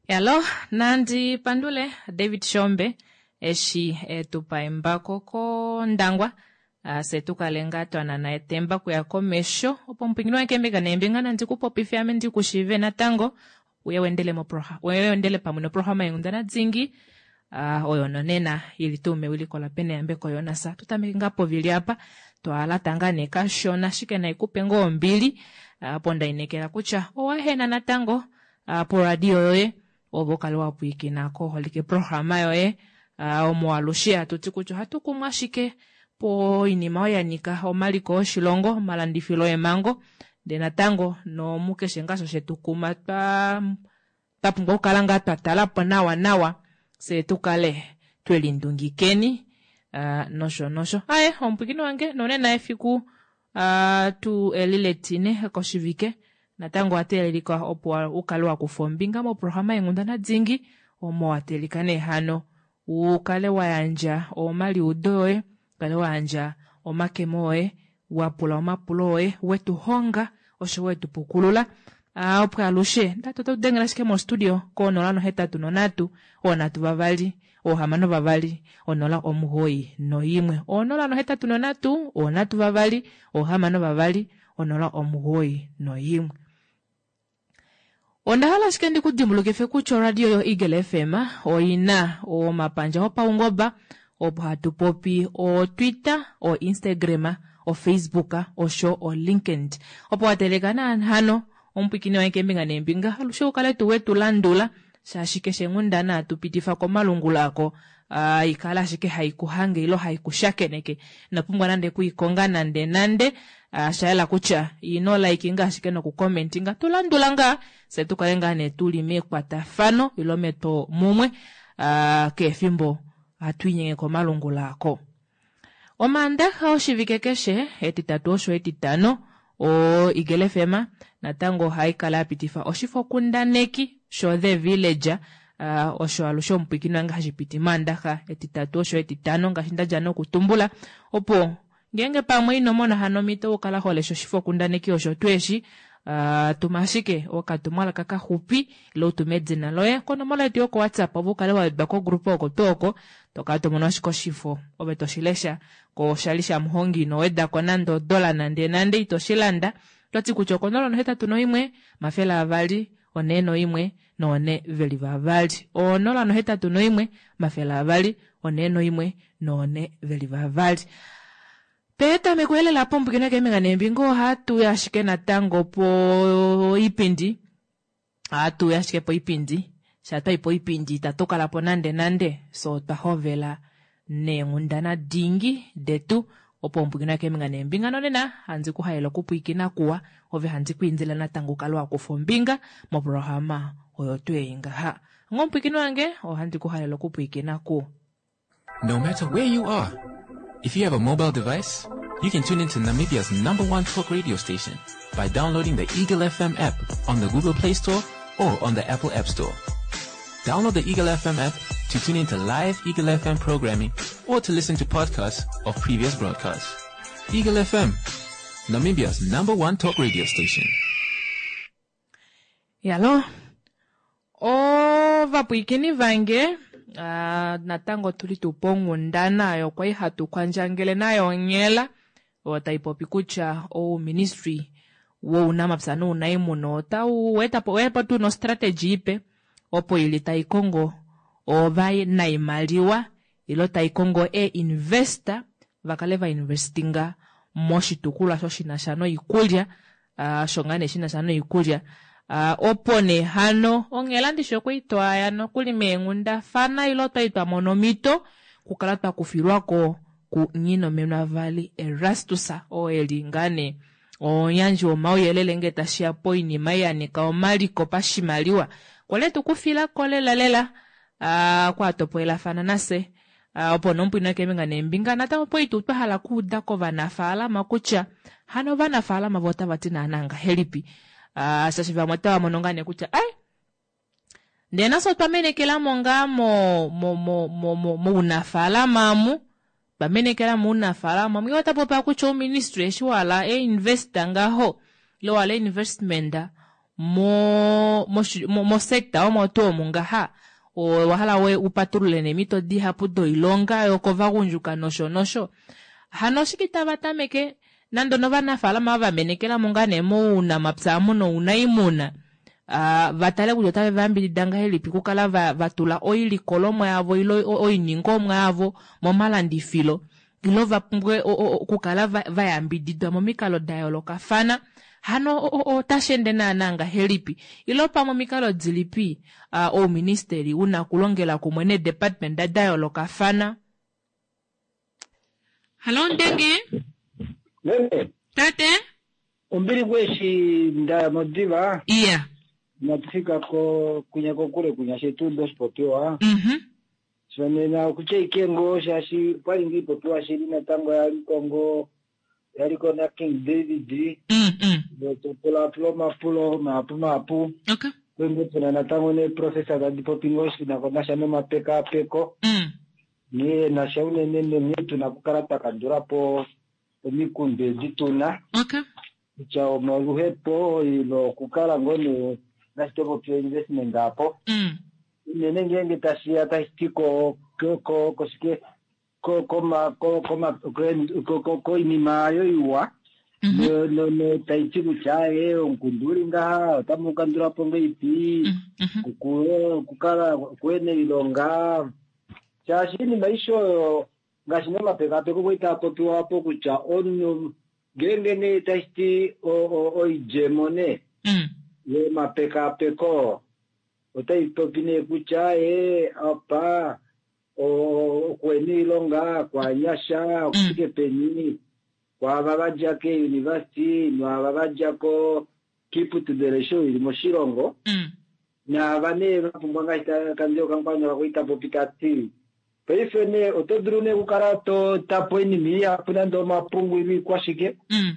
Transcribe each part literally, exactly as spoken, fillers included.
Yalo nandi pandule David Shombe eshi etupa embako kOndangwa fye tukale ngaa twanana etemba okuya komesho opo omupwiikini wange keembinga neembinga nandi kupopife ame ndikushiive natango uye weendele pamwe noprograma yenghundana dingi oyo nonena ili tuu mewiliko laPeneyambeko Jonas. Tutameke ngaa povili apa twalata ngaa nee kashona ashike naikupe ngoo ombili opo ndainekela kutya owahena natango poradio yoye ove ukale wapwiikina koholike programa yoye omo alushe hatuti kutya ohatu kumwa ashike poinima oyo yanyika omaliko oshilongo, omalandifilo eemhango ndee natango nomukeshe ngaa osho shetukuma twa twapumbwa okukala ngaa twatalapo nawa nawa fyee tukale twelindungikeni nosho nosho. Aaye omupwiikini wange nonena efiku tuu eli letine koshivike natango owateelelika opo ukale wakufa ombinga moprograma yenghundana dingi omo wateelelika nee hano ukale wayandja omaliudo oye, ukale wayandja omakemo oye, wapula omapulo oye, wetuhonga osho wetupukulula opo alushe ndati oto dengele ashike mo studio ko nola nohetatu nonhatu oonhatu vavali oohamano vavali onola omugoyi noimwe onola nohetatu nonhatu oonhatu vavali oohamano vavali onola omugoyi noimwe. Ondahala ashike ndikudimbulukife kutya oradio yo Eagle F M oina omapandja opaungoba opo hatu popi o Twitter, o Instagram, o Facebook osho o LinkedIn opo wateleka hano omupwiikini wange keembinga neembinga alushe ukale tuu wetulandula shaashi keshe nghundana hatu pitifa komalungula ako ikala ashike haikuhange ile haikushakeneke inopumbwa nande okuikonga nande nande shayela kutya ino likinga ashike nokucommentinga tulandula ngaa fye tukale ngaa nee tuli mekwatafano ile metwo mumwe keefimbo hatu inyenge komalungula ako. Omaandaxa oshivike keshe etitatu osho etitano o Eagle F M natango ohaikala yapitifa oshifokundaneki sho The Village osho alushe omupwiikini wange hashipiti maandaxa etitatu osho etitano ngaashi ndadja nokutumbula opo ngeenge pamwe inomona hano omhito okukala holesha oshifokundaneki osho tuu eshi tuma ashike okatumwalaka kaxupi ile utume edina loye konomola yetu yoko WhatsApp opo ukale wawedwa kogrupa oko tuu oko tokala tomono ashike oshifo ove toshilesha koshali shamuhongi ino wedako nande odola nande nande ito shilanda otwati kutya okonola nohetatu noimwe omafele avali onhee noimwe noone veli vavali onola nohetatu noimwe omafele avali onhee noimwe noone veli vavali. Petameko elela pomupwiikini keembinga neembinga ohatuya ashike natango poipindi ohatuya ashike poipindi shaa twayi poipindi itatu kalapo nande nande fye otwa hovela neenghundana dingi detu opo omupwiikini keembinga neembinga nonena handi kuhalele okupwiikina kuwa ove handi kwiindile natango ukale wakufa ombinga moprograma oyo tuu ei ngaha onga omupwiikini wange ohandi kuhalele okupwiikina kuwa. No matter where you are, if you have a mobile device, you can tune into Namibia's number one talk radio station by downloading the Eagle F M app on the Google Play Store or on the Apple App Store. Download the Eagle F M app to tune into live Eagle F M programming or to listen to podcasts of previous broadcasts. Eagle F M, Namibia's number one talk radio station. Yalo ovapwiikini vange uh, natango tuli tuu ponghundana oyo kwali hatu kwandjangele nayo onghela oyo taipopi kutya ouministry wounamapya nounaimuna otau wetapo oweyapo tuu nostrategy ipe opo ili taikongo ovanaimaliwa ile taikongo ee-investor vakale vainvestinga moshitukulwa osho shinasha noikulya uh, osho ngaa nee shinasha noikulya uh, opo nee hano onghela ndishi okwali twaya nokuli meenghundafana ile otwali twamona omhito okukala twakufilwako ku Nghinomenwa Erastus oo eli ngaa nee omuyandji womauyelele ngee tashiya poinima ei yanika omaliko pashimaliwa kwali etukufilako lela lela uh, kwatopolelafana nafye uh, opo nomupwiina keembinga neembinga natango opo tuu twahala okuuda kovanafaalama kutya hano ovanafaalama vo otavati naana ngahelipi uh, shaashi vamwe otava mono ngaa nee kutya ai ndee nafye otwa menekelamo ngaa mo, mo, mo, mo, mo, mounafaalama amu twamenekela mounafaalama amu iye otapopi kutya ouministry eshi wahala einvesta ngaho ile wahala investment mo mo sector omo tuu omu ngaha owahala upatulule neemito dihapu doilonga yokovagundjuka nosho nosho. Hano oshike itava tameke nande onovanafalama ava vamenekelamo ngaa nee mounamapya amu nounaimuna, vatale kutya otave vayambidida ngahelipi okukala vatula oilikolomwa yavo ile oiningomwa yavo momalandifilo ile vapumbwe okukala vayambididwa momikalo dayoolokafana. Hano otasheende naana ngahelipi ile pamwe omikalo dilipi ouministeli una okulongela kumwe nee department dayoolokafana. Hallo Ndenge. Meme. Tate. Ombili kweshi ndaya modiva. Iya. Natufika ko kunya kokule kunya shetu ndoshipopiwa. Mhm. Shonena okutya ike ngoo shaashi okwali ngoo ipopiwa shili natango yaliko ngoo yaliko na King David. Mm mm. Topulapula omapulo mahapu mahapu. Okay. Kwenge puna natango neeprofessor tadi popi ngoo shinako nasha nomapekaapeko. Mm. Nghee nasha unene nghee tuna okukala twa kandula po omikundu edi tuna. Okay. Kutya omoluhepo ile okukala ngoo nee ngaashi topopi investment apo. Mm. Unene ngeenge tashiya tashi ti ko ko koshike ko koma ko koma ko koinima oyo iwa. Mhm. No no tai ti kutya ee omukundu uli ngaha otamu kandula po ngeipi. Mhm. Okukala kuene oilonga shaashi iinima aishe oyo ngaashi nomapekapeko kwali taa popiwa apo kutya omunhu ngeenge nee tashi ti oidjemo nee Mm. yomapekapeko otai popi nee kutya ee apa okuhena oilonga kwanyasha okufike peni kwaava vadja keuniversity naava vadja ko kiiputudilo aishe ili moshilongo. Mm. Naava nee vapumbwa ngaashi Kandjo Kankwanya kwali tapopi tati paife nee oto dulu nee okukala to tapo oinima ihapu nande omapungu ile ikwashike. Mm.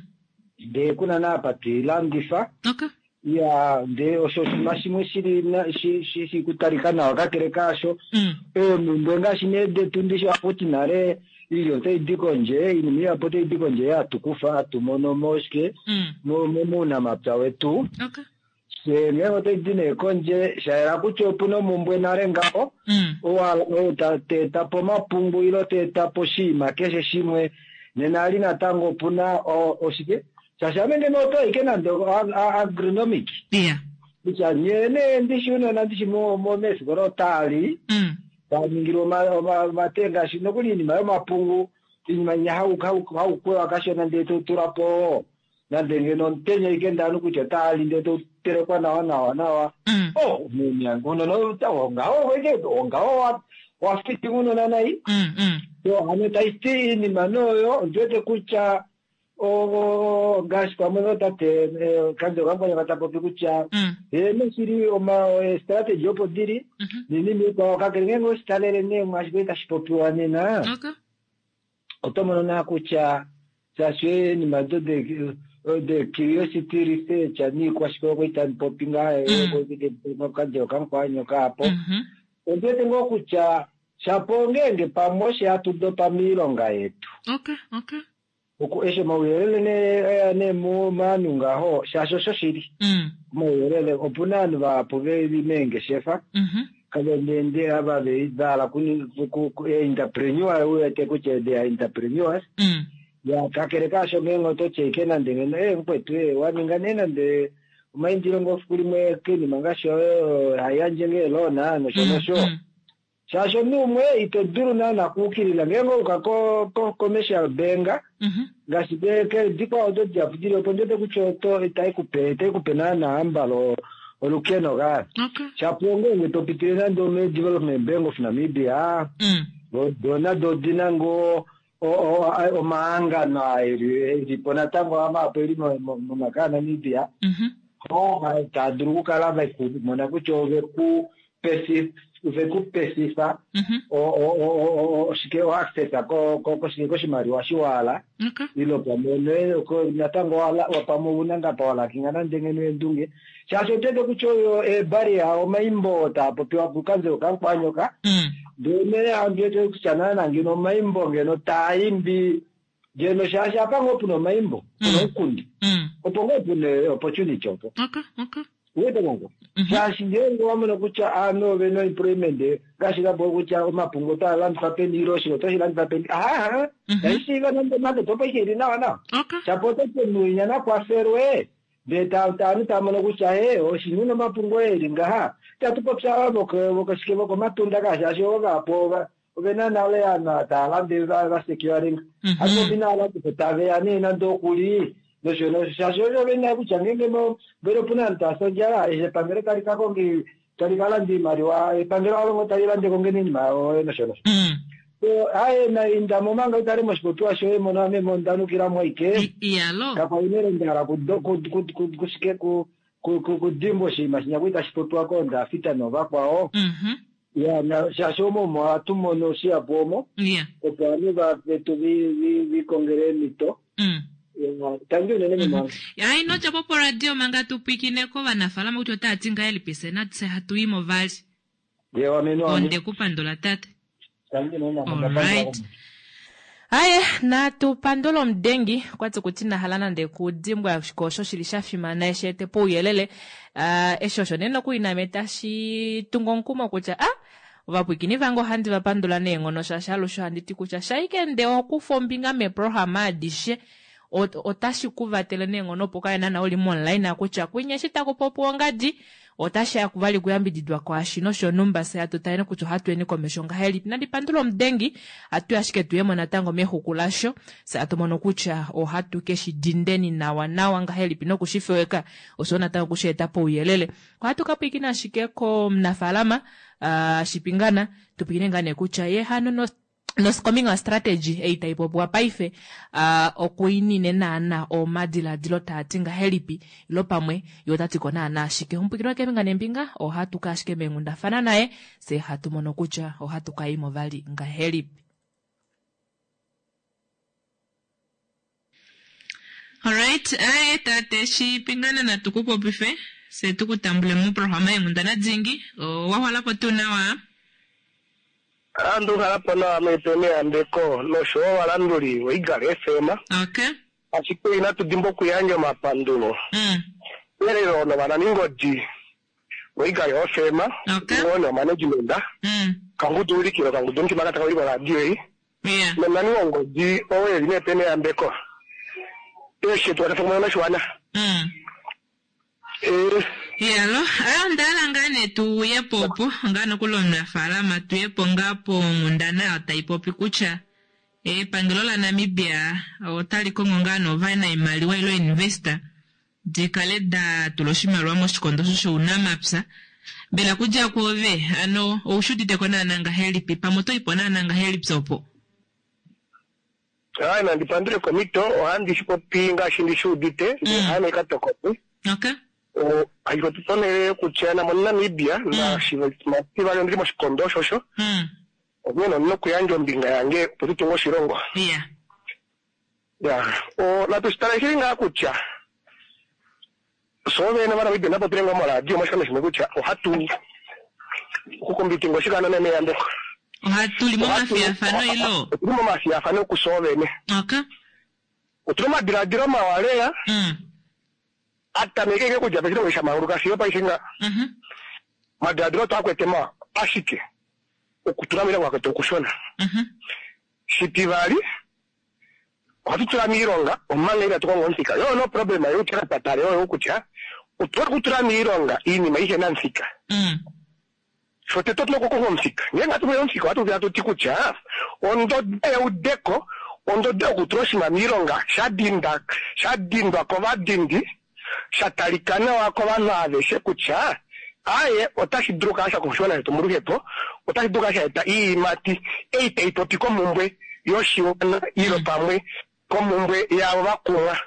Ndee kuna naapa toilandifa. Okay. Ya ndee osho oshinima shimwe shili shi shi shi kutalika nawa kakele kaasho. Mm. Eemhumbwe ngaashi nee detu ndishi ohakuti nale iilya otai di kondje, iinima ihapu otai di kondje hatu kufa hatu mono moshike Mm. mounamapya wetu. Okay. Fye ngeenge otai di nee kondje shayela kutya opuna omhumbwe nale ngaho. Mm. Owa ta po omapungu ile ta po oshinima keshe shimwe nena ali natango opuna oshike shaashi ame ngeno oto ike nande agronomic. Iya. Kutya nye nee ndishi unona ndishi meefikola otaali Mm. taningilwa omate ngaashi nokuli iinima yomapungu iinima inya haukwewa kashona ndee totula po nande ngeno omutenya ike ndanu kutya otaali ndee totelekwa nawa nawa nawa. Mm. Oh unona ongaho ongaho wafiti unona nai. Mm, mm. Yo hano taiti iinima noyo ondiwete kutya ngaashi pamwe notate Kandjo Kankwanya tapopi kutya Mm. eeno shili eestrategy opo dili Mhm. niinima ikwao kakele ngeenge oweshitalele nee mwaashi kwali tashi popiwa nena Okay. oto mono naa kutya shaashi eenima do de curiosity research niikwashike okwali tamupopi ngaa Mm. Kandjo Kankwanya kaapo Mhm. ondiwete ngoo kutya shapo ngeenge pamwe osho hatu dopa miilonga yetu. Okay, okay. Oku eshi omauyelele nee nee movanhu ngaho shaashi osho shili Mm. omauyelele opuna ovanhu vahapu veli meengeshefa Mhm. kave ava vahala entrepreneur uwete kutya they are entrepreneurs. Mm. Ya kakele kaasho ngeenge oto tya ike nande ngeno ee mukwetu ee waninga nee nande omaindilo ngoo fiku limwe koinima ngaashi oyo haiyandje ngee loan nosho nosho. Mm. Shaashi omunhu umwe ito dulu naana kuukilila ngeenge ouka ko commercial bank Mhm. ngaashi dikwao odo dihapu dili opo ndiwete kutya oto itaikupe itaikupe naana ambala olukeno kaa. Okay. Shapo ngeenge topitile nande ome Development Bank of Namibia Mm. dona dodina ngoo omahangano elipo natango amahapu eli momaka aNamibia Mhm. taa dulu okukala vekumona kutya oveku vekupesifa Mhm. oshike oaccess koshike koshimaliwa shiwala Okay. ilo pamwe natango pamwe ouna ngapa walakinga nande ngeno eendunge shaashi otwete kutya oyo eebaria omaimbo taa popiwa kuKandjo Kankwanyoka Mm. ndee andiwete kutya naana ngeno omaimbo ngeno taaimbi ngeno shaashi apa ngoo puna omaimbo puna omukundi Mm. opo ngoo puna opportunity opo. Okay, okay. Uwete kongo shaashi ngeenge wamona kutya aanhu ovena employment ngaashi kapo kutya omapungu otaa landifwa peni ile oshilo otashi landifwa peni ahaha taishiiva nande market opo ihe ili nawa nawa shapo otati omunhu nakwafelwe ndee aanhu taamono kutya he oshinhu nomapungu eli ngaha itatu popya vokoshike vokomatunda ka shaashi ovo vapo ovena nale aanhu taa lande vasecuringa hatu popi naalandifa taveya nee nande okuli nosho nosho shaashi osho vena kutya ngeenge mbele opuna aanhu taasi ondjala eshi epangelo tali ka konga tali ka landa iimaliwa epangelo alongo tali lande kongeni iinima yawo nosho nosho aye naindamo manga utale moshipopiwa shoye mono ame mondanukilamo aike kakwainele ndahala kushike kudimbwa oshinima shinya kwali tashi popiwa koondafita novakwao ya shaashi omo omo ohatu mono shihapu omo opo ovanhu vetu vikongele eemhito tangi unene mimanga ya ino djapo poradio manga tupwikine kovanafaalama kutya otaa ti ngahelipi fye natse hatu i mo vali onde ku pandula tate. Alright. Aye, natu pandula omudengi okwati kuti nahala nande kudimbwa osho shili sha fimana eshi ete pouyelele uh, eshi osho nee nokuli name tashi tungu omukumo kutya ah ovapwikini vange ohandi va pandula neenghono shaashi alushe ohandi ti kutya shaike nde okufa ombinga meprograma adishe otashi ku vatele neenghono opo kale naana uli mo-online kutya kwinya eshi taku popiwa ongadi otashi ya vali kuyambididwa kwaashi noshonhumba fye hatu taleni kutya ohatu yeni komesho ngahelipi. Nandi pandula omudengi hatu ashike tuyemo natango mexuku lasho fye hatu mono kutya ohatu ke shi dindeni nawa nawa ngahelipi noku shi feweka osho natango kushi eta pouyelele. Ohatu ka pwiikina ashike komunafaalama uh, Shipingana tupwikine ngaa nee kutya ye hano no nokombinga strategy ei tai popiwa paife uh, okuinine naana omadiladilo taati ngahelipi ilo pamwe ye otati ko naana ashike omupwikini wakeembinga nembinga ohatu ka ashike meenghundafana naye fye hatu mono kutya ohatu ka imo vali ngahelipi. Alright, aye tate Shipingana natu ku popife fye tukutambule moprograma yeenghundana dingi owa tuu nawa? Andu halapo nawa mepe neyambeko nosho wo ovalanduli voEagle F M. Okay. Ashike inatu dimbwa okuyandja omapandulo Mm. elelo novananingodi voEagle F M Okay. wo management Mm. kangudu ulikilo kangudu mutima kataka ulikwa radio ei Yeah. nomunani wongodi oo eli mepe neyambeko eshe tukwatafana noshiwana. Mm. Eh, Yalo, ayo ndahala ngaa nee tuye po ngaa nokuli omunafaalama tuye po ngaa ponghundana oyo tai popi kutya epangelo laNamibia otali kongo ngaa novanaimaliwa ilo investor dikale da tula oshimaliwa moshikondo osho shounamapya. Mbela kudja kwoove ano oushi uditeko naana ngahelipi pamwe oto ipo naana ngahelipi opo? Hayi nandi pandule komito ohandi shi popi ngaashi ndi shi udite ndee haame katokopi. Okay. Hashi popi ponhele kutya namo Namibia nashivali ondili moshikondo osho osho Mm. onghee ondina okuyandja ombinga yange opo tutunge oshilongo. Yeah. Ya natu shitale shili ngaa kutya so vene vaNamibia napopile ngoo moradio moshikando shimwe kutya ohatu okukombitinga oshikando nemeyambeko. Ohatu li momafiyafano ilo? Otuli momafiyafano kusoo vene. Okay. Otuna omadiladilo mawa lela Mm. atameke nge kudja peshilongo shamanguluka fiyo paife nga Mhm. madiladilo twakwete mawa ashike okutula miilonga kwetu okushona. Mhm. Shitivali ohatu tula miilonga omanga inatu konga omuthika yo no problem yo patale oyo kutya otuna okutula miilonga iinima ihena omuthika. Mm. Shotete otuna okukonga omuthika ngenge atu omuthika ohatu vula tuti kutya ondodo yeudeko ondodo yokutula oshinima miilonga sha dinda sha dindwa kovadindi sha talika nawa kovanhu aveshe kutya aye otashi dulu okukala sha oshiwana shetu moluhepo otashi dulu okukala sha eta iiyimati ei tai popi komumbwe yoshiwana ilo pamwe komumbwe yaavo vakumwa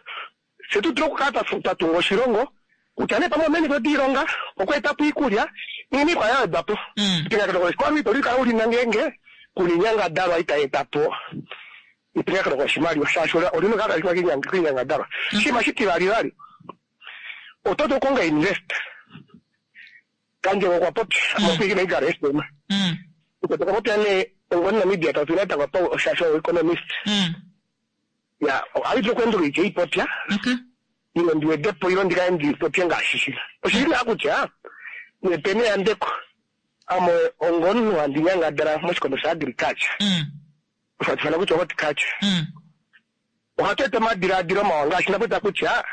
fye tu dule okukala twa tunga oshilongo kutya nee pamwe omeemhito diilonga okweetapo iikulya niinima ikwao ya wedwapo. Mm. Epingakaneko ito likala ulina ngeenge kuna inyangadalwa itai etapo epingakaneko loshimaliwa shaashi olina okukala tali koinyangadalwa. Oshinima shitivali vali oto dulu okukonga invest Kandjego okwa popya mopwiikina Eagle F M. Mm. Okwa popya nee ongomuNamibia tatu natango shaashi oyo economist Mm. ya ohali dulu okuendulula ipopya. Okay. Ile ndi wedepo ile ndikale ndipopye ngaashi shili. Oshili naa kutya nepene yandeko ame ongomunhu handi nyangadala moshikondo sha agriculture. Mm. Osho hatu ifana kutya horticulture. Mm. Ohatu eta omadilaadilo mawa ngaashi ndapopya kutya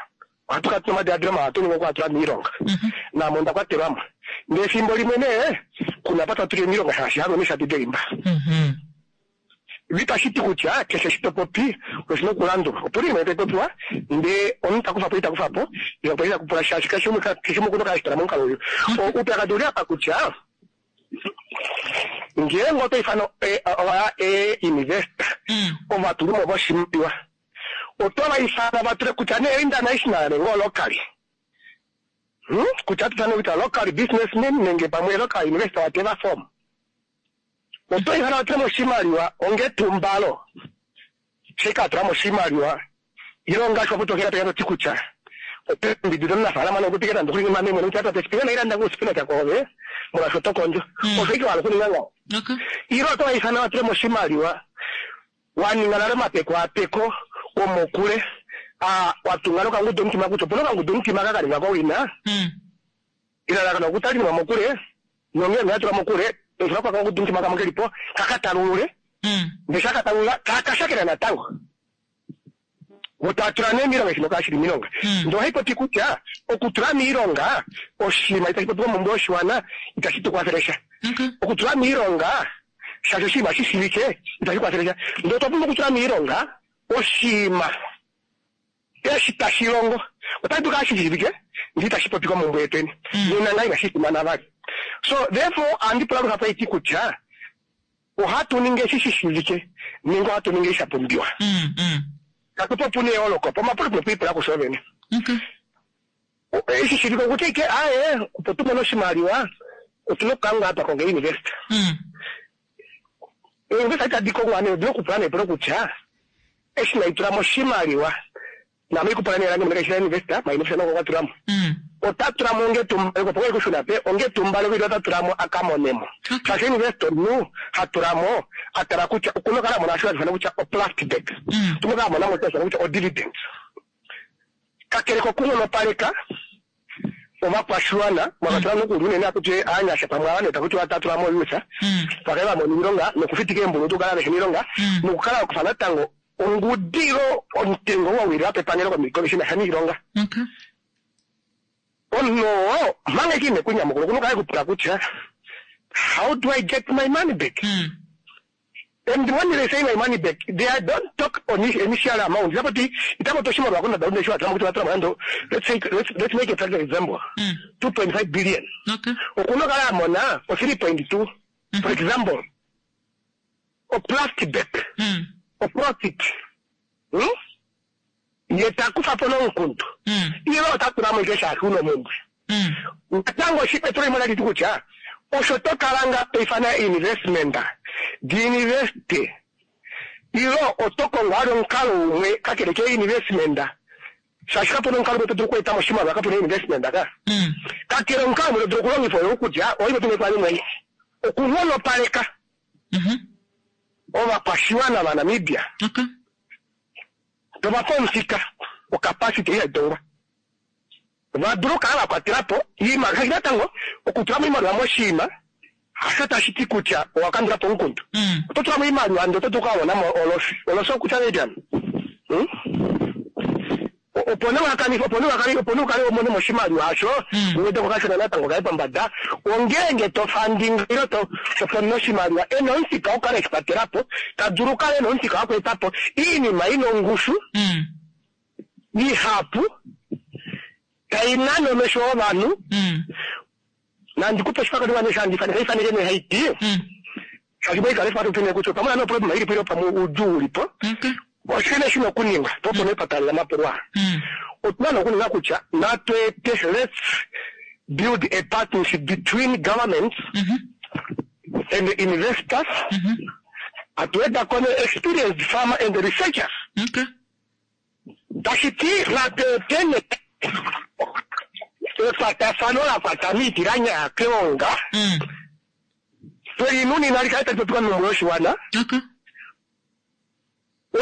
ohatu kala tuna omadilaadilo mawa ohatu ningi okuatula miilonga. Mhm. Naame onda kwatelwamo. Ndee efimbo limwe nee kuna apa twatulile miilonga shaashi halwe neshadi delimba. Mhm. Itashi ti kutya keshe eshi to popi oshina okulandulwa. Opuna oinima tai popiwa ndee omunhu ta kufapo ita kufapo, ile opo ita kupula shaashi keshe umwe keshe umwe okuna okukala eshitala momukalo uyu. Oupyakadi ouli apa kutya ngeenge oto ifana e-investor Mm. ovatulimo voshimaliwa oto va ifana va tule kutya nee international nenge olocally. Hmm? Kutya tutane kutya local businessman nenge pamwe local investor whatever form. Oto ifana va tule mo oshimaliwa onga etumbalo. Sheka atula mo oshimaliwa ile ngaashi wapotokela peka toti kutya oto yambidida omunafaalama nokupika nande okuli mame mwene kutya tate sipina nailanda ngoo spinach koove molwaashi oto kondjo. Mm. Osho ike wahala okuninga ngaho. Okay. Ile oto va ifana va tule mo oshimaliwa waninga nale omapekapeko omokule a watunga nokangudu omutima kutya opuna okangudu omutima ka kaninga kowina Mm. elalakano okutalinima mokule nongee noyatula mokule toitula kwa kangudu omutima kamwe kelipo kakatalulule Mm. ndee shakatalulula kakashakena natango otatula nee miilonga eshino kashili miilonga. Mm. Ndee ohaipopi kutya okutula miilonga oshinima itashi popiwa momumbwe yoshiwana itashi tukwafele sha. Okay. Okutula miilonga shaashi oshinima shishivike itashi kwafele sha. Ndee otwa pumbwa okutula miilonga oshinima eshi tashi longo otashi dulu kala shishivike ndee itashi popiwa momumbwe yetweni. Mm. Nena ngaa inashi fimana vali. So therefore ohandi pula luhapu haiti kutya ohatu ningi eshi shishivike nenge ohatu ningi eshi sha pumbiwa. Mm. Mm. Katupo opuna eyooloko po omapulo tuna okwiipula kufye vene. Okay. Eshi shivike okutya ike aaye opo tumone oshimaliwa otuna okukala ngaa twa konga e-investor. Mm. Ee-investor itadi kongwa nee odina okupula neepulo kutya eshi naitulamo oshimaliwa naame ikupula nee lange mwene kaishi investor ma investor noko kwatulamo. Mm. Ota tulamo onga etumbaleko opo kushuna pe onga etumbaleko ile ota tulamo akamonemo. Okay. Shaashi investor omunhu ha tulamo a tala kutya okuna okukala amona osho hatu ifana kutya o-plastic bag. Mm. Otuna okukala amonamo osho hatu ifana kutya o-dividend. Kakele kokunghonopaleka ovakwashiwana mwakwatelwa nokuli unene akuti aanyasha pamwe ava nee takuti watatulamo youth Mm. vakale vamona oilonga nokufitika eembulu okukala vehena oilonga Mm. nokukala wakufa natango ongudi ilo omutengo wa wilila pepangelo shinasha niilonga. Okay. Omunhu oo omanga ike ine kunyamukula okuna okukala ekupula kutya how do I get my money back? Mm. And when they say my money back, they don't talk on initial amount. Itapoti itapoti oshimaliwa kondada lunde shi watulamo kuti watulamo nando let's say let's, let's make a practical example. Mm. two point five billion. Okay. Okuna okukala amona o three point two for example. O plastic back. Mm. O profit. Hmm? Ye takufapo nomukundu. Mm. Ile ota tulamo ike shaashi una omumbwe. Mm. Natango etulo limwe tali ti kutya osho to kala nga to ifana investment diinveste ilo oto kongo ali omukalo umwe kakele ke investment shaashi kapuna omukalo umwe to dulu okweetamo oshimaliwa kapuna investment ka. Mm. Kakele omukalo umwe to dulu okulongifa oyo kutya oive tumwe mwene okunghonopaleka Mhm. ovakwashiwana vaNamibia Okay. tovapa omufika ocapacity ei haitongwa vadulu okukala vakwatelapo iimaliwa shaashi natango okutulamo iimaliwa moshinima hasho tashi ti kutya owakandulapo omukundu. Mm. Oto tulamo iimaliwa ndee oto dulu okukamonamo olosi olosi okutya ngahelipi hmm? Opo nee wakanifa opo nee wakale opo nee ukale umonemo oshimaliwa osho Mm. uwete kokashona natango kaye pombada ongeenge to funding ile to tofuna oshimaliwa ena omufika wokukala eshikwatelapo tadulu okukala ena omufika wokweetapo iinima ina ongushu Mm. ihapu tainane omesho ovanhu Mm. nandikupe oshifakaniwa shandifaneka ifaneke nee haiti Mm. shaashi moikala efatutene kutya pamwe nane oproblema ilipo ile pamwe oudjuu ulipo Okay. oshine shina okuningwa po opo nee twatalela omapulwa. Mm. Otuna nee okuninga kutya natweete let's build a partnership between governments Mhm. and the investors Mhm. atuwedako ne experienced farmer and researchers. Okay. Tashi ti natweete ne ekwatafano la kwata miiti la nyaya keonga Mm. twelinunina likale tali popiwa momumbwe yoshiwana Okay.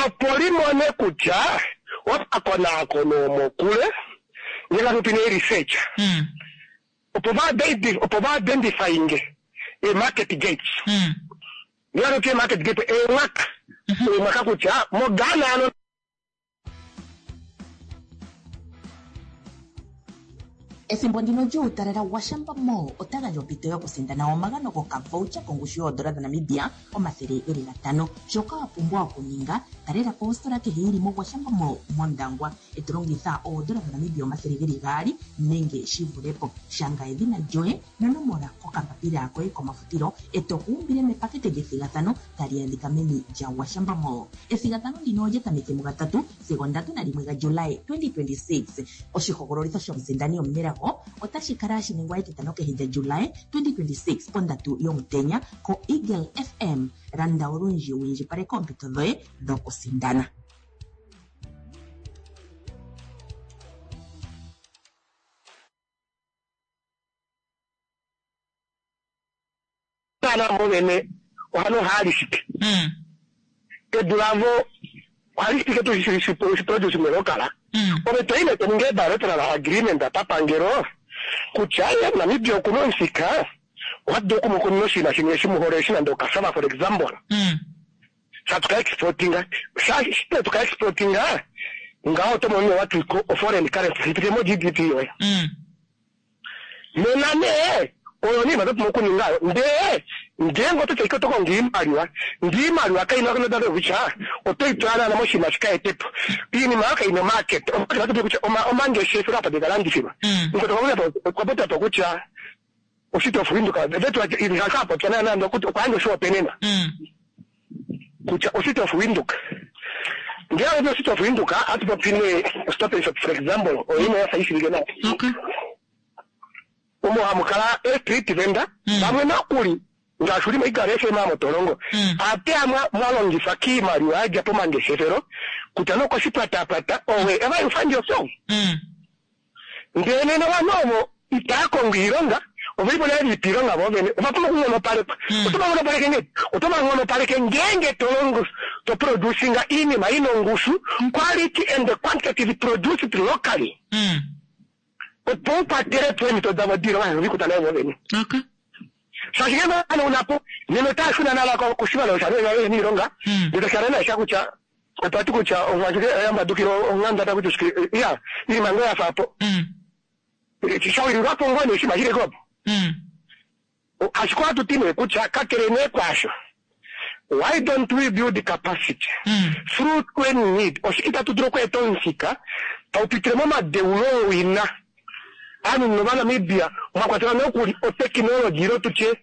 opo limone kutya Omakonaakono omokule ngenge hatu ne research Mm. opo va identi- opo va identifyinge e-market gates Mm. ngenge hatu ti e-market gate eemwaka eemwaka kutya moGhana ano Ethimbo ndino lyuutalala Gwashamba Mall ota gandja ompito yokusindana omagano gokavoucher kongushu yoodola dhaNamibia omathele geli gatano. Shoka wa pumbwa okuninga, talela po ositola kehe yili moGwashamba Mall mOndangwa e to longitha oodola dhaNamibia omathele geli gaali nenge shi vule po. Shanga edhina lyoye nonomola kokambapila koye komafutilo e to kuumbile mepakete lyethigathano tali adhika meni lyaGwashamba Mall. Ethigathano ndino olya tameke mugatatu sigo ndatu nalimwe gaJulayi twenty twenty-six. Oshihogololitho shomusindani omunelago otashi kala hashi ningwa etitano kehe lyaJulayi twenty twenty-six pondatu yomutenya koEagle F M. Landa olundji wu indjipaleke oompito dhoye dhokusindana. Ghana mo vene ohano ohali shike Mm. edu lavo ohali shike tuu shiproduce melokala Mm. ove toine toninga bilateral agreement papangelo kutya ye Namibia okuna omuthika ohatu dulu okumukunina oshinima shimwe shimuhole shi nande okasava for example Mm. sha tuka exportinga sha shite tuka exportinga ngaho oto mono what we call foreign currency shipite mo G D P yoye Mm. nena nee oyo niima topumbwa okuninga ndee ngeenge oto taika oto kongo iimaliwa ndee iimaliwa kaina nodalo kutya otoyi tula naana moshinima shika etepo iinima yo kaina market omatatu kutya omangeshefelo apa tekalandithilwa Mm. okwa popya kutya oshiti of Windhoek vetu kapopya naana okwa yandja oshihopaenenwa Mm. kutya oshiti of Windhoek ngele oshiti of Windhoek hatu popi nee Stop and Shop for example oyo imwe yafa ishivike nawa Okay. omo hamu kala e-street vendor Mm. vamwe nokuli ngaashi uli moIgala F M amotolongo Mm. ate amwa mwalongifa kiimaliwa yadja pomangeshefelo kutya nokoshipwatapwata owe ever you find yourself Mm. ndele nena ovanhu ovo itaya kongo iilonga ovelipo nale lipa iilonga vo vene ovapumbwa okunghonopalekwa Mm. oto vanghonopaleke ngee oto vanghonopaleke ngeenge tolongo to producinga iinima ina ongushu quality and quantitative produced locally Mm. opo ukwatele po eemhito davo diilonga vikuta naye vo vene Okay. shaashi ngee vanauna po nena otaya shuna nala koshimaliwa shaniilonga Mm. ndele tashikala naisha kutya otwa ti kutya omwashike yambadukile onghanda takuti ushike ya iinima ngoo yafa po Mm. shawililwapo ngoo nee oshinima shili kopo Mm. ashike ohatu ti nee kutya kakele nee kwaasho why don't we build capacity Mm. through when need oshike tatu dulu okweeta omufika taupitile momadeulo owina aanhu novanamibia mwakwatelwa nokuli otekinology ilo tutye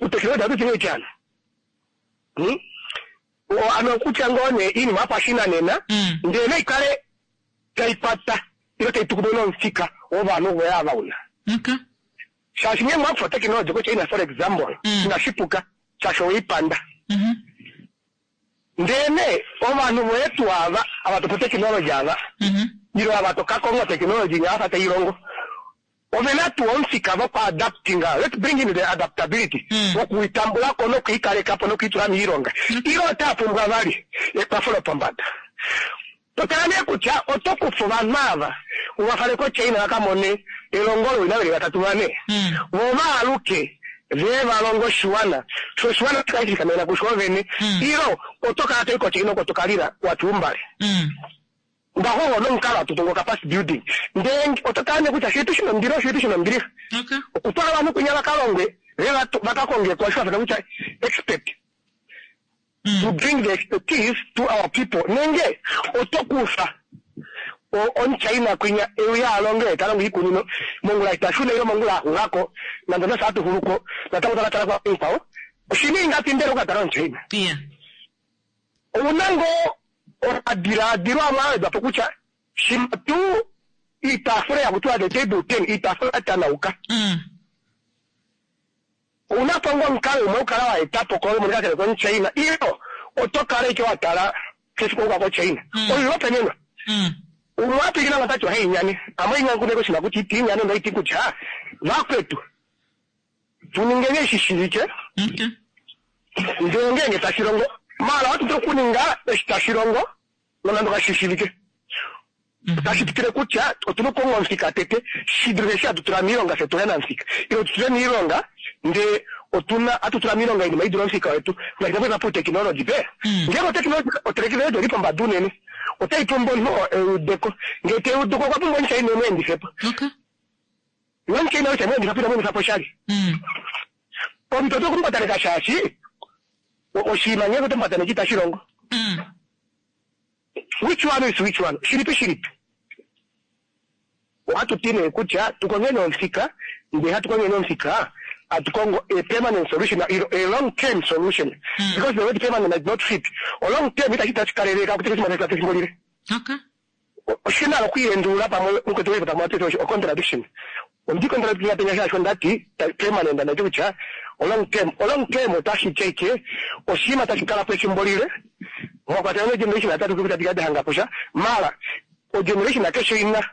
utekinology atuti nee tyana Hmm? O- ano kutya ngoo nee iinima yopashinanena Mm. ndele naikale taikwata ilo taitukumwe nomufika wovanhu voye ava una Okay. shaashi ngee mwakufa otekinology koChina for example Mm. inashipuka shaashi oweipanda Mhm. ndele nee ovanhu voye tuu ava ava topa otekinology ava Mhm. ilo ava tokakonga otekinology nyafa tailongo ovena tuu omufika vokuadaptinga let's bring in the adaptability Mm. wokuitambulako nokuikalekapo nokuitula miilonga ilo otapumbwa vali ekwafo lopombada totala nee kutya oto kufa ovanhu ava uvafale koChina vakamone elongo lowina veli vatatu vane Mm. vo vaaluke ve valongo oshiwana sho oshiwana shikale kusho vene Mm. ilo oto kala toi koChina oko tokalila watuumbale Mm. ngaho nomukalo hatu tungu capacity building ndee oto tala nee kutya shitu shina ombiliha shitu shina ombiliha Okay. okutwala ovanhu kwinya vakalongwe ve vakakonge osho vafana kutya expert Mm. to bring the expertise to our people nenge oto kufa omuchina kwinya euya alonge talongo iikunino mongula itashuna ilo mongula axulako nande nasa atuxuluko natango takatala kwa oshini ingapi mbela okatala omuchina Yeah. ouna ngoo omadilaadilo amwe awedwapo kutya shima tuu iitaafula yakutiwa the table ten iitaafula yatanauka Mm. ouna po ngoo omukalo umwe ukala waetapo komonika kele komuchina ilo oto kala ike watala kefiku ouka kochina Mm. oilopenenwa Mm. umwe apikila nga tati ohainyane amwe inyankuneko oshinima kutya iti inyane ndoiti kutya vakwetu tuningeni eshi shilike Okay. ndele ngeenge tashi longo maala ohatu dulu okuninga eshi tashi longo nonande kashishivike Otashi tutile kutya otuna okukonga omufika tete shi dulife eshi hatu tula miilonga fye tuhe na omufika ile tu tule miilonga ndee otuna hatu tula miilonga oinima idule omufika wetu ngaashi takueva poutekinology pe ngeenge otekinology otekinology oli pombada unene otai pumbwa omunhu oo eudeko ngee teudeko okwa pumbwa omuchaina emu endifepo Okay. nomuchaina ou temu endifapo ina mu endifapo oshali Mm. omuntu oto okumupataneka shaashi o- oshinima ngeenge oto mupataneke itashi longo Mm. which one is which one shilipi shilipi ohatu ti nee kutya tukongeni omufika ndee hatu kongeni omufika hatu kongo a permanent solution a long term solution Mm. because the word permanent might not fit o long term itashi tashi kaleleka kuti kechimana chifimbo lile Okay. oshina okwiendulula pamwe mukwetu wepo pamwe atete o contradiction ondi contradiction penya shasho ndati ta- permanent ndati kutya o long term o long term otashi cheke oshinima tashi kala po efimbo lile mwakwatela negeneration atatu kuta tikade hanga posha mara o generation akeshe ina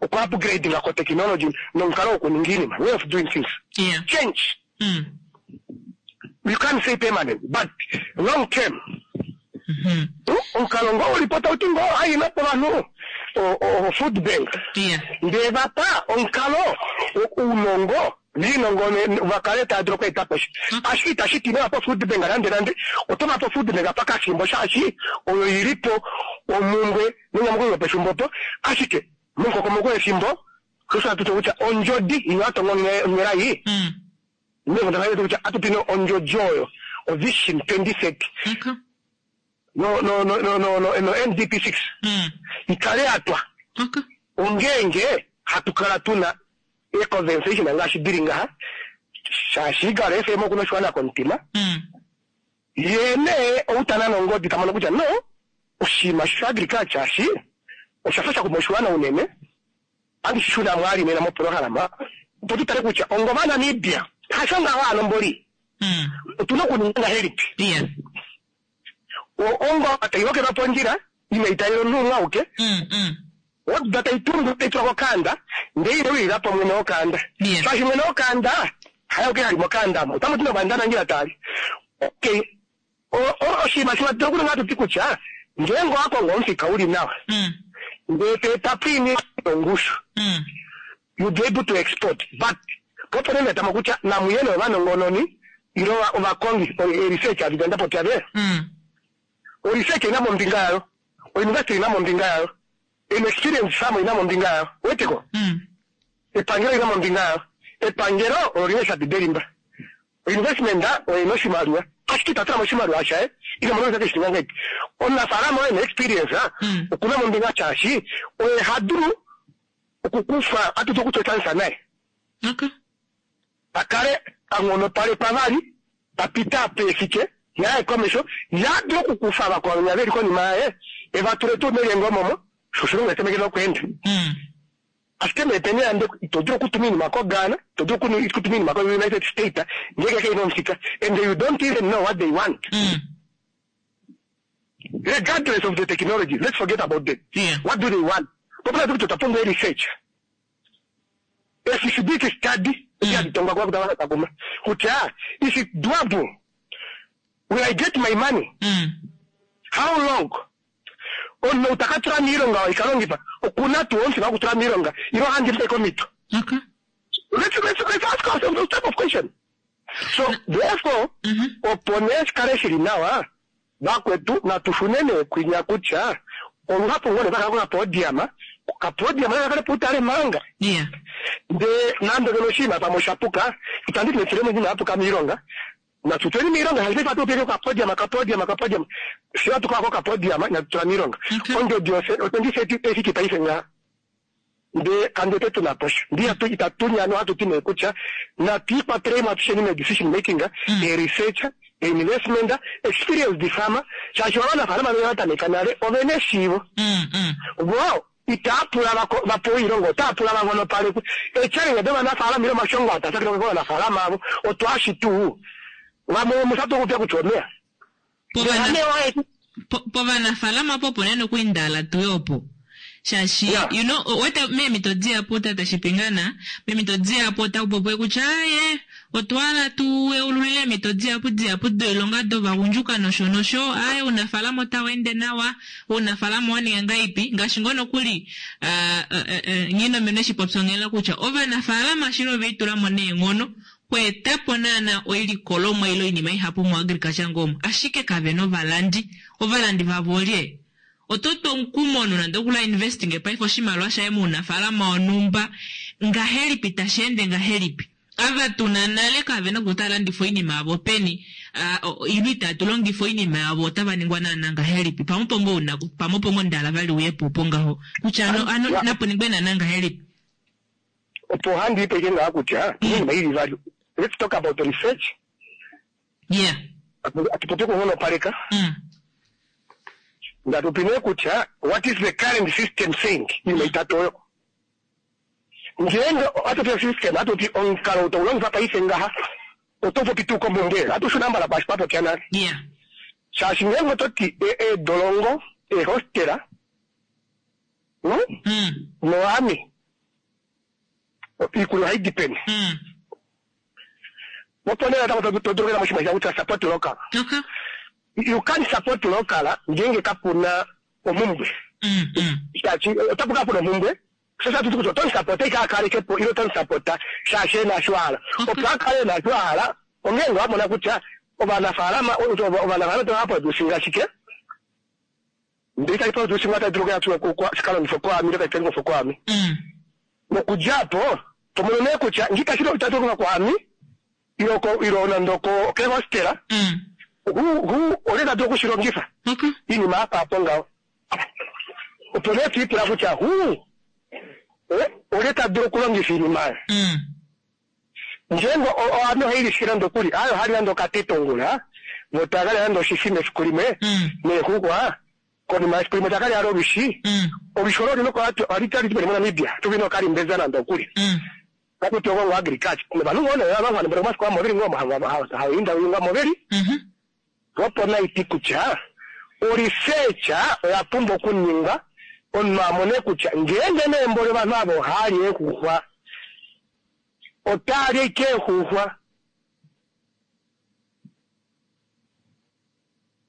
okwa upgrading ko technology nomukalo wokuninga iinima way of doing things Yeah. change Mm. you can't say permanent but long term Mhm. omukalo ngo ulipo tauti ngo aina po vanhu o- o- o food bank Yeah. ndee vapa omukalo wo- ounongo viinongo ne- vakale tava dulu okweeta sha ashike itashi ti inava pa food bank nande nande oto vapa food bank pakafimbo shaashi oyo ilipo omumbwe nenyamukulo lopefimbo po ashike momukokomoko wefimbo osho hatu ti kutya ondjodi ino atonga onghela iyi Mm. nevondaaa kutya atutine ondjodi oyo o vision twenty thirty Okay. no no no no no no no NDP six Mm. ikale yatwa Okay. ongeenge hatu kala tuna econversation ngaashi dili ngaha shaashi Eagle FM okuna oshiwana komutima Mm. ye nee outana nongodi tamono kutya no oshinima sha agriculture ashi oshafa sha kuma oshiwana unene andi shishuna mwali nena moprograma opo tutale kutya ongo vaNamibia hasho ngaho anomboli Mm. otuna okuninga ngahelipi Yeah. O- ongo tailokelwa pondjila ina italelo omunhu umwe auke Mm. Mm. oduda taitundu taitulwa kokanda ndee ile wilila mwene wokanda Yeah. shaashi mwene wokanda hayauke hali mokanda mo otamu ti novandanangila tali okay O- o- oshinima shimwe atu okuninga atuti kutya ngeenge owakongo omufika uli nawa Mm. ndee toetapo iinima yongushu Mm. you'll be able to export but poponene tamo kutya namuyene ovanongononi ilo ovakongi research avidanda popya ve Mm. oresearch ina mombinga yayo ouniversity ina mombinga yayo an experience farm ina mombinga yayo weteko Mm. epangelo ina mombinga yayo epangelo olo lina eshapi delimba oinvestment oyina oshimaliwa ashike itatulamo oshimaliwa shaye ina mono keshininga ngahelipi omunafaalama oye na experience ah, Mm. okuna mombinga shaashi oye hadulu okukufa atuti okutotyanisa naye Okay. akale anghonopalekwa vali apita apefike yaye komesho yadulu okukufa vakwao veli konima yaye evatule tuu melyengo momo sho oshilongo etemekele okweenda Mm. ashike meepeni yande ito dulu okutuma iinima koGhana ito dulu okunu- okutuma iinima ko-United States ngeke keina omufika and you don't even know what they want Mm. regardless of the technology let's forget about them Yeah. what do they want popula tukuti otwapumbwa research a feasibility study yaditongwa kwakutavakakuma kutya is it doable will i get my money Mm. how long omunhu utakatula miilonga ikalongifa okuna tuu omufika wokutula miilonga ilo handimpe komito Okay. let's, let's, let's ask ourselves those type of question so therefore Mhm. opo nee shikale shili nawa vakwetu natu shune nee kwinya kutya oluhapu ngoo nee vakala kokapodium kokapodium nakakale puutale manga Yeah. ndee nande ngeno oshinima pamwe oshapuka itandi ti netulemo inima yapuka miilonga natu tuleni miilonga haife atupeke kokapodium kapodium kapodium fye atukala kokapodium inatu tula miilonga Okay. ondjodi otwenty thirty efiki paife ngaha ndee kandete tuna posha ndi atu itatunyano hatuti nee kutya natu ikwatelemo atusheni me decision making Mm. e research e investment experienced farmer shaashi ovanafaalama vene vatameka nale ovena eshiivo Mm. Mm. vo itaapula vako- vapewe oilonga otaapula vanghonopalekwe echallenge dovanafaalama ile omashongo atasakile kovanafaalama avo otwaashi tuu vamwe musatu okupya kutya omeya Povana- Omeya wae- po- povanafaalama po opuna nokuindala tuye opo shaashi Yeah. you know wete meemito dihapu tata shipingana meemito dihapu otaku popiwe kutya aye Otwa hala tu yeululile eemhito dihapu dihapu doilonga dovagundjuka nosho nosho. Aaye, ounafaalama otau ende nawa, ounafaalama owa ninga ngahelipi, ngaashi ngoo nokuli Nghinomeno eshi popya onghela kutya ovanafaalama shili ove litula mo neenghono kweetapo naana oilikolomwa ile oinima ihapu moagriculture ngoomo, ashike kave na ovalandi. Ovalandi vavo olye? Oto tu omukumo nonande okula investing paife oshimaliwa shaye mounafaalama wonhumba, ngahelipi tashi ende ngahelipi? Ava tuna nale kave na kutya otava landifa oinima yavo peni, ile itatu longifa oinima yavo otava ningwa naana ngahelipi? Pamwe opo ngoo una, pamwe opo ngoo ndala vali uye po opo ngaho kutya ano, ano napo ningwe naana ngahelipi? Opo handi ipe ike ngaha kutya oinima ili vali. Let's talk about the research. Yeah. Atupopi okunghonopaleka. Mm. Ndatupi nee kutya what is the current system saying? Iinima itatu oyo. Ngeenge atupi system, atupi omukalo taulongifa paife ngaha, oto popi tuu komhumbwe, atushuna mbala kwaashi twapopya nale. Yeah. Shaashi ngeenge ototi eedolongo, eehostela, no? Mm. Noami, iikulya ohayi di peni? Mm. Opo nee natango to dulu okuya moshinima kutya support local. Okay. You can't support local ngeenge kapuna omhumbwe. Mm, mm. Shaashi otapu kala puna omhumbwe, sho shatu kutya oto musapota ike akalekepo ile oto musapota shaashi ena sho a hala. Opo a kale ena sho a hala, ongeenge wa mona kutya ovanafaalama ovanafaalama otava producinga shike, ndele itashi producingwa otashi dulu okuya shikalongifwe kwaami ile tashi longifwe kwaami. Mm. Nokudja apo to mono nee kutya ngee itashi longifwa kwaami ile ile nande okehostela, Mm. hu olye ta dulu okushilongifa? Okay. Iinima yafa apo ngaho. Opo nee twiipula kutya hu olye ta dulu okulongifa iinima oyo. Mm. Ngeenge ovanhu ohai lishike nande okuli, aye ohali nande okatete ongula, vo takalya nande oshifima efiku limwe, Mm. neexuxwa, konima yefiku limwe takalya vali olwishi. Mm. Olwishi olo olina ohali di peni moNamibia, tuvi nokalimbeza nande okuli. Mm. Katuti okongo agriculture. Novanhu ngoo nee ava vanhu omafiku amwe oveli ngoo hawinda moveli. Mhm. Opo naiti kutya oresearch oya pumbwa okuningwa omunhu amone kutya ngeenge neembole ovanhu ava ohali eexuxwa, otali ike eexuxwa.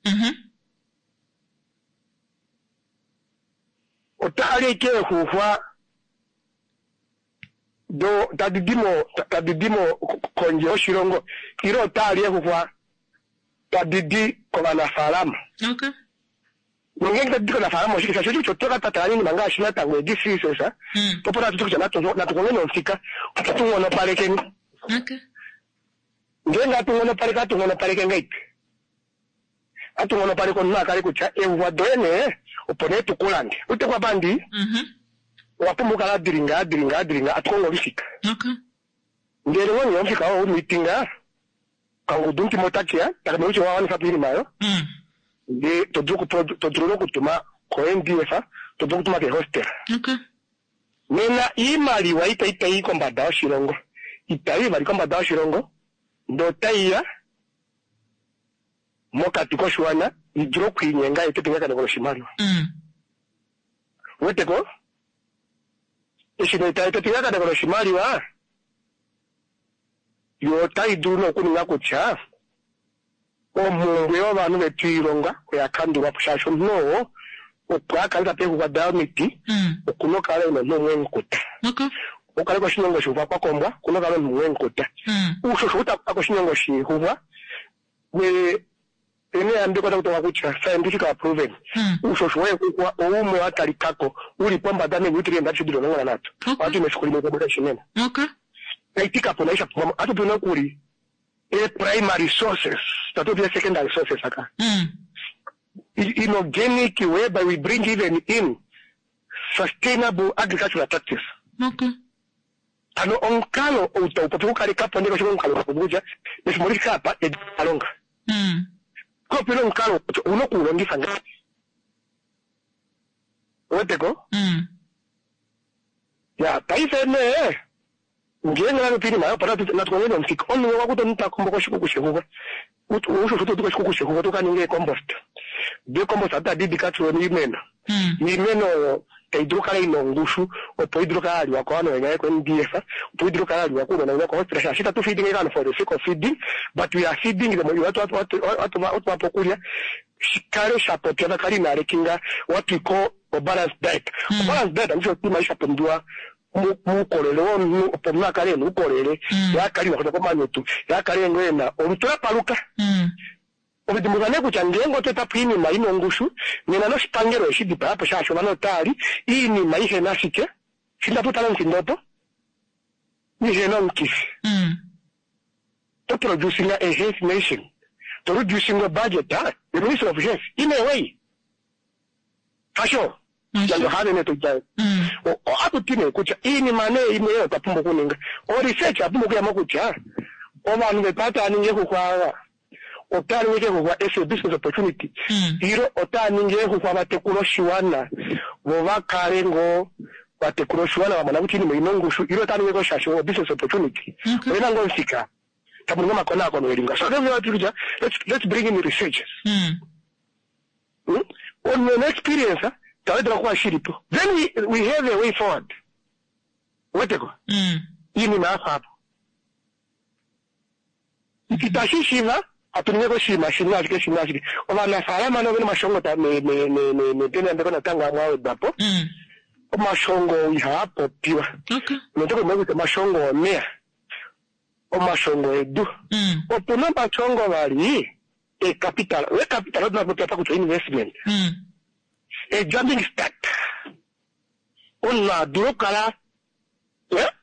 Mhm. Otali ike eexuxwa do tadi di mo tadi di mo kondje yoshilongo ile otali eexuxwa tadi di kovanafaalama. Okay. Nongeenge tadi di kovanafaalama oshike shaashi oshike oto ka patala iinima ngaashi natango edi C S S, Mm. opo natu kutya natu natu kongeni omufika opo tu nghonopalekeni. Okay. Ngeenge atu nghonopaleke, atu nghonopaleke ngahelipi? Atu nghonopaleke omunhu a kale kutya eexuxwa doye nee opo nee tukulande. Utekwa pandi Mhm. owa pumbwa okukala dilinga dilinga dilinga atu kongo omufika. Okay. Ndele ngoo omufika oo umitinga kangudu mutima otakeya takamona kutya owa wanifa po iinima oyo, Mm. ndee to dulu oku- to dulu okutuma ko N D F, to dulu okutuma keehostel. Okay. Nena iimaliwa itayi tayi kombada yoshilongo, itayi vali kombada yoshilongo, ndee otayi ya mokati koshiwana i dule okwiinyenga yeete epingakaneko loshimaliwa. Mm. Weteko eshi nee tayi eta epingakaneko loshimaliwa, yo otayi dulu nokuninga kutya omhumbwe yovanhu vetu iilonga oya kandulwa po, shaashi omunhu oo opo a kale tape eexuxwa daye omiti Mm. okuna okukala ena omunhu umwe emukuta. Okay. Okukale koshinyongo shixuxwa kwa kombwa okuna okukala omunhu umwe emukuta. Mm. Uushosho utakufa koshinyongo shixuxwa we ene yambeko takutoka kutya scientific proven Mm. uushosho weexuxwa oumwe wa talikako uli pombada meenutrient adishe dili omulongo nanhatu. Okay. Ohatu mefiku limwe kubuda shimeno. Okay. Taiti kapuna isha pumbwa atupi nokuli e primary sources, tatupi e secondary sources aka. Mm. Inorganic, whereby we bring even in sustainable agricultural practice. Okay. Ano omukalo ou tau popi okukalekapo ndele osho omukalo wapopi kutya mefimbo lifike apa edi alonga. Mm. Kopena omukalo ouna okuulongifa ngahelipi? Weteko? Mm. Ya, paife nee ngeenge natupi iinima oyo opo natu kongeni omufika. Omunhu okwa kuta omunhu takombo koshikuku shexuxwa. Uushosho oto di koshikuku xexuxwa toka ninga eecompost. Doo eecompost otadi di ka tulwe moimeno. Mm. Iimeno oyo taidulu okukala ina ongushu opo idulu okukala yaliwa kovanhu venya ko N D F opo idulu okukala yaliwa kounona venya kohospital shaashi itatu feeding ovanhu for the sake of feeding but we are feeding them watuvapo okulya shikale shapopya vakale inalekinga what we call a balanced diet. A balanced diet andisho oshinima shapumbiwa muukolele womunhu opo omunhu akale ena uukolele ye akale ina kwatwa komanyutu ye akale ngoo ena olutu lapaluka. Ovidimbuluka nee kutya ngeenge otwa etapo oinima ina ongushu nena noshipangelo eshi dipayapo shaashi ovanhu otaali iinima ihena ashike shindatu tala omufindo opo ihena omukifi to producing a health nation to reducing a budget the Ministry of Health in a way hasho nande ohaavene toita ohatu ti nee kutya iinima nee imwe oyo twa pumbwa okuninga o research apumbwa okuyamo kutya ovanhu vetu otava ningi exuxwa ava otava ningi exuxwa as a business opportunity ilo otava ningi exuxwa vatekula oshiwana vo vakale ngoo vatekula oshiwana vamona kutya iinima oina ongushu ilo otava ningi shaashi o business opportunity oyena ngoo omufika tamuningi omakonakono elinga so kutya let's, let's bring in researchers mm. Mm? On experience tawedela kuwa shilipo then we, we have a way forward weteko iinima yafa apo itashi shiva atuninge koshinima shimwe ashike shimwe ashike ovanafaalama novena omashongo nepenambeko natango amwe awedwapo omashongo ihaa popiwa noteko kutya omashongo omeya omashongo edu opuna omashongo vali ecapital wecapital otuna popya pa kutya investment a jumping start omunhu adulu okukala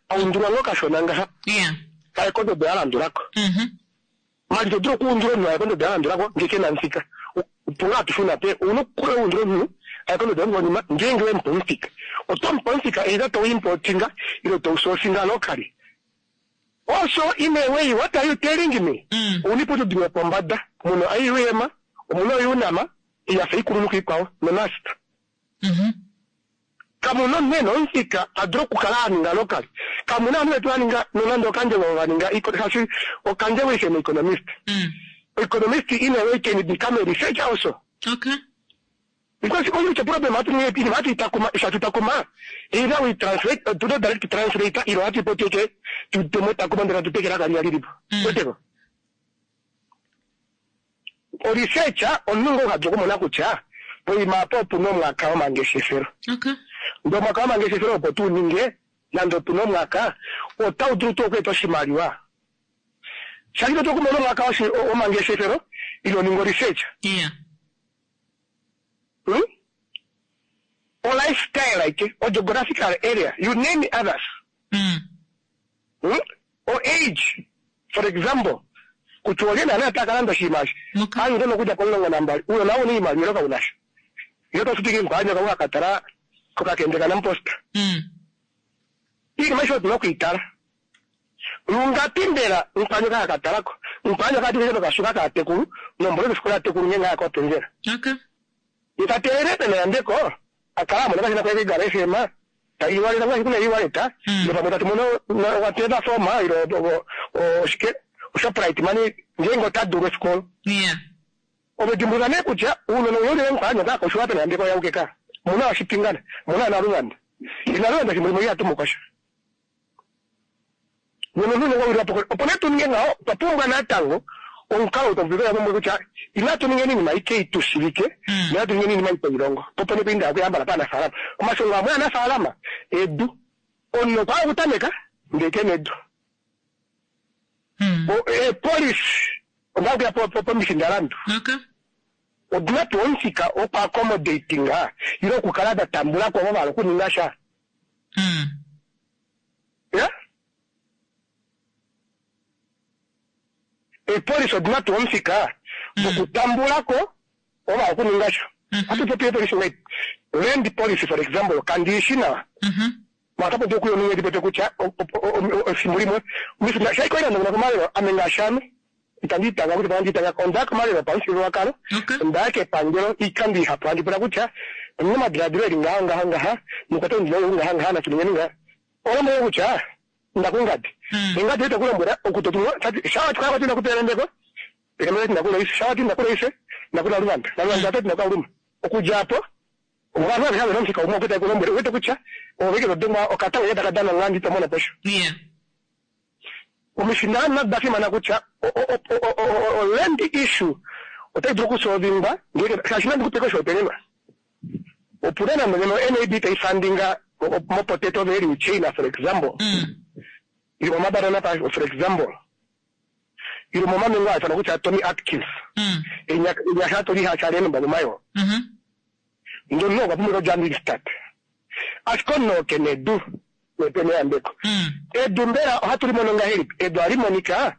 aundulwa ngoo kashona ngaha kaye kondodo yalandulako mali todulu okuundula omunhu aye kondodo yalandulako ngee kena omufika opo atushuna pe ouna okukula uundula omunhu aye kondodo yokonima ngeenge wemupa omufika otomupa omufika either touimportinga ile tousourcinga locally also in a way what are you telling me ouna iputudilo yopombada muna I U M omuna oUNAM yafa ikulunhu kiikwao noNUST kamuna omunhu ena omufika adulu okukala aninga locally kamuna ovanhu vetu vaninga nonande okandjego vaninga shaashi okandjego is an economist economist in a way can become a researcher also okay because only the problem hatu inima hatu itakuma shatu takuma either we translate uh, to the direct translator ilo hatu ipoteke tutemotakuma ndela tutekela kali alilipo weteko o researcher omunhu ngoo hadulu okumona kutya poima apo opuna omwaka womangeshefelo ndee omwaka womangeshefelo opo tuu ninge nande opuna omwaka otau dulu tuu okweeta oshimaliwa shaashi totu okumona omwaka womangeshefelo ilo ninga o research hmm? O lifestyle like o geographical area you name others mm. Hmm? O age for example kutya olye naana takalanda oshinima eshi aantu nokudja pomulongo nambali uyo nawo una iimaliwa ilo kaunasha ilo tofutike nkwaanyoka wakatala kokakende kanamposta iinima aishe otuna okuitala lungapi mbela nkwaanyoka hakatalako nkwaanyoka atikeke nokashuka kaatekulu nombolo kefikola atekulu ngenge aya kopenzela itateelele penayambeko akala amona kashina kweke gara F M iwaleta ngaashi kuna iwaleta ilo pamwe tatu mono wateva foma ilo oshike Shoprite money ngeenge ota dulu efiku olo ovedimbuluka nee kutya uunona uyaulile nkwaanyoka akoshiwa penayambeko yaukeka muna washipingana muna naluvanda inaluvanda shimwe limwe ihatumukosha opo nee tuninge ngaho otwa pumbwa natango omukalo tovuya kutya inatu ninge iinima ike itushivike inatu ninge iinima itoilongo popo nee kuinda okuyambala paanafaalama omashongo amwe aanafaalama edu omunhu okwa okutameka ndee kena edu epolisi onda okuya pomifindalandu odina tuu omufika oku accommodatinga ile okukala datambulako ovo vahala okuninga sha ya epolisi odina tuu omufika okutambulako ovo vahala okuninga sha atu popi epolisi ngai land policy for example kandiishi nawa matapopi okuya omunhu edipote kutya efimbo limwe shaikoila komalelo ame ngaashi ame itandi itanga kutya pandi itanga onda komalelo opamufyuululwakalo onda kepangelo iikando ihapu handi pula kutya omuna omadiladilo eli ngaho ngaho ngaha nokwata ondina ou ngaha ngaha natuningeni ngaha olombwele kutya ndakungadi engadi oita kulombwela okutotumwa shawati kwaya kwati ndakupeelembeko pelembe ndakuloise shawati ndakuloise ndakula luvanda naluvanda atati ndakauluma okudja apo Ovanhu aveshe ave nomufika umwe okweta kulombwele wete kutya oveke todengwa okatango ke taka dana ngandi to mono posho. Yeah. Omishinda da fimana kutya o land issue otai dulu okusolvingwa ngeke shaashi nandi kupeke oshihopaenenwa. Opuna nande ngeno N A B tai fundinga mopotato value chain, for example. Mm. Ili momabanana, for example. Ili momamengo a kutya Tommy Atkins. Mm. Enyasha toli hachale nomba momayo. Mhm. Ndono okwa pumbwa okudja start. Ashike onoke nedu nepene yambeko. Mm. Edu mbela ohatu li mono ngahelipi? Edu ohali monika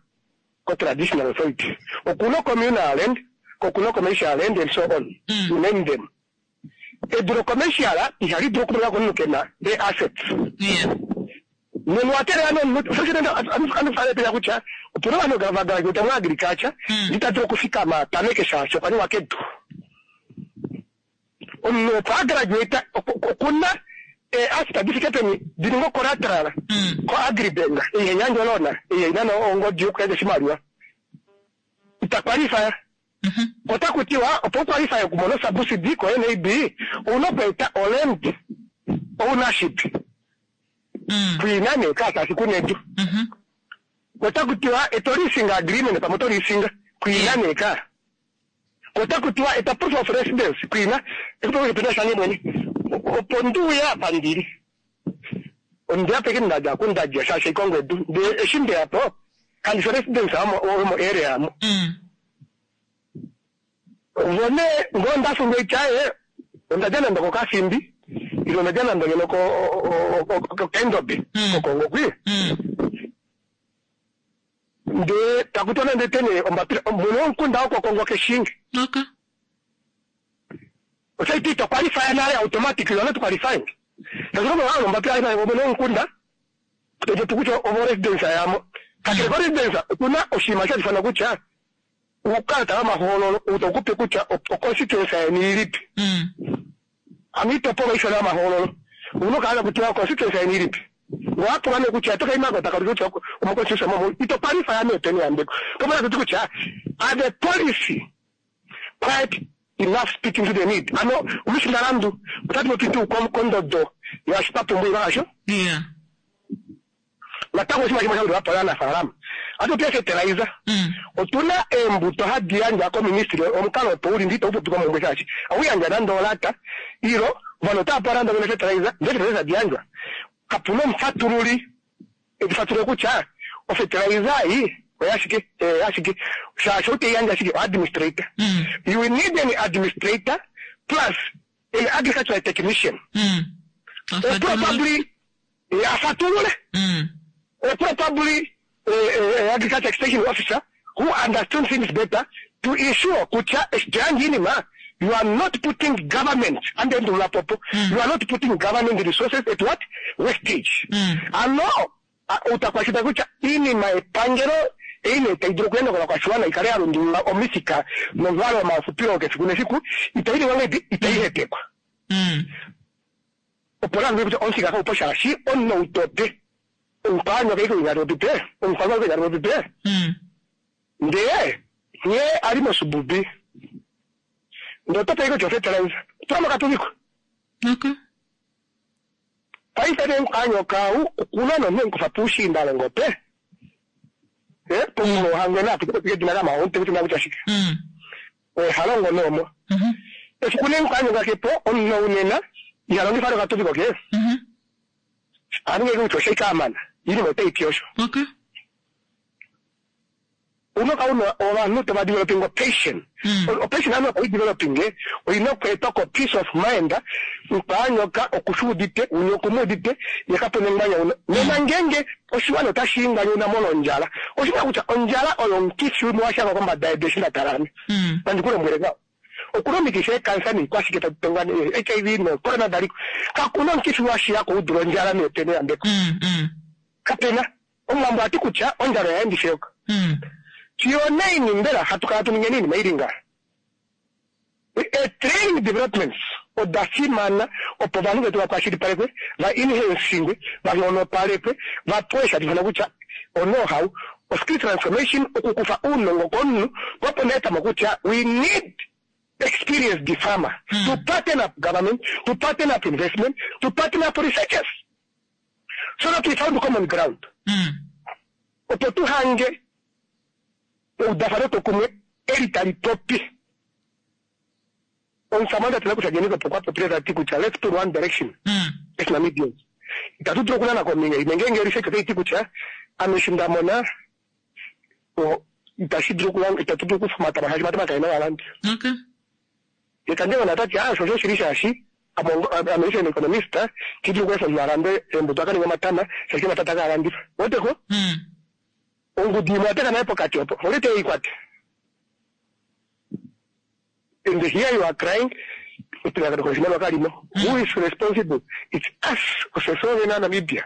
ko-traditional authority. Okuna communal land, kokuna commercial land and so on. Mm. You name them. Edu lo-commercial ihali dulu okumonika komunhu kena e-assets. Yeah. Nenu atelela nomunhu kutya opuna ovanhu vagraduate mu agriculture Mm. ndita dulu okufikama tameke shaashi okwa niwa kedu. Omunhu opo agraduate okuna asset di fike peni di ninga collateral Mm. ko Agribank iheyandja lona iheina ongodi yokuyandja oshimaliwa ita qualify. Mhm. Ota kutiwa opo uqualify okumona subsidy ko N A B ouna okweeta oland ownership. Mm. Kuina ne kasashi kunedu. Mhm. Ota kutiwa eto leasing agreement pamwe oto leasing kuina neka. Ota kutiwa eta proof of residence kuina ekupena shange mwene opo nduuya apa ndili ondiya peke ndaja kundadja shaashi ikongo edu nde eshi ndeyapo kandi residence amo omo area amo. Mm. Vone ngo ndafunga ityaye ondadja nando kokasimbi ilo ondadja nando ngeno kokendobe Mm. kokongo kwi Mm. nde takutona ndetene ombapila mwene womukunda wokokongo keshingi. Okay. Otaiti ito qualify nale automatically, you are not qualifying. Takulomba ombapila mwene womukunda topopi kutya ovo residence yamo. Kakele ko residence okuna oshinima sha ifana kutya uukalata wamahoololo utakupe kutya oconstituency yeni ilipi. Mm. Ano iitopolwa ishona yamahoololo una okala kutya constituency yeni ilipi. Ngowapulwa nee kutya tokaimako takalika kutya omoconstituency momo ito qualify meeteni yambeko. Tomona kuti kutya are the policy quite enough speaking to the need? Ano omushindalandu otati popi tuu kondodo yaashi twa asho. Yeah. Natango oshinima shimwe sha gwedhwa po aanafaalama atu fertilizer. Mm. Otuna eembuto hadi yandjwa koministry omukalo opo uli ndi itaupopi komumbwe shaashi awuyandja nande olata ilo ovanhu otava pewa nande ngeno fertilizer ndee fertilizer diyandjwa kapuna omufatululi edifatulule kutya ofertilizer ei oyashike yashike shaashi outeyandja ashike oadministrator. Mm. You will need an administrator plus an agricultural technician. Mm. Or probably afatulule. Mm. Or probably uh, uh, agriculture extension officer who understands things better to ensure kutya eshitiyanjinima you are not putting government under ndulapopo. Mm. You are not putting government resources at what wastage. Mm. Ano utakwashita kutya iinima epangelo eine tayi dulu okuyenda kovakwashiwana ikale ya lundulula omifika nomuvalo womafupilo kefiku nefiku itayi liwa ngahelipi itayi hepekwa. Mm. Opo lange kutya omufika kaupo shaashi omunoutope omukwanywa kaiko ingaropipe omukwanywa kaiko ingaropipe. Mm. Ndee nghee ali mosububi ndotope iko fertilizer tula katuviko. Okay. Paife ne nkanyoka au okuna nonhe nkufa puushiindalongo pe eh pomulo ohangwena apite dina kamaonte kuti nakuti ashike. Mm. Halongo nomo. Mhm. Efiku ne nkanyoka kepo omunhu unena ihalongifa nokatuviko ke. Mhm. Aninge kuti oshaika amana iinima otayi ti osho. Okay. Unoka una ovanhu tava developing opation. Mm. Opation ano oyi developing oyina okweetwa ko peace of mind nkwanyoka okushuudite unye okumudite yekapone nganya nena ngenge oshiwana otashi nganyuna molondjala oshina kutya ondjala oyo omukifi umwe washanga kombada yedu eshi ndatalame. Mm. Nandikulombwele ngaho okuna omikifi ekansa niikwashike tatutongwa H I V no corona daliko kakuna omukifi washiyako udula ondjala meetene yambeko. Mm. Mm. Kapena omuwambo ati kutya ondjala oya endifyoka. Mm. Tioneini mbela hatu kala tuninge iinima ili nga e-training developments oda fimana opo ovanhu vetu vakwashilipalekwe va enhancingwe vanghonopalekwe vapewe shatifana kutya o-know-how o-skill transformation okukufa uunongo komunhu popo neetamo kutya we need experienced farmer mm. to partner up government, to partner up investment, to partner up researchers, so that we found common ground. Mm. Opo tu hange eudafano tokumwe eli tali popi. Omusamane atena kutya Geingob okwa popile tati kutya let's put one direction Mm. as Namibians. Itatu dulu okunana kombinga imwe ngeenge research otai ti kutya ame eshi nda mona o- itashi dulu okulanga itatu dulu okufa omatama shaashi omatama kaena ovalandi. Okay. Ye Kandengona tati ah osho oshili shaashi ame ongo- ame eshi economist ti dulu okweefa omunhu a lande eembuto a ka ninge omatama shaashi omatama takaa landifa. Weteko Mm. ongudu imwe yateka naye pokati opo olye te i kwate. And here you are crying oshimaliwa kalimo. Who is responsible? It's us ofye vene Namibia.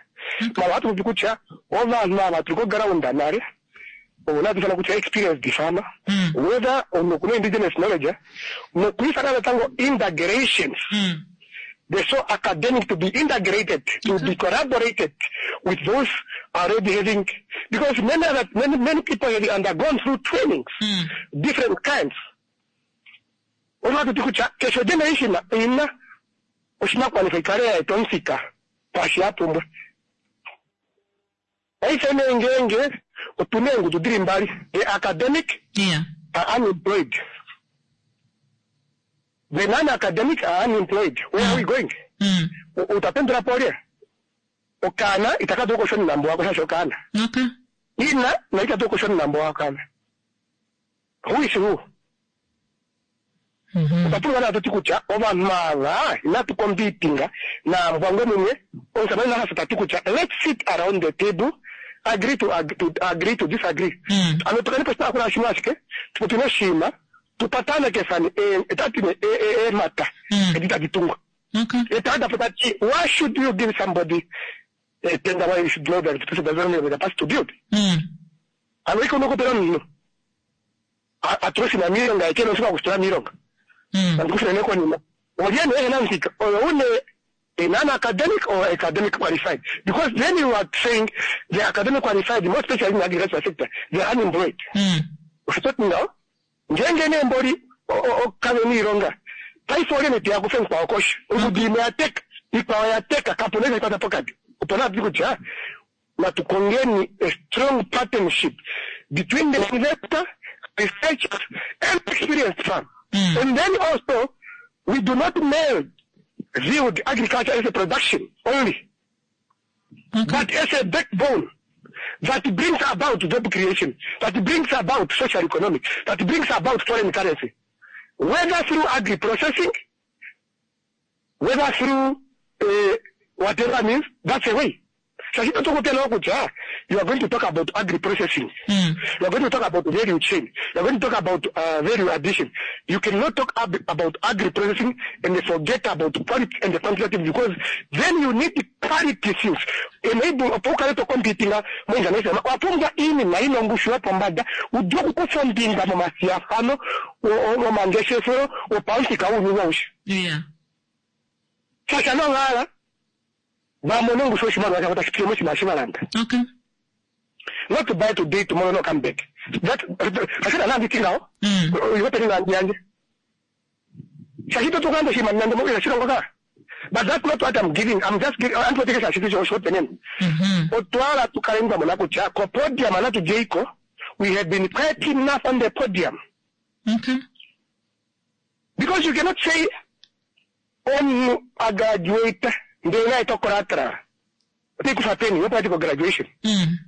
Mara ohatu popi kutya ovanhu ava tuli koground nale ovo natu ifana kutya experienced farmer Mm. whether omunhu okuna indigenous knowledge nokwiifana natango integrations Mm. the so academic to be integrated, to be collaborated with those already having, because many other, many, many people have undergone through trainings, Mm. different kinds. Olwatu kutya keshe generation ina oshinakugwanithwa ikale ya etwa omuthika ngaashi ya pumbwa. Paife nee ngeenge otuna eengudu dili mbali, the academic Yeah. are unemployed. The non-academic are unemployed. Where are we going? Mm. U- utapendula po olye? Okaana itaka dulu okushona nambo wako shaashi okaana. Okay. Ina na ita dulu okushona nambo wako kaana. Who is who? Mm-hmm. Otwa pumbwa naa tuti kutya ovanhu ava inatu competinga naambwangwe mumwe. Omusamane Nahas tati kutya let's sit around the table, agree to, ag to, agree to disagree. Mm. Ano tukane poshitaafula shimwe ashike, tupopi noshinima, tupatanekefane etati ne eemhata Mm. edi tadi tungwa. Okay. Etadapo tati why should you give somebody a tender why you should know that the person doesn't have the capacity to build? Mm. Ano iko nokupela omunhu atule oshinima miilonga ye kena oshipa okushitula miilonga. Mm. Nandikushina konima. Olye nee ehena omuthika oyo une a non-academic or academic qualified? Because then you are saying the academic qualified, more especially in the agricultural sector, they are unemployed. Mm. Osho toti ngaho ngeenge nee mboli kave niilonga paife olye nee teya kufe mukwao koshi ongudu imwe ya teka ikwao ya teka kapuna eshi kwata pokati opo naa tuti kutya natu kongeni a strong partnership between the investor researchers and experienced farm Mm. and then also we do not merge view the agriculture as a production only Okay. but as a backbone that brings about job creation, that brings about social economic, that brings about foreign currency, whether through agri-processing, whether through uh, whatever means, that's a way. Shaashi ito tukupela kutya you are going to talk about agri-processing, Mm. you are going to talk about value chain, you are going to talk about uh, value addition. You cannot talk ab- about agri-processing and forget about quality and the quantitative because then you need quality things. Enable opo ukale to competinga mo international. Wapumbwa iinima yina ongushu yopombada udule okukufa ombinga momathigathano momangeshefelo gopamuthika guuyuni awuhe. Yeah. Shaashi anuwa vamone ongushu yoshimaliwa shavo tashi pitile moshinima shi valanda. Okay. Not to buy today, tomorrow no come back. That kashina nanditi ngaho. Mm. Iwepeni nandi yanje. Shaashi to tukulanda oshinima nande mo shilongo ka. But that's not what I'm giving. I'm just giving antoteke shaashi oshihopenene. Mm-hmm. Otwala tukale twamona kutya ko podium anatu jeiko we have been quite enough on the podium. Okay. Because you cannot say omunhu a graduate ndele naye to collateral. Otaikufa peni yo practical graduation. Mm.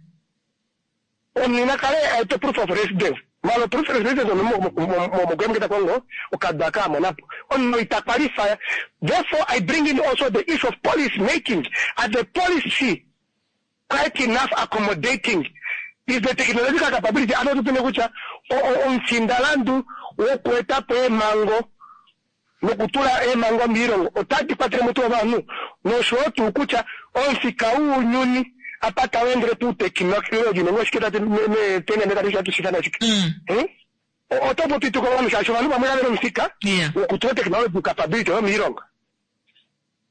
Omunhu ina kale aete proof of residence. Malo proof of residence momogoyamuketa kongo okadwa kaamonapo. Omunhu ita qualify. Therefore I bring in also the issue of policy making. At the policy quite enough accommodating is the technological capability ano tupine kutya omusindalandu wokuetapo eemhango nokutula eemhango miilongo otadi kwatele mo tuu ovanhu noshowo tuu kutya omuthika wuunyuni apa tawu endele puutekinology nenge oshike tati tenene tati tatu shithana shike Mm. Hmm? O- oto popi tuko ovanhu shaashi ovanhu vamwe kave na omuthika Yeah. wokutula technology capability yomiilonga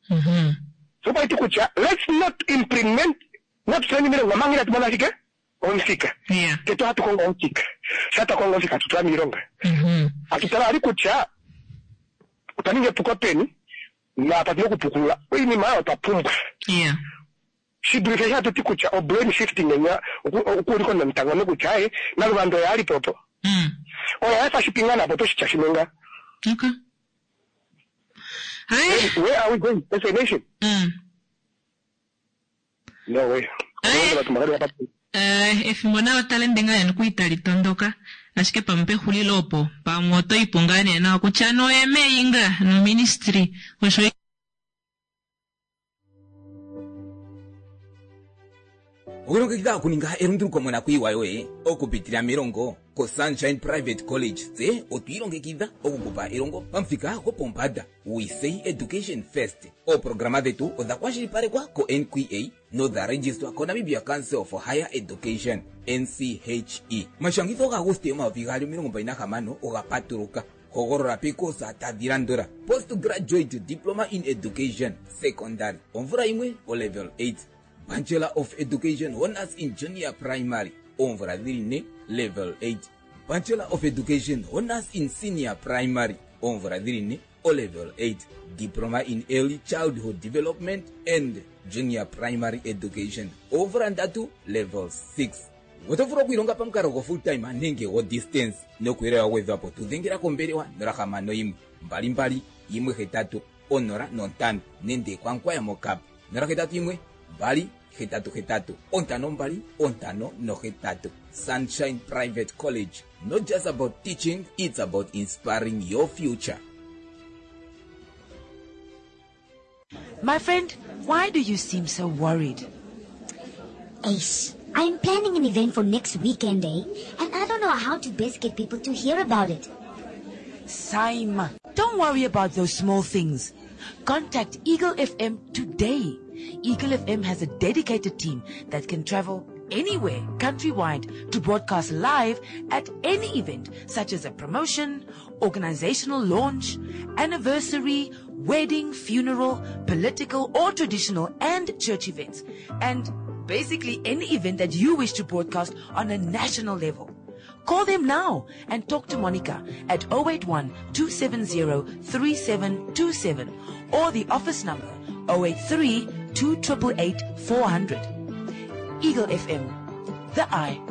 Mm-hmm. so paiti kutya let's not implement not tuleni miilonga manga inatu mona shike omuthika Yeah. tete ohatu kongo omuthika sha twa kongo omuthika hatutula miilonga Mm-hmm. hatutala ali kutya Otwa ninga epuko peni naapa tuna okupukulula oinima oyo twa pumbwa. Yeah. Shi dulife eshi hatu ti kutya o blame shifting enya okuulika omunamitango nokutya aye Naluvanda oye ali po opo. Mm. Oye a efa Shipingana po otoshitya shimwe nga. Okay. Hai. Where are we going as a nation? Mm. No way. Aye. Ovanhu vatu vakali vapa- Eh, efimbo nalo tali ende ngaa nee nokuli tali tondoka ashike pamwe pexulilo opo pamwe oto ipo ngaa nee nawa kutya noye meinga noministry osho Okulongekidha okuninga elunduluko monakuyiwa yoye okupitila melongo koSunshine Private College tse otwiilongekidha okukupa elongo pamuthika gopombanda. We say education first. Ooprograma dhetu odha kwashilipalekwa ko-NQA nodha registwa koNamibia Council for Higher Education NCHE. Omashangitho gaAguste omayovi gaali omilongo mbali nahamano oga patuluka. Hogolola pekosa tadhi landula: Postgraduate Diploma in Education Secondary omvula yimwe o level eight, Bachelor of Education Honors in Junior Primary oomvula dhili ne level eight, Bachelor of Education Honors in Senior Primary oomvula dhili ne o level eight, Diploma in Early Childhood Development and Junior Primary Education oomvula ndatu level six. Oto vulu okwiilonga pamukalo go full time nenge go distance nokuyele wa gwedhwapo tudhengela kombelewa nola hamano yimwe mbali mbali yimwe hetatu onola nontano nenge kwankwaya mokap nola hetatu yimwe mbali hetatu hetatu ontano mbali ontano nohetatu. Sunshine Private College, not just about teaching, it's about inspiring your future. My friend, why do you seem so worried? Ace, I'm planning an event for next weekend, eh? And I don't know how to best get people to hear about it. Saima, don't worry about those small things. Contact Eagle F M today. Eagle F M has a dedicated team that can travel anywhere countrywide to broadcast live at any event, such as a promotion, organizational launch, anniversary, wedding, funeral, political or traditional and church events, and basically any event that you wish to broadcast on a national level. Call them now and talk to Monica at oh eight one two seven zero three seven two seven or the office number oh eight three two eight eight four hundred. Eagle F M, the eye.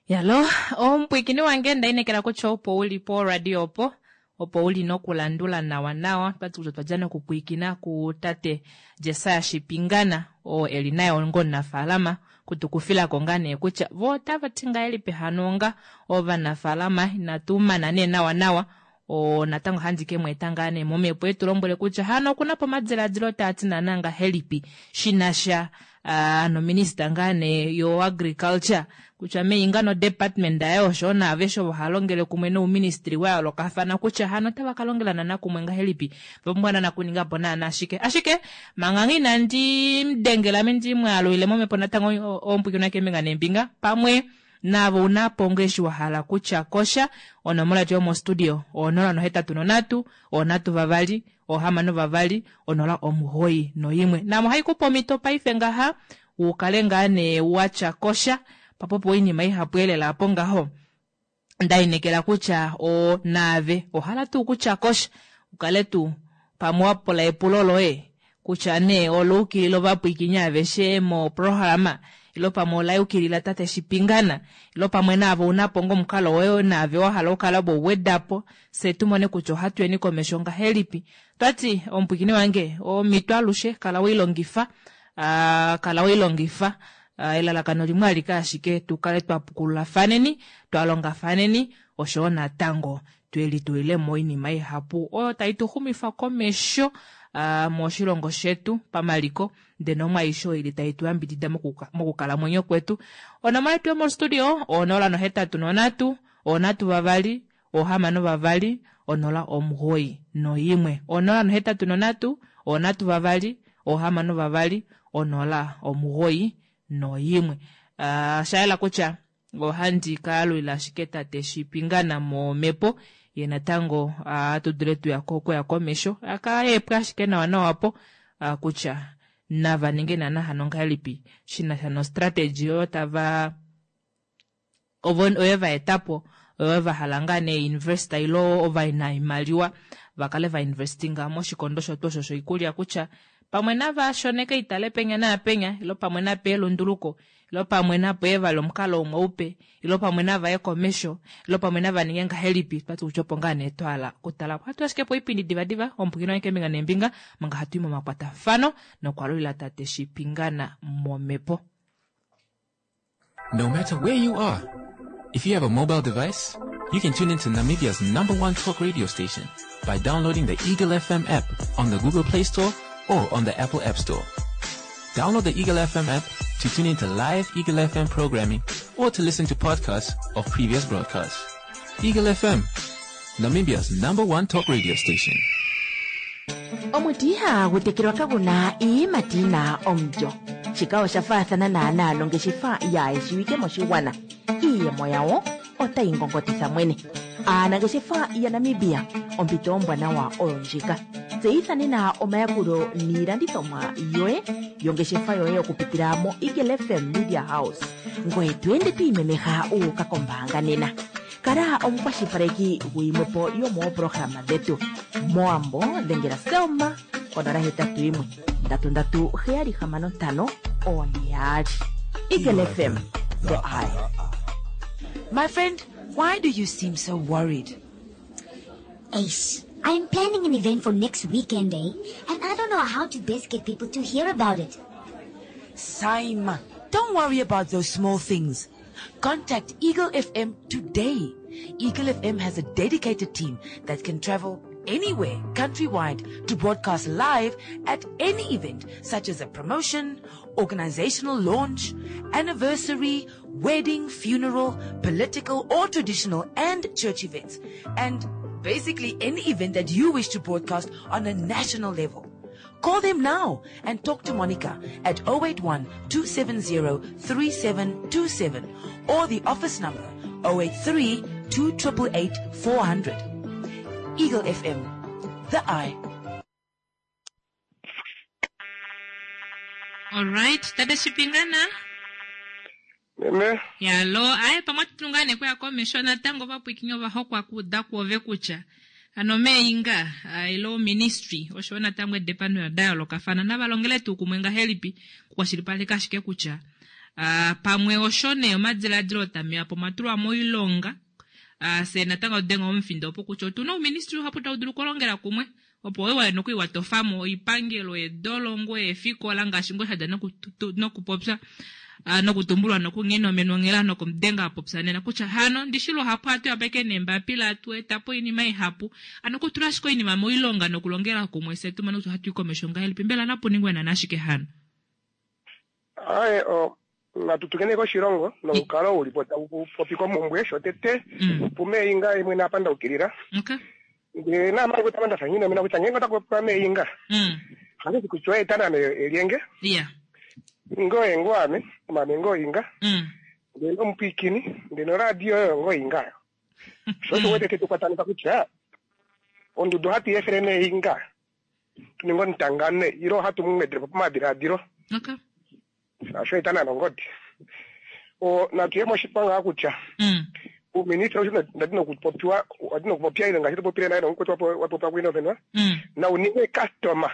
Yalo omupwikini wange ndainekela kutya opo uli po radio opo opo uli nokulandula nawa nawa twati kutya twadja nokupwikina ku tate Jesaya Shipingana oo eli naye onga omunafaalama kutukufilako ngaa nee kutya vo otava ti ngahelipi hano onga ovanafaalama inatu mana nee nawa nawa o natango handi ke mweeta ngaa nee momhepo etu lombwele kutya hano okuna po omadiladilo taa ti naana ngahelipi shinasha uh, nominista ngaa nee yo agriculture kutya meinga no department yaye osho naaveshe ovo halongele kumwe nouministry wa yoolokafana kutya hano otava ka longela naana kumwe ngahelipi vapumbwa naana kuninga po naana ashike ashike manga inandi mudengela ame ndimwaalulile momhepo natango ompwikino keembinga neembinga pamwe navo una po eshi wa hala kutya kosha onomola yetu yomostudio onola nohetatu nonhatu onhatu vavali ohamano vavali onola omugoyi noyimwe namo haikupa omhito paife ngaha ukale ngaa nee watya kosha papopo oinima ihapu elela apo ngaho ndainekela kutya o naave ohala tuu kutya kosha ukale tuu pamwe wapula epulo loye kutya nee oluukilila ovapwiikini aveshe moprograma ilo pamwe olayukilila tate Shipingana ilo pamwe naave unapo ngomukalo woye naave wahala okukala bouwedapo se tumone kutya ohatu yeni komesho ngahelipi twati omupwiikini wange omhito alushe kala weilongifa uh, kala weilongifa uh, elalakano limwe alike ashike tukale twapukululathaneni twalongafaneni oshowo natango twelitulilemo oinima ihapu oyo tai tu xumifa komesho uh, moshilongo shetu pamaliko ndee nomwaisho ili tai tu yambidida mokukalamwenyo kwetu. Onomola yetu yomostudio onola nohetatu nonhatu onhatu vavali ohamano vavali onola omugoyi noyimwe onola nohetatu nonhatu onhatu vavali ohamano vavali onola omugoyi noyimwe. Uh, shayela kutya ohandi kaalulila ashike tate Shipingana momhepo ye natango uh, tu dule tuya okuya komesho akaepwa ashike nawa nawa po uh, kutya nava ninge naana hano ngahelipi shinasha nostrategy oyo tava ovo oyo vaetapo Vahala ngaa nee invest ilo ovanaimaliwa vakale vainvestinga moshikondo osho osho shoikulya kutya pamwe nava shoneke itale penya naapenya ilo pamwe nape elunduluko ilo pamwe nape vali omukalo umwe upe ilo pamwe navaye komesho ilo pamwe nava ninge ngahelipi twati kutya opo ngaa nee twahala kutala ohatu ashike po oipindi divadiva omupukino wange keembinga neembinga manga hatu i momakwatafano nokwalulila tate Shipingana momhepo. No matter where you are, if you have a mobile device, you can tune into Namibia's number one talk radio station by downloading the Eagle F M app on the Google Play Store or on the Apple App Store. Download the Eagle F M app to tune into live Eagle F M programming or to listen to podcasts of previous broadcasts. Eagle F M, Namibia's number one talk radio station. Omuti ihagu tekelwa kaguna iiyimati yina omulyo. Shika osha faathana naanaa nongeshefa yaayeshiwike moshigwana. Iiyemo yawo otayi ngongotitha mwene. Aanangeshefa yaNamibia, ompito ombwanawa oyo ndjika. Tseyitha nena omayakulo niilandithomwa yoye yongeshefa yoye okupitila mo Eagle F M Media House. Ngoye to ende to imemeha u uka kombaanga nena. Kala omukwashilipaleki guyimwepo yomooprograma dhetu. Moambo dhengela Selma konola hetatu yimwe ndatu ndatu heyali hamano ntano one yaali. Eagle F M, the eye. My friend, why do you seem so worried? Ace, I'm planning an event for next weekend, eh? And I don't know how to best get people to hear about it. Saima, don't worry about those small things. Contact Eagle F M today. Eagle F M has a dedicated team that can travel anywhere countrywide to broadcast live at any event such as a promotion, organizational launch, anniversary, wedding, funeral, political or traditional and church events, and basically any event that you wish to broadcast on a national level. Call them now and talk to Monica at oh eight one, two seven zero, three seven two seven or the office number oh eight three, two triple eight, four hundred. Eagle F M, the eye. All right, Tate Shipingana. Meme. Yalo, aye pamwe tulungane kuya komesho natango vapwikinyo vahokwa kuda kuove kutya. Ano meinga, ilo ministry, osho natango edepano ya dialogue afana navalongele tuu kumwe ngahelipi kukwashilipaleka ashike kutya. Ah, pamwe osho ne omadiladilo tameya po matulwa moilonga. Ah, se natango denga omufindo opo kutya otuna uuministry uhapu tau dulu okulongela kumwe. Opo wewe nokuiwa tofamo oipangelo edolongo efikola ngaashi ngo shada nokupopya, ah, nokutumbulwa nokunghena omenongela nokumudenga apopya nena kutya hano ndishilo hapu atu yapeke nembapila atu etapo oinima ihapu. Ano kutula ashike oinima moilonga nokulongela kumwe se tumane kutya hatu i komesho ngahelipi mbela napuningwe nana ashike hano. Aye, o, natutukene koshilongo nokukala uli po tau popi komumbwe shotete Mm. pume inga imwe napanda ukilira. Okay. Nge na mali kutamanda fanyina mina kutya ngengo takupa me inga. Mm. Hali kuchwa etana me elienge. Yeah. Ngo engo ame, mame ngo inga. Mm. Ngeno mpikini, ngeno radio yo ngo inga. Shosho wete tetu kwatanika kutya ondudu hati efrene inga. Tuningo ntangane iro hatu mumedre pamadira diro. Okay. Asho etana nongodi. O natuye moshipanga kutya. Mm. Uministra usho ndadino kupopiwa, ndadino kupopia ile ngashito popile nayo ngokutwa wapo wapo kwino venwa. Mm. Na uninge customer.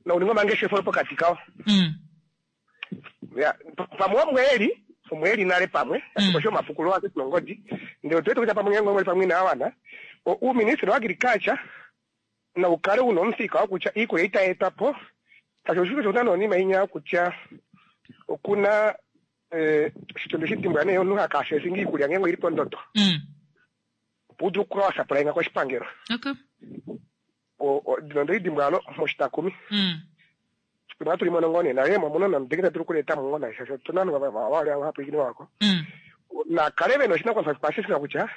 Na uninge mangeshe pokati kao. Mm. Ya, pamwe mweli, mweli nale pamwe, Mm. osho mapukulo ake nongodi. Ndio twetu kuja pamwe ngomwe pamwe na wana. O uministra wa agriculture na ukale unomfika wakucha iko ita etapo. Kasho shuko chotano ni mainya kucha okuna eh shitondo shitimbwa ne yonuka kashe singi kulya ngengo ilipo ndoto. Mm. Pudu kwa saplenga kwa shipangero. Okay. O, o ndinondo idimbwa lo moshita kumi. Mm. Kuna tuli monongone na yemo muno na mdengeta tuli kuleta mungona shasho tunanu wa wa wa hapo ikini wako. Mm. Na kaleve no shina kwa pasisi na kucha.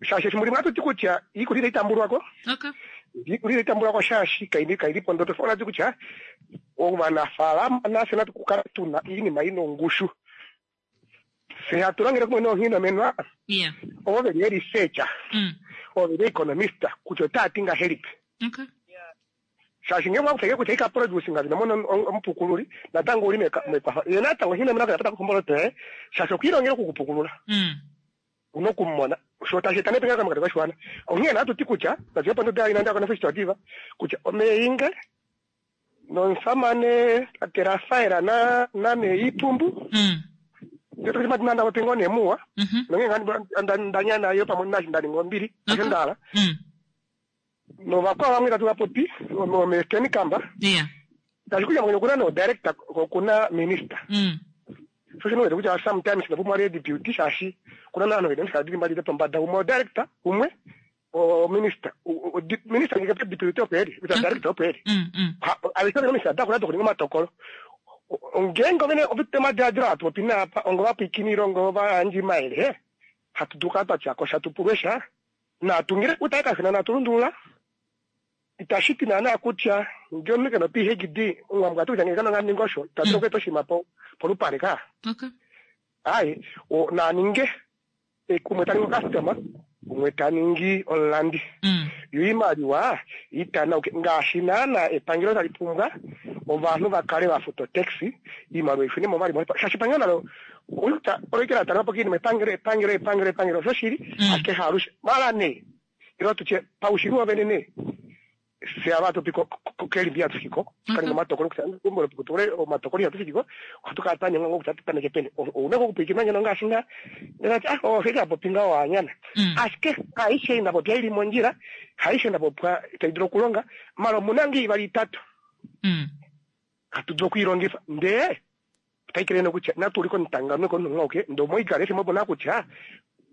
Shashe shimuri matu tikucha ikulile itambulwa ko. Okay. Ikulile itambulwa ko shashi kaindi kaindi pondo tofona tikucha. Oba na fala na sena tukukala tuna ini maino ngushu. Se aturangira kumwe no hino menwa. Yeah. Oba be researcher. Mm. Oba be economista kuchota tinga help. Okay. Shashi ngemwa kufike kucheka produce ngazi namono ompukululi natango ulime mekwa yena tango hino mena kapata kumbolo te shashi okirongera kukupukulula. Mm. una okumona sho tashi eta nepingakano mokati koshiwana. Onghee natu ti kutya natu pondoda inanda kona festival kutya omeinge nomusamane tate Rafaela na na Iipumbu Mm. nda popi ngoo nee muwa Mhm. nonge nda ndanya nayo pamwe nashi nda ninga ombili asho Okay. ndahala Mm. novakwao vamwe tatu vapopi omesteni kamba Yeah. tashi kutya mwenye okuna no director okuna minister Mm. so shino wete kutya sometimes ndapumwa le deputy shaashi kuna naanhu vene mishikala dili mbali pombada umwe o director umwe o minister U- u- di- minister ngeke deputy opo eli kutya director opo eli Mm. Mm. aveshe vene mishikala dakuna dokuninga omatokolo O- ngeenge ovene ovite omadiladilo hatu popi naapa ongo vapwikinile ongo vayandji mayele hatu dulu kala twatyako sha tupulwe sha natungile kutaye kafina natulundulula itashi ti naana kutya ngee omunhu kena o-PhD ongwambwa ati kutya ngee kana ninga osho itadulu okweeta oshinima po- polupale ka Okay. ayi o- naninge eh, umwe taningi ocustomer umwe taningi omulandi Mm. yo iimaliwa itanauke ngaashi naana epangelo tali pumbwa ovanhu va kale va futa otaxi iimaliwa ifune mo vali mo shaashi epangelo nalo oyuta oloikela talelapo kiinima epangelo epangelo epangelo epangelo osho shili Mm. ashike haalushe mala nee ilo tutye paushili wovene nee fye ava hatu pi kelimbi hatu fikiko kaninga omatokolo kutya kumbolo omatokolo ihatu fikiko ohatu kala twa nyengwa kutya tutameke peni ouna kokupwikina ngeno ngaashi nga ndati ah ofika popi nga wanyana Mm. ashike haishe ina popya ili mondjila haishe ina popya tai dulu okulonga mala omuna nge ivali itatu Mm. hatu dulu okuilongifa ndee otaikele nokutya natu uliko nitangano konunga ndee omoikala efimbo pona kutya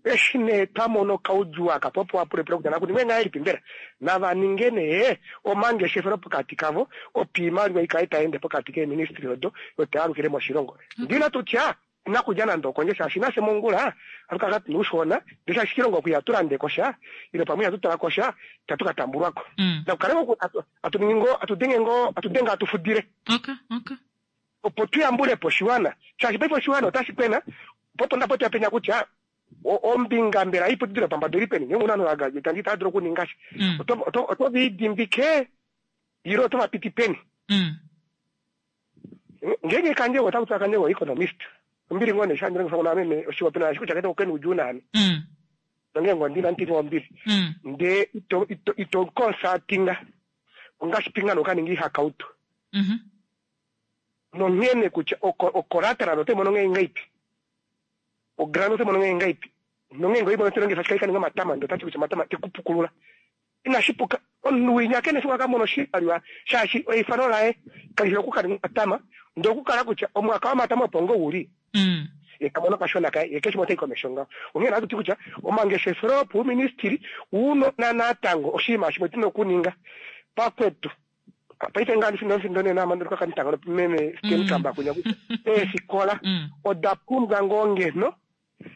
eshi nee twamono kaudjuu aka po wapulepule kutya nakuningwe ngahelipi mbela nava ninge nee omangeshefelo pokati kavo opo iimaliwa ikale taende pokati keeministry odo yo tayalukile moshilongo ndina tutya inakulya nande okondje shaashi nafye mongula atu kala tuna uushona ndee shaashi kilongo oku ihatu landeko sha ile pamwe ihatu talako sha itatu ka tambulwako Mm. nakukale ngo atu ningi ngo atudenge ngo atudenge atufudile Okay. Okay. opo tuyambulepo oshiwana shaashi paife oshiwana otashi kwena po ndapo tuyapenya kutya o- ombinga mbela iputudilo pambada ili peni ngenge una ovanhu vagraduate itava dulu okuninga sha Mm. Oto- oto- oto vidimbike ile oto vapiti peni Mm. ngenge kandjego otaku kandjego economist ombili ngoo nee shandilongifa meme oshiwapena shi kutya kete okeni udjuu naame Mm. nongenge ondina ntini ombili Mm. ndee ito ito ito consultinga ongashipinga nokaninga ihakautu Mhm. nonghene kutya oko- ocollateral oto imono nghee ngaipi ogrant oto imono nghee ngaipi nonghene oimono telongifa shikali kaninga omatama ndee otati kutya omatama tekupukulula inashi puka omunhu winya kene fiku akamona oshimaliwa shaashi eifano laye kalifi okukaninga omatama ndee okukala kutya omwaka womatama opo ngo uli Mm. ye kamona kashona kaye ye keshe motai komesho ngaho onghee natu ti kutya omangeshefelo opauministili unona natango oshinima shimwe tuna okuninga pakwetu paife ngaa ndifindo nenamandolukakanitango meme stenkamba kunya kutya eefikola Mm. oda pumbwa ngoo ngeno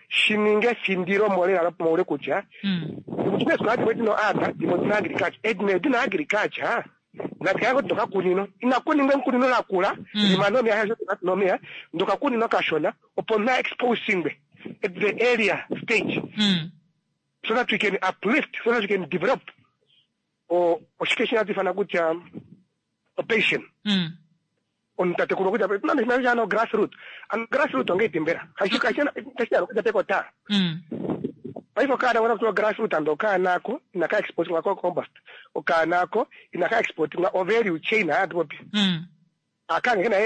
shininge efindilo molela moule kutya Mm. eefikola dimwe dina art dimwe odina agriculture edina edina agriculture natikala kuti ndokakunino inakuningwa enkunino lakula Mm. lima nomeya nomeya ndokakunino kashona opo na exposingwe at the area stage Mm. so that we can uplift so that we can develop o oshike shinatu ifana kutya opation Mm. omutatekulo kutya nande ano grassroot ano grassroot ongeipi mbela kashiyalo pekota Mm. paife okaana kona kutiwa grassroot ando okaanako inaka exportingwa ko compost okaanako inaka exportingwa o value chain hayatupopi Mm. akange kena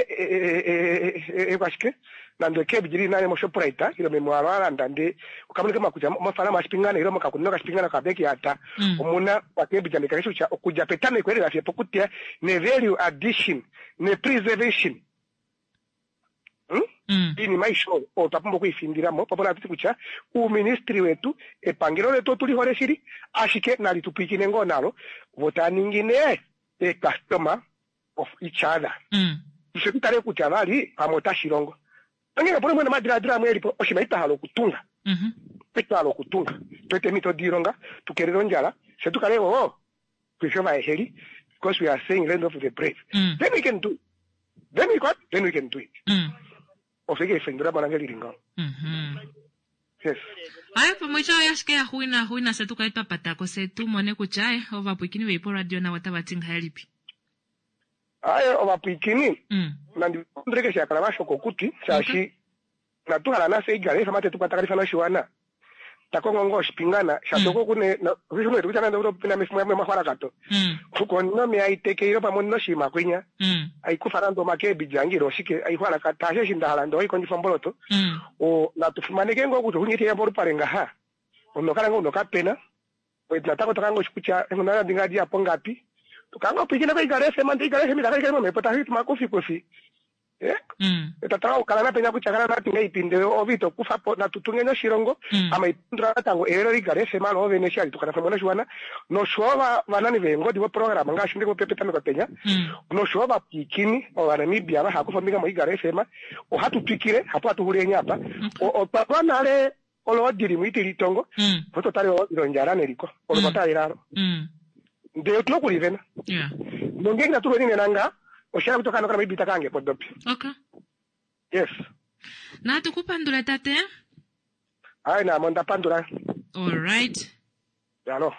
ekwashike nande ecabbage lili nane moshoprite ilo memwalo alanda nde okamonike makutya mofalama ashipingana ilo mokakunino kashipingana kabeki ata Mm. omuna okacabbage ande kakeshe kutya okudja petameko elela fiye pokutya ne value addition ne preservation Hmm? Mm. iinima aishe oyo oyo twa pumbwa okuifindilamo papo natuti kutya uuministry wetu epangelo letu otuli hole shili ashike nali tu pwiikine ngoo nalo vo taa ningi nee ecustomer of each other Mm. ifye tutale kutya vali pamwe otashi longo onghee kapuna mwene omadiladilo amwe elipo oshinima itwa okutunga Mhm. twa hala okutunga tu ete eemhito diilonga tukelele ondjala fye tukale wo tuife ovaheheli because we are saying land of the brave Mm. then we can do it then we what then we can do it Mm. ofike efendula mwanange lili ngaho Mhm. yes Aye pamwe ityo ashike yaxuwina xuwina se tukale twa patako se tumone kutya aye ovapwikini veipo radio navo otava ti ngahelipi aye ovapwikini Mm. nandi shakala vashoka okuti shaashi natuhala nafye igala ifama tetu kwatakanifana oshiwana Takongo ngoo oshipingana shatoko kune kutya nande pena mefimbo yamwe mahwalakato Mm. konome aitekeile pamwe noshiima kwinya Mm. aikufa nande omakeebiji ange ile oshike aihwalakata ashe eshi ndahala nde oikondjifa omboloto Mm. o natufimaneke ngoo kutya ohunyetiya polupale ngaha onokala ngoo unokapena natango tokanga oshi kutya enghundana dinga diyapo ngapi tokanga opwikina koikala FM nde ikala FM itakaikale momhepo tashi makufi eh Mm. tatala okukala napenya kutya kala natinga ipinde ove itokufa po natutungeni oshilongo Mm. ama ipundula natango elelo likale FM loovene eshi hali tukala pamwe noshiwana noshowo va- vanani veengodi voprograma ngaashi ndikupe petameko penya Mm. noshowo vapwikini ovanamibia vahakufa ombinga moigala FM ohatu twikile hapo hatuhuleni apa O- otwa twa nale oloodi limwe itilitongo Mm. ototale oloodi londjala neliko olo Mm. twatalelalo Mm. ndee otuna okulivena Yeah. nongenge natulweni nena nga oshala kuti okaana kanamibia itakange podopi Okay. yes Natu kupandula tate. ayi namo ndapandula All right. yalo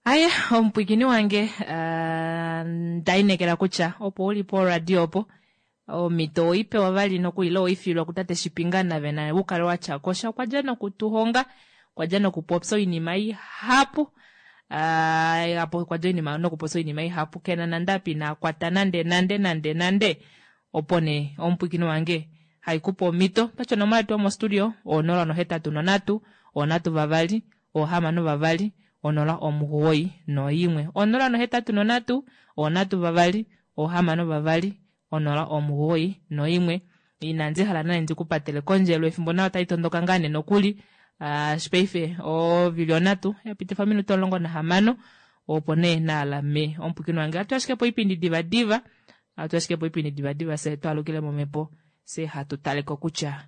Aye, omupwikini wange ah, ndainekela kutya opo uli poradio opo omito oipewa vali nokuli oifilwa kutate Shipingana vena ukale watya kosha okwa dja nokutuhonga okwa dja nokupopya oinima ihapu Ah, apo okwa dja oinima nokupopya oinima ihapu kena nande apa inakwata nande nande nande nande opo nee omupwikini wange haikupa omito patya onomola yetu yomostudio onola nohetatu nonhatu onhatu vavali ohamano vavali onola omugoyi noyimwe onola nohetatu nonhatu onhatu vavali ohamano vavali onola omugoyi noyimwe inandi hala nane ndikupatele kondjelo efimbo nayo otai tondoka ngaa nee nokuli Ah, shipaife ovili onhatu yapitifa ominute omulongo nahamano opo nee naalame omupwikini wange atu ashike po oipindi divadiva atu ashike po oipindi divadiva se twalukile momhepo se hatu taleko kutya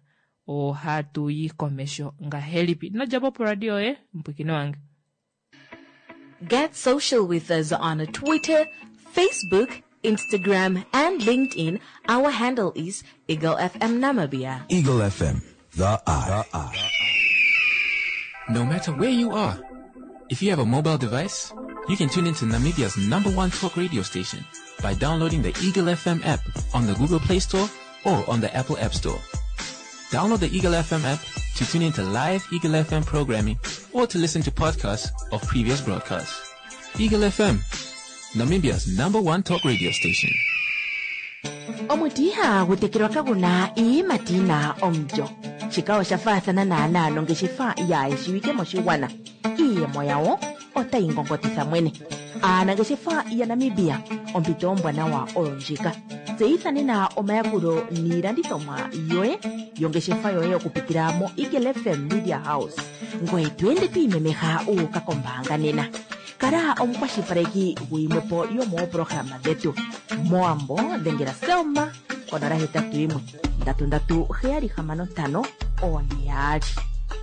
ohatu yi komesho ngahelipi nodjapo poradio yoye mupwikini wange Get social with us on Twitter, Facebook, Instagram, and LinkedIn. Our handle is Eagle FM Namibia. Eagle F M, the eye. The eye. No matter where you are, if you have a mobile device, you can tune into Namibia's number one talk radio station by downloading the Eagle F M app on the Google Play Store or on the Apple App Store. Download the Eagle F M app to tune into live Eagle F M programming or to listen to podcasts of previous broadcasts. Eagle F M, Namibia's number one talk radio station. Omuti ihagu tekelwa kaguna iiyimati yina omulyo. Shika osha faathana naanaa nongeshefa yaayeshiwike moshigwana. Iiyemo yawo otayi ngongotitha mwene. Aanangeshefa yaNamibia, ompito ombwanawa oyo ndjika. Tseyitha nena omayakulo niilandithomwa yoye yongeshefa yoye okupitila mo Eagle F M Media House, ngoye to ende to imemeha uuka kombaanga nena. Kala omukwashilipaleki guyimwepo yomooprograma dhetu. Mowambo dhengela Selma konola hetatu yimwe ndatu ndatu heyali hamano ntano one yaali.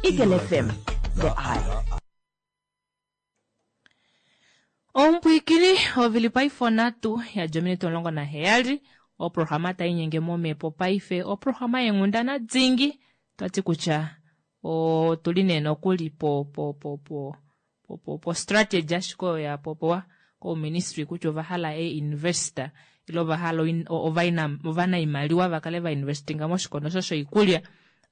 Eagle F M, the eye. Omupwikini ovili paife onhatu yadja ominute omulongo naheyali oprograma tainyenge momhepo paife oprograma yenghundana dingi twati kutya otuli nee nokuli po po po po po po po strategy ashike oyo yapopiwa kouministry kutya ovahala e-investor ile ovahala oin- o- ovaina- ovanaimaliwa vakale vainvestinga moshikondo osho shoikulya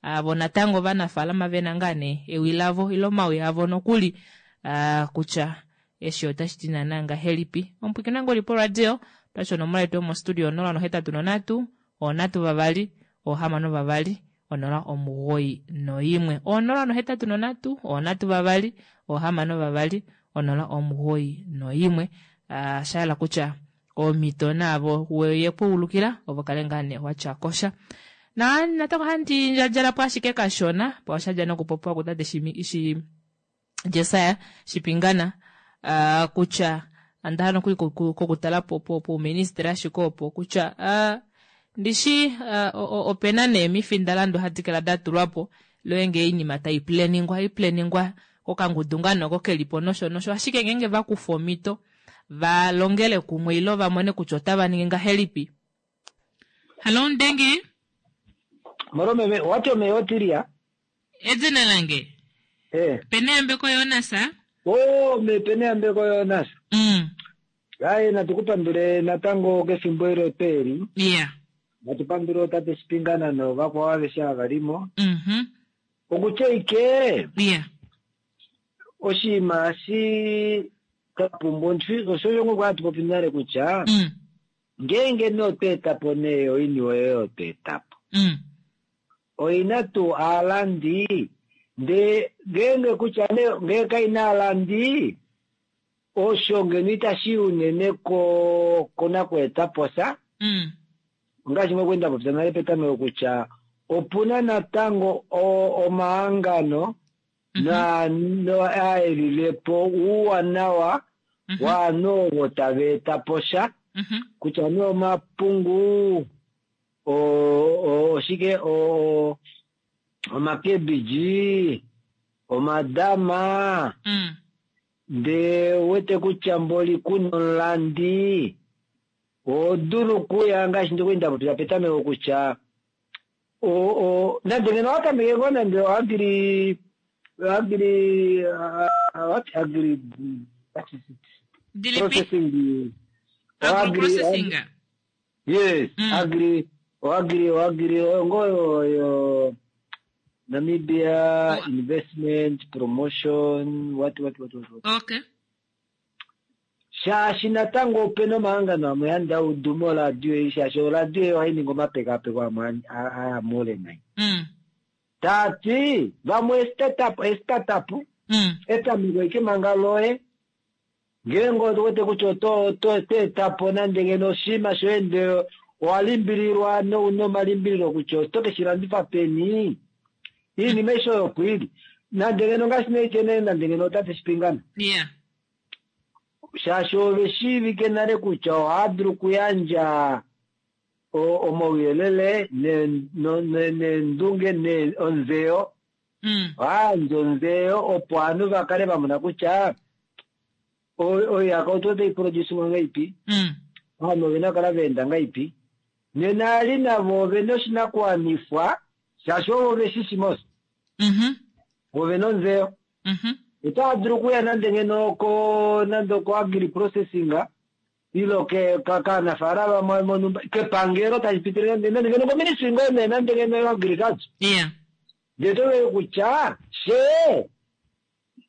avo natango ovanafaalama vena ngaa nee ewi lavo ile omawi avo nokuli ah, kutya eshi otashi ti naana ngahelipi omupwikini wange oli poradio twasho onomola yetu yomostudio onola nohetatu nonhatu onhatu vavali ohamano vavali onola omugoyi noyimwe onola nohetatu nonhatu onhatu vavali ohamano vavali onola omugoyi noyimwe. Ah, shayela kutya omito naavo yekuulukila ovo kale ngaa nee watya kosha na natango handi ndjadjalapo ashike kashona po oshadja nokupopiwa kutate shi, shi Jesaya Shipingana uh, kutya andahala nokuli kokutala po po pouministry ashike opo kutya uh, ndishi uh, opena nee emifindalandu hadi kala datulwapo loenge oinima taiplaningwa haiplaningwa kokangudu ngaa noko kelipo nosho nosho ashike ngeenge vakufa omito valongele kumwe ilo vamone kutya otava ningi ngahelipi. Hallo Ndenge. Molo meme, wati omeyotilia Edina lange eh Peneyambeko Jonas. O me Peneyambeko Jonas. Mm. Aye natukupandule natango kefimbo elo peli. Yeah. Natu pandule tate Shipingana novakwao aveshe ava limo. Mhm. Okutya ike Yeah. oshinima eshi kapumbwa omuntu osho osho ngoo hatu popi nale kutya Mm. ngeenge nee otwa eta po nee oiniwe oyo twa eta po Mm. oina tuu aalandi ndee ngeenge kutya nee ngee kaina aalandi osho ngeno itashi unene ko konakweeta po sha Mm. ngaashi mokwenda popya nale petameko kutya opuna natango o- omahangano na no aelilepo uuwanawa Mhm. waanhu ovo tava eta po sha Mhm. kutya nee omapungu o- o- oshike o- omakebiji omadama Mm. ndee wete kutya mboli kuna omulandi oho dulu okuya ngaashi ndikwenda popya petameko kutya o- o- nande ngeno owatameke ngoo nande oagri agri ah, what agri what is it? Dilipi. processing Agro processing. yes Mm. agri oagri oagri ngoyo yo Namibia Oh. investment promotion what what what what, what. Okay. Shaashi natango opena omahangano amwe handi audu moradio ei shaashi oradio ei ohayi ningi omapekapeko amwe aya muule nai Mm. taati vamwe startup startup Mm. etameko ike manga loye ngeenge owete kutya oto oto oto eta po nande ngeno oshinima shoye ndee owa limbililwa nouna omalimbililo kutya oto ke shi landifa peni iinima aishe oyo opo ili nande ngeno ngaashi neitye nande ngeno otate shipingana Yeah. shaashi ove shiivike nale kutya ohaya dulu okuyandja o- omauyelele ne- no- ne- neendunge ne- onzeyo Mm. ohaya yandje onzeyo opo ovanhu va kale va mona kutya o- oihakautu otai produce ngaipi Mm. ovanhu ovena okukala va enda ngaipi nena ali navo ovena oshinakuwanifwa shaashi ovo veshishi mos Mhm. ovena onzeyo Mhm. otava dulu okuya nande ngeno ko nande oko agri processing ilo ke ka- kaanafaalama monumba kepangelo tashi pitile nande nande ngeno koministry ngoo nee nande ngeno yo agriculture Yeah. ndee tovee kutya she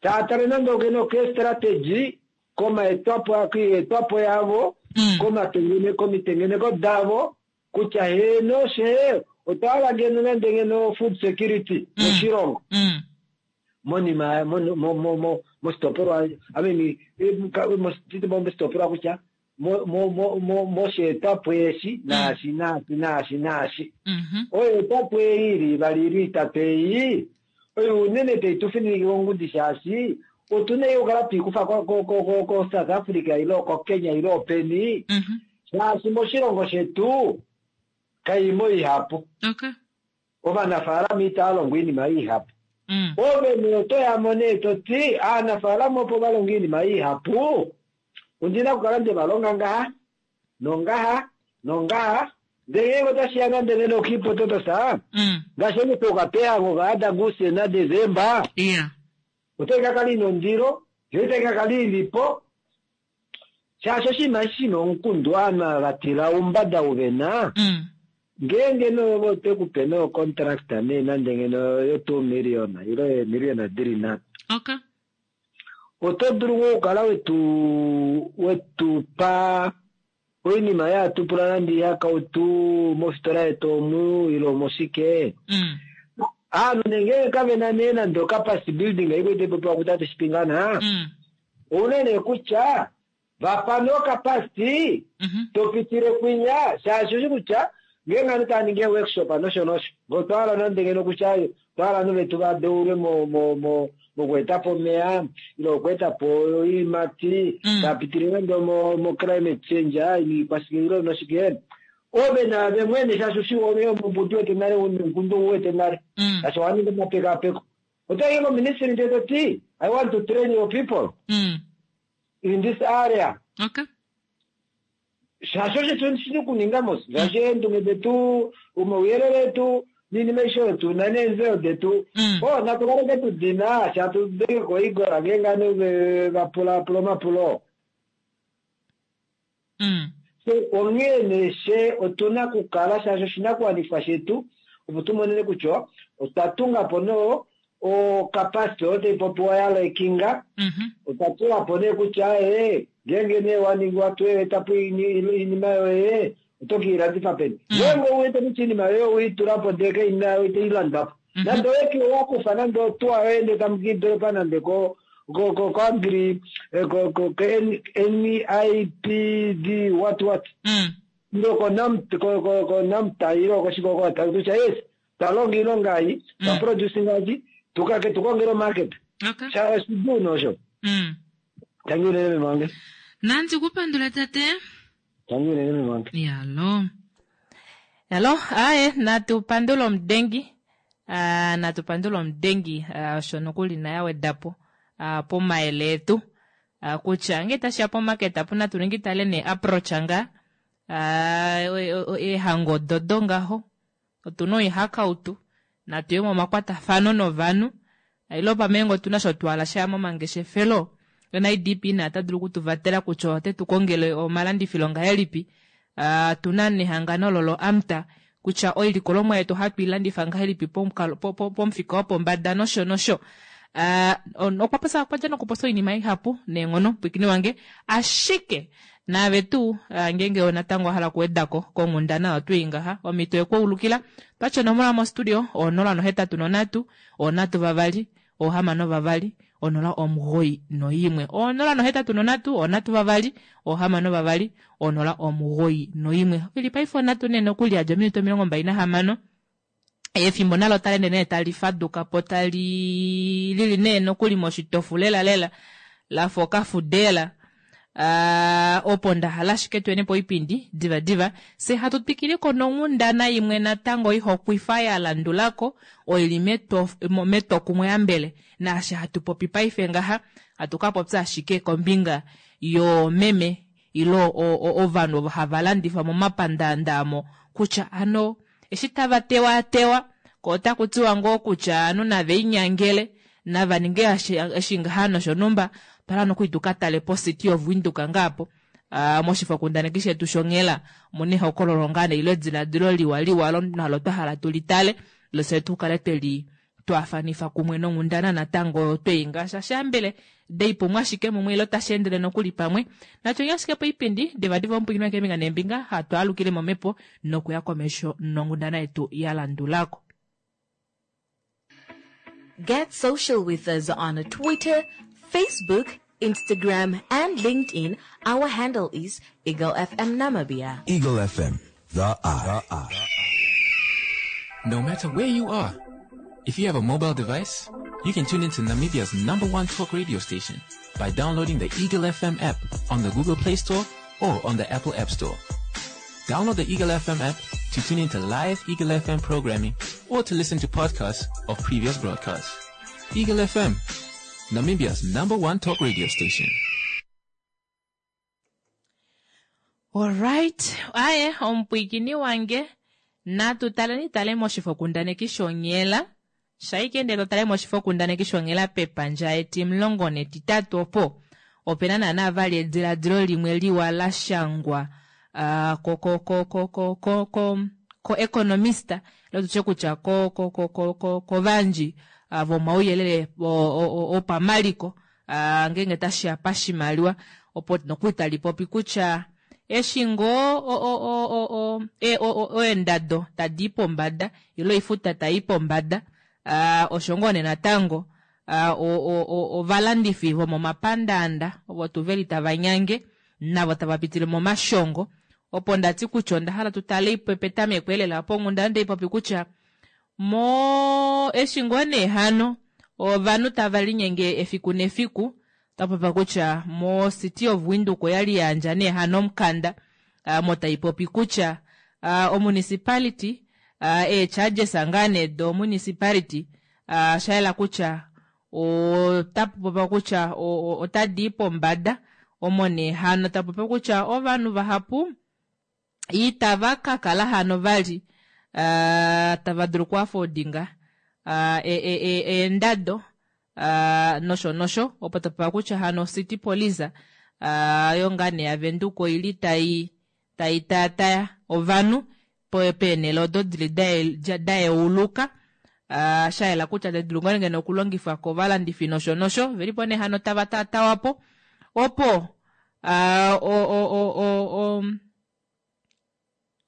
taatale nande ngeno ke strategy komaetwapo koiyetwapo yavo Mm. komatengene komitengeneko davo kutya heno she otwa hala ngeno nande ngeno food security Mm. moshilongo Mm. monima mo- mo- mo- mo- moshitopolwa I mean, eh, ka- mos- moshitopolwa kutya mo- mo- mo- mo- mosheetwapo eshi naashi naashi naashi naashi Mhm. oyo etwapo ei ili ivali ili itatu ei oyo unene taitufininike kongudi shaashi otuna yo okukala twiikufa ko- ko- ko- ko- ko South Africa ile ko Kenya ile openi Mhm. shaashi moshilongo shetu kaimo ihapu Okay. ovanafaalama itaya longo iinima ihapu Mm. ove nee otoyamo nee toti aanafaalama opo valonga iinima ihapu ondina okukala nde valonga ngaha nongaha nongaha ndee ngeenge otashiya nande nene okiipototosa Mm. ngaashi onyupe okapeyango kaadaguse nadesemba Yeah. otai kakala ina ondilo yo itai kakala ilipo shaashi oshinima eshi shina omukundu ovanhu ava vatila oumbada uvena Mm. ngeenge nee otekupe nee ocontract nee nande ngeno yo two million ile eemillion dili nhatu Okay. oto dulu ngoo okukala wetu wetupa oinima yatupula nande ihakautu mofitola yetu omu ile omoshike Mm. aanhu nengenge kavena nee nande ocapacity building aikwete popiwa kutate shipingana Mm. ouna nee kutya vapa nee ocapacity Mhm. topitile kwinya shaashi oshi kutya ngeenge ovanhu tava ningi eeworkshop nosho nosho ngee otwa hala nande ngeno kutya otwa hala ovanhu vetu vadeulwe mo- mo- mo- mokweetapo omeya ile okweetapo oiimati Mm. tapitile nande mo- mo climate change ikwashike ile noshike ove nave mwene shaashi ushi ove omumbudi wete nale omukundu uwete nale Mm. shaashi owaninga omapekapeko otoyi koministry ndee toti i want to train your people Mm. in this area Okay. shaashi osho tu shina okuninga mos shaashi eendunge detu omauyelele etu niinima aishe oyo tuna neenzeyo detu Mm. o natu kaleke tudina shatu denge koigola ngeenge ovanhu ve- vapulapula omapulo Mm. So, onghee nee she otuna okukala shaashi oshinakuwanifwa shetu opo tumonene kutya otwa tunga po noo ocapacity oyo tai popiwa ya lekinga Mhm. otwa tula po nee kutya ee ngeenge nee waningi watu eta po iinima yoye oto kiilandifa peni ngeenge ouwete kutya iinima yoye oweitula po ndee kaina itailandwa po nande oweke wakufa nande otuwa yoye ndee tamu kiidolopa nande ko ko ko ko agri eh, ko ko ko N- NIPD what what Mm. ndo ko nam ko ko ko namta ilo ko shiko ko ta kutya yes talonga iilonga ayi ta producing aji tukake tukongele market Okay. sha oshiduu nosho Mm. tangi unene meme wange Nanzi kupandula tate. tangi unene meme wange Yalo. Yalo, aye natu pandula omudengi. Ah, natu pandula omudengi ah, osho nokuli naye awedapo ah, pomayele etu ah, kutya nge tashiya pomarket apo natu ningi tale ne approach nga ah, e- e- eehango dodo ngaho otuna oihakautu natuye momakwatafano novanhu ilo pamengo otuna sho twala shaya momangeshefelo NIDP na ata dulu okutuvatela kutya ote tu kongele omalandifilo ngahelipi uh, tuna nehangano lolo AMTA kutya oilikolomwa yetu hatu ilandifa ngahelipi pomukalo po- po- pomufika wopombada nosho nosho uh, okwa posa okwa dja nokuposa oinima ihapu neenghono pwikini wange ashike naave tuu uh, ngeenge natango wahala okuwedako konghundana oyo ngaha omhito yekuulukila twatya onomola mostudio onola nohetatu nonhatu onhatu vavali ohamano vavali onola omugoi noimwe onola nohetatu nonhatu onhatu vavali ohamano vavali onola omugoi noimwe ili paife onhatu nee nokuli yadja ominute omilongo mbali nahamano efimbo nalo tali ende nee tali faduka po tali lili nee nokuli moshitofu lela lela lafa okafudela uh, opo ndahala ashike tuyene po oipindi diva diva se hatu twikiliko nonghundana imwe natango ihokwifa ya landulako oili meto- metwokumwe ambele naashi hatu popi paife ngaha hatu ka popya ashike kombinga yoomeme ilo ovanhu ovo hava landifa momapandaanda amo kutya ano eshi tava tewatewa ko otaku tiwa ngoo kutya anu nave inyangele nava ninge eshi ngaha noshonhumba twala nokuli tuka tale po City of Windhoek ngaapo uh, moshifokundaneki shetu shonghela muna ehokololo ngaa nee ilo ediladilo liwa liwa nalo twa hala tuli tale lose tukale tweli twafanifa kumwe nonghundana natango tweinga shashambele deipumwa ashike mumwe ilo tashi endele nokuli pamwe natyo ashike poipindi divadiva omupwikinwa keembinga neembinga hatu alukile momhepo nokuya komesho nonghundana yetu ya landulako. Get social with us on Twitter, Facebook, Instagram, and LinkedIn. Our handle is Eagle FM Namibia. Eagle FM, the eye. The eye. No matter where you are, if you have a mobile device, you can tune into Namibia's number one talk radio station by downloading the Eagle FM app on the Google Play Store or on the Apple App Store. Download the Eagle FM app to tune into live Eagle FM programming or to listen to podcasts of previous broadcasts. Eagle FM, Namibia's number one talk radio station. Alright, aye omupwiikini wange natu taleni tale moshifokundaneki shonghela shaike ndele totale moshifokundaneki shonghela pepandja etimulongo netitatu opo opena naana vali ediladilo limwe liwa la shangwa uh, ko ko ko ko ko ko ko ko economista lotutye kutya ko ko ko ko ko kovanji uh, vomauyelele opamaliko uh, ngenge tashiya pashimaliwa opo nokuli tali popi kutya eshi ngoo eendado tadi i pombada ilo oifuta tai pombada uh, osho ngoo nee natango uh, ovalandifi vomomapandaanda ovo tuu veli tava nyange navo tava pitile momashongo opo ndati kutya onda hala tutale petameko elela opo onghundana ndeipopi kutya mo eshi ngoo nee hano ovanhu tava linyenge efiku nefiku tapopiwa kutya mo City of Windhoek oyali yandja nee hano omukanda uh, mo taipopi kutya uh, omunicipality uh, ee-charges ngaa nee do municipality uh, shayela kutya otapopiwa kutya otadi i pombada omo nee hano tapopiwa kutya ovanhu vahapu itava ka kala hano vali uh, tava dulu okuafodinga uh, eendado uh, nosho nosho opo tapopiwa kutya hano city police uh, yo ngaa nee yavenduka oili tai Tai taataya ovanhu peenhele odo dili dayeuluka shayela kutya tadi dulu ngoo ngeno okulongifwa kovalandifi nosho nosho velipo nee hano tava taatawapo opo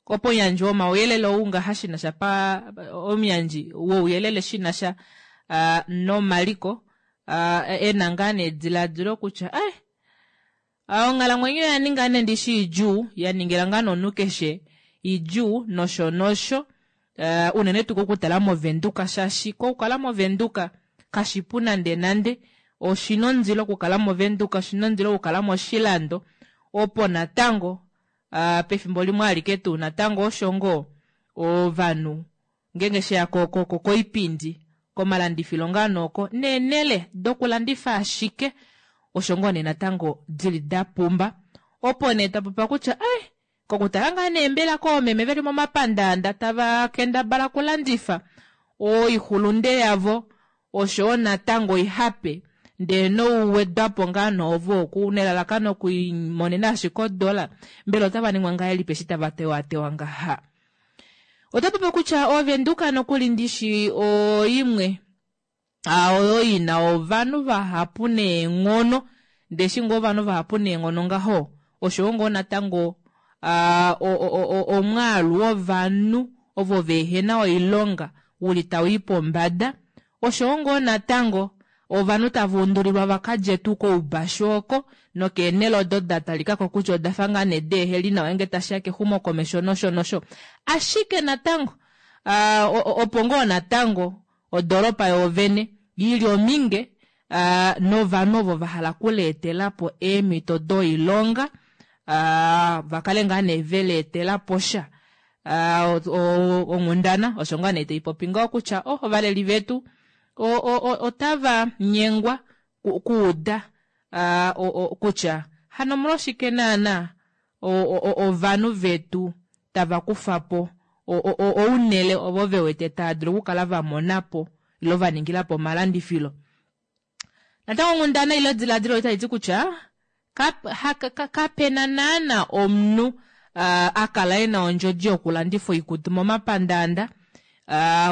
opo omuyandji womauyelele ou ngaha shinasha pa omuyandji wouyelele shinasha nomaliko ena ngaa nee edilaadilo kutya eh onghalamwenyo oyaninga nee ndishi idjuu yaningila ngaa nee omunhu keshe idjuu nosho nosho unene tuu kokutala movenduka shaashi kokukala movenduka kashipu nande nande oshina ondilo okukala movenduka oshina ondilo okukala moshilando opo natango pefimbo limwe alike tuu natango osho ngoo ovanhu ngeenge sheya koipindi komalandifilo ngaa nooko neenele dokulandifa ashike osho ngoo nee natango dili dapumba opo nee tapopiwa kutya eh kokutala ngaa nee mbela koomeme veli momapandaanda tava kendabala okulandifa oixulunde yavo oshowo natango oihape ndee nouwedwapo ngaa noovo oku nelalakano okuimonena ashike odola mbela otava ningwa ngahelipi eshi tava tewatewa ngaha. Otapopi kutya ovenduka nokuli ndishi oimwe oyo ina ovanhu vahapu neenghono ndeshi ngoo ovanhu vahapu neenghono ngaho oshowo ngoo natango omwaalu wovanhu ovo vehena oilonga uli tawii pombada oshowo ngoo natango ovanhu tava undulilwa vakalye tuu koubashu oko nokeenhele odo datalikako kutya odafa ngaa nee deeheli nawa ngeenge tashiya kexumokomesho nosho nosho ashike natango opo ngoo natango odoropa yoovene ili ominge novanhu ovo vahala okuleetelapo eemhito doilonga vakale ngaa nee veleetelapo sha onghundana osho ngaa nee taipopi ngaho kutya oh ovaleli vetu otava nyengwa kuuda kutya hano omolwashike naana ovanhu vetu tava kufapo ounele ovo vewete tava dulu okukala vamonapo ilo vaningilapo omalandifilo. Natango onghundana ile ediladilo otali kutya kapena naana omunhu akala ena ondjodi yokulandifa oikutu momapandaanda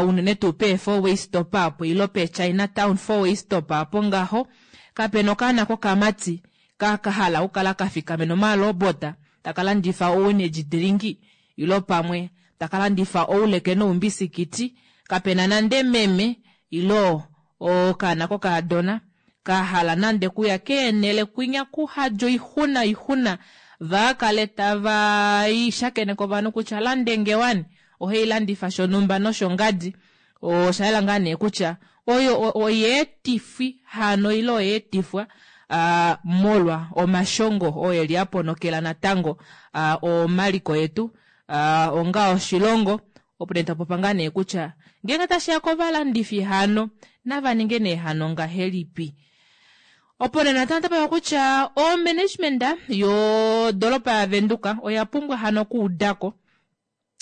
unene tuu pee four way stop apo ilo pe Chinatown four way stop apo ngaho kapena okaana kokamati kakahala okukala kafikamena omalobota takalandifa o-energy drink ilo pamwe takalandifa ouleke noumbisikiti kapena nande meme ilo okaana kokaadona kahala nande kuya keenhele kwinya kuhadja oixuna oixuna vakale tava shakeneke ovanhu kutya lande ngewani ohailandifa shonhumba noshongadi oshayela ngaa nee kutya oyo oyeetifi hano ile oyeetifwa molwa omashongo oo eli aponokela natango omaliko yetu onga oshilongo opo nee tapopa ngaa nee kutya ngeenge tashiya kovalandifi hano nava ninge nee hano ngahelipi. Opo nee natango tapopiwa kutya omanagement yodoropa yavenduka oya pumbwa hano okuudako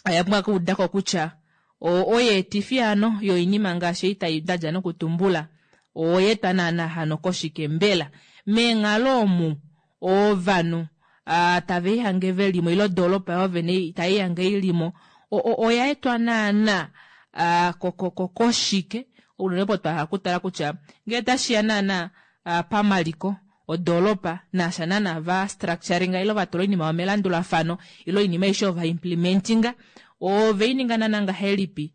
oya pumbwa okuudako kutya oyeetifi hano yoinima ngaashi ei tai dadja nokutumbula oyeetwa naana hano koshike mbela meenghalo omu ovanhu tava ihange velimo ile odoropa yoovene taihange ilimo oya etwa naana koshike unene opo twahala okutala kutya ngee tashiya naana pamaliko odoropa nasha naana va structuringa ile vatula oinima yomelandulafano ile oinima aishe ova implementinga oveininga naana ngahelipi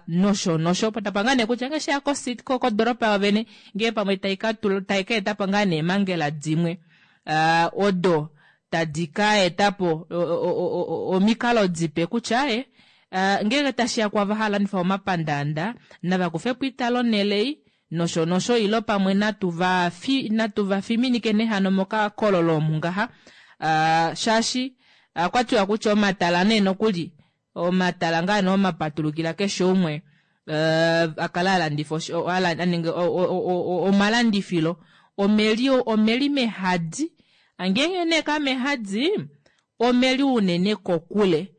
nosho nosho opo tapa ngaa nee kutya ngee sheya kodoropa yoovene ngee pamwe taika etapo ngaa nee eemangela dimwe odo tadi ka etapo omikalo dipe kutya e ngeenge tashiya kwava hava landifa momapandaanda nava kufepo italo onhele nosho nosho ilo pamwe natu va fiminike nehano mokakololo omu ngaha shaashi okwatiwa kutya omatala nee nokuli omatala ngaa nee omapatulukila keshe umwe akala alandifa aninge omalandifilo omeli omeli mehadi ngeenge nee kamehadi omeli unene kokule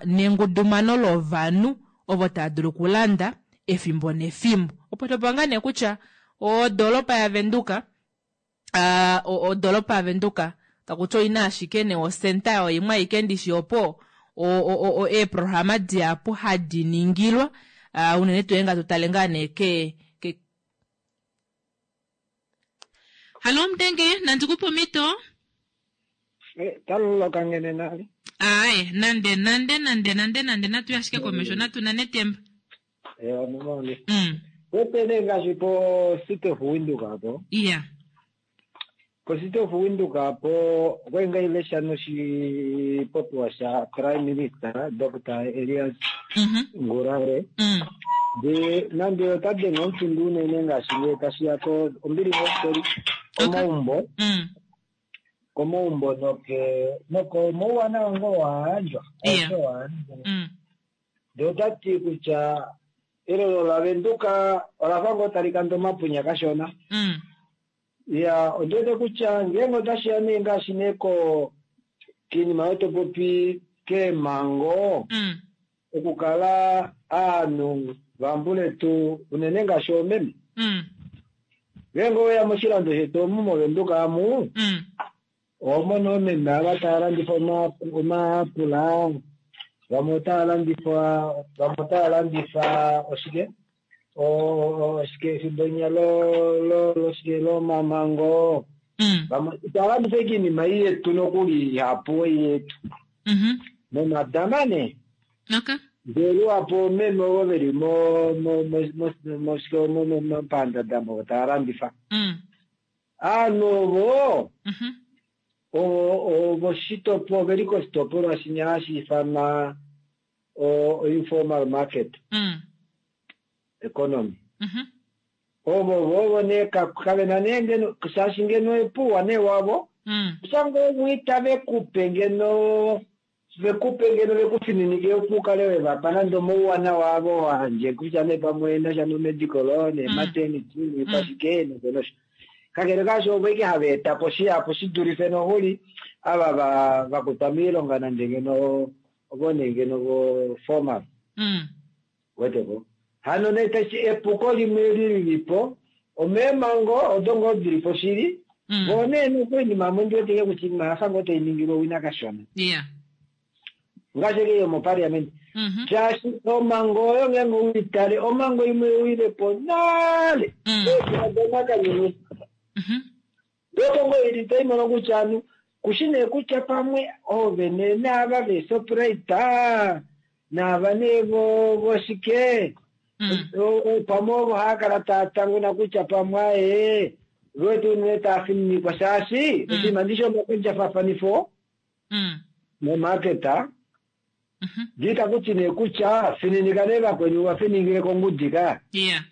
nengudumano lovanhu ovo tava dulu okulanda efimbo nefimbo opo topa ngaa nee kutya odoropa yavenduka odoropa yavenduka Takuti oina ashike nee osenta yayo imwe aike ndishi opo eeprograma dihapu hadi ningilwa, unene tuu ngeenge hatu tale ngaa nee ke ke Hallo Mudenge, nandi kupe omhito? Taloloka ngene nale. Aaye, nande nande nande nande nande natu ye ashike komesho natu nane etemba. Ewa nomoni. Mm. Wete nee ngaashi po City of Windhoek apo. Iya. Po City of Windhoek apo okwali ngaa ilesha noshipopiwa sha Prime Minister Doctor Elias Ngurare. Mm. Ndee nande ota denge omufindu unene ngaashi ngee tashi ya ko ombili ngoo komaumbo. Mm. Komaumbo noke nokomauwanawa ngoo wa yandjwa. Iya. Aishe wa yandjwa. Mm. Ndee ota ti kutya elelo laVenduka olafa ngoo tali kande omapunya kashona. Mm. Ya, ondiwete kutya ngeenge otashiya nee ngaashi nee ko kiinima oyo topopi keemhango Mm. okukala aanhu vambuletu unene ngaashi oomeme. Mm. Ngeenge oweya moshilando shetu omu moVenduka amu Mm. oho mono oomeme ava tava landifa omaapula, vamwe otava landifa vamwe otava landifa oshike oshike efimbo linya lo loshike lomamango. Mm. Vamwe itava landifa ashike oinima ei yetu nokuli ihapu ei yetu. Mhm. Nomadama nee. Okay. Ndee luhapu oomeme ovo veli mo mo mo moshike momapandanda ovo tava landifa. Mm. Aanhu ovo Mhm. ovoshitopolwa oveli koshitopolwa shinya hashi ifanwa o informal market Mm. economy. Mhm. Ovo vovo nee kavena nee ngeno shaashi ngeno epuwa nee wavo Mm. kutya ngoo umwiita vekupe ngeno vekupe ngeno vekufininike opo ukale wevapa nande omauwanawa avo wandje kutya nee pamwe enasha nomedical nematernity nepashike nosho nosho. Kakele kaasho ovo ashike hava eta po shihapu shidulife nokuli ava va vakutwa moilonga nande ngeno ovo nee ngeno vo formal. Mm. Weteko. Hano nee tashi epuko limwe lilipo omeemhango odo ngoo dilipo shili Mm. voo nee nokoinima amwe ndiweteke kutya oinima oyafa ngoo tainingilwa owina kashona. Yeah. Ngaashi ashike yomopaliamente. Mhm. Shaashi omhango oyo ngeenge uitale omhango imwe oilepo nale. Mm. Eedula Mhm. Ndopo ngoo ili taimono kutya anu kushi nee kutya pamwe oovene naava veeShoprite naava nee vo voshike Mm. pamwe ovo haakala taa tanguna kutya pamwe aye vewete unene taa fininikwa shaashi oshinima ndishi omakondjafafanifo Mm. momaketa Mhm. ndiita kuti nee kutya fininika nee vakweni uvafiningile kongudi ka Yeah.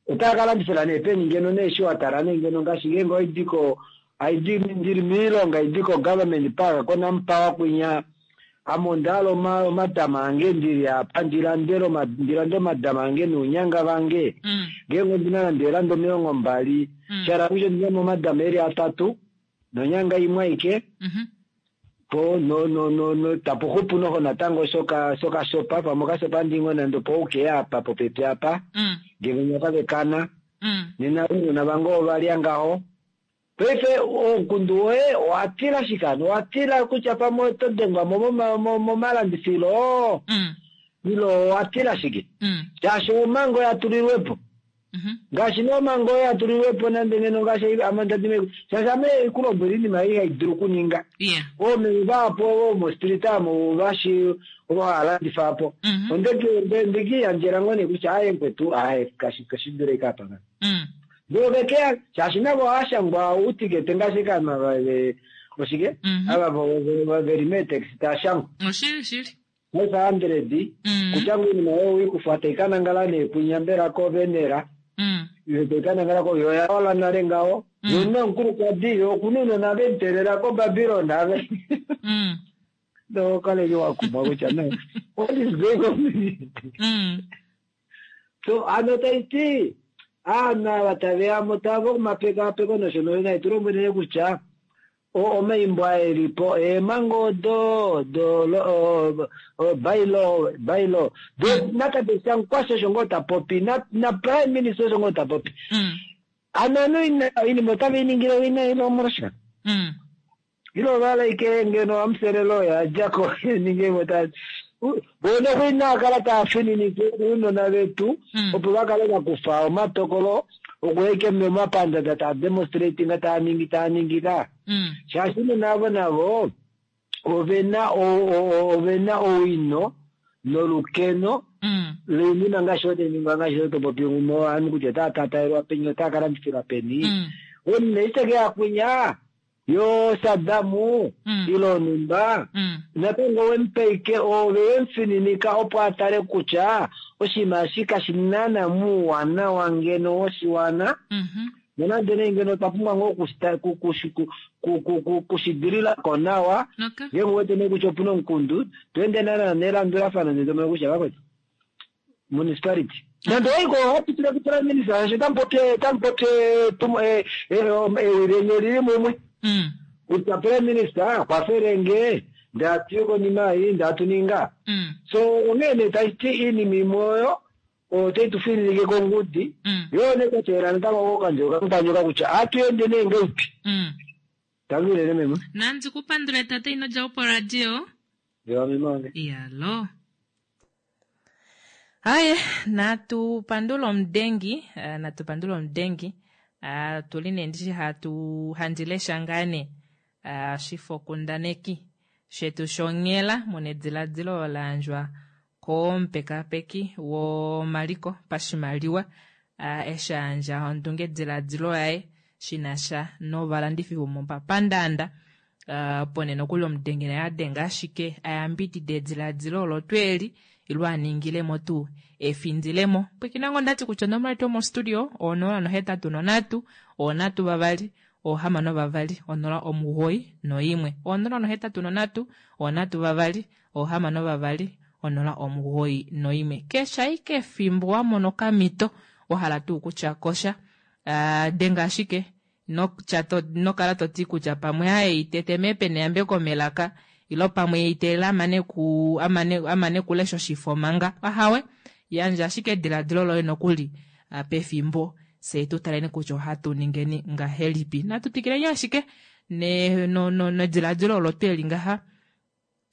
otava kalandifila nee peni ngeno nee eshi watala nee ngeno ngaashi ngeenge oidi ko aidi ndili moilonga idi ko government park koNampower kwinya ame ondahala oma omatama ange ndili apa ndilandele oma ndilande omadama ange nounyanga vange Mm. ngeenge ondina nande eelanda omilongo mbali Mm. shala kutya ondina mo omadama eli atatu nonyanga imwe aike Mhm. po no no no no tapuxupu noho natango shoka shokashopa pamwe okasopa ndingo nande opo ukeya apa popepi apa Mm. ngenge nyakavekana Mm. nena ounona vange ovalya ngaho paife omukundu woye owatila shikano owatila kutya pamwe oto dengwa mo moma- momalandifilo Mm. ile owatila shike Mm. shaashi omhango yatulilwepo Mhm. ngaashi nee omhango oyo yatulilwepo nande ngeno ngaashi ame ndadime shaashi ame kulombwela oinima ei haidulu okuninga Yeah. oomeme vahapu ovo mostreet amo vashi ovo hava landifa apo Mhm. ondekiyandjela ngoo nee kutya aye mukwetu aye kashi kashidule ike apa nga Mm. ndee vekeya shaashi navo ohashangwa outikete ngaashi kama oshike Mhm. ava vo- vo- veli meetaxi taashangwa Oshili shili. five hundred Mm. kutya ngoo oinima oyo wikufa taikanangala nee kwinya mbela kovenera Mm. yo taikanangala ko yo oyawala nale ngaho Mm. yo nomukulukadi yo okuna ounona vemuteelela koBabylon ave Mm. nokale wakumwa kutya no what is going on Mm. so ano taiti aanhu ava taveyamo tava okumapekapeko nosho nosho nai tulombwelele kutya omaimbo aelipo eemhango odo do bylaw bylaw do natate Sankwasa osho ngoo tapopi na na prime minister osho ngoo tapopi Mm. ano anu oinima otave iningile owina ile omolwashike Mm. Ilo valaike ngeno amuselelo yadjako ninge ta bona kuinakala taafininike uunona vetu opo vakale vakufa omatokolo okueke momapandanda taa demonstratinga taa ningi taa ningi ka shaashi uunona avo navo ovena ovena owino nolukeno loinima ngaashi oteningwa ngaashi otopopi ovanhu kutya otaa tataelwa peni otaa kalandifilwa peni omunhu iteke yakwinya yo Sadamu ilo numba natango wemupeike ove wemufininika opo atale kutya oshinima eshi kashi nana muuwanawa ngeno woshiwana nonande nee ngeno otwa pumbwa ngoo kushidililako nawa ngenge wete nee kutya opuna omukundu tweende naana nelandulafano netomona kutya vakwetu municipality nande oiko hapitile ku prime minister sho tamupopye tamupopye ewi lenye lili mumwe kutya prime minister kwafelenge ndatu konima ei ndatuninga so onghee nee tashiti iinima imwe oyo otayi tu fininike kongudi yo nekwatela natango kokandjo kapanyoka kutya atuende nee ngeipi tangilele meme nandi kupandule tate ino dja po radio yo meme wange iyalo aye natu pandula omudengi eh, natu pandula omudengi uh, tuli nee ndishi hatu handi lesha ngaa nee uh, shifokundaneki shetu shonghela muna ediladilo la yandjwa komupekapeki womaliko pashimaliwa uh, eshi a yandja ondungediladilo yaye shinasha novalandifi vomomapandanda uh, pone nokuli omudengi naye adenga ashike ayambidida ediladilo olo tweeli ilo aningilemo tuu efindilemo pwikinango ndati kutya onomola yetu yomostudio onola nohetatu nonhatu onhatu vavali ohamano vavali onola omugoyi noimwe onola nohetatu nonhatu onhatu vavali ohamano vavali onola omugoyi noimwe keshe ashike efimbo wa mona okamhito wahala tuu kutya kosha uh, denga ashike ino kala toti kutya pamwe aye itete meepene yambeko melaka ilo pamwe iteelela amane ku amane amane kulesha oshifo manga ahawe yandja ashike ediladilo loye nokuli uh, pefimbo fye tu taleni kutya ohatu ningeni ngahelipi natu twikileni ashike ne no, no, nediladilo olo tweli ngaha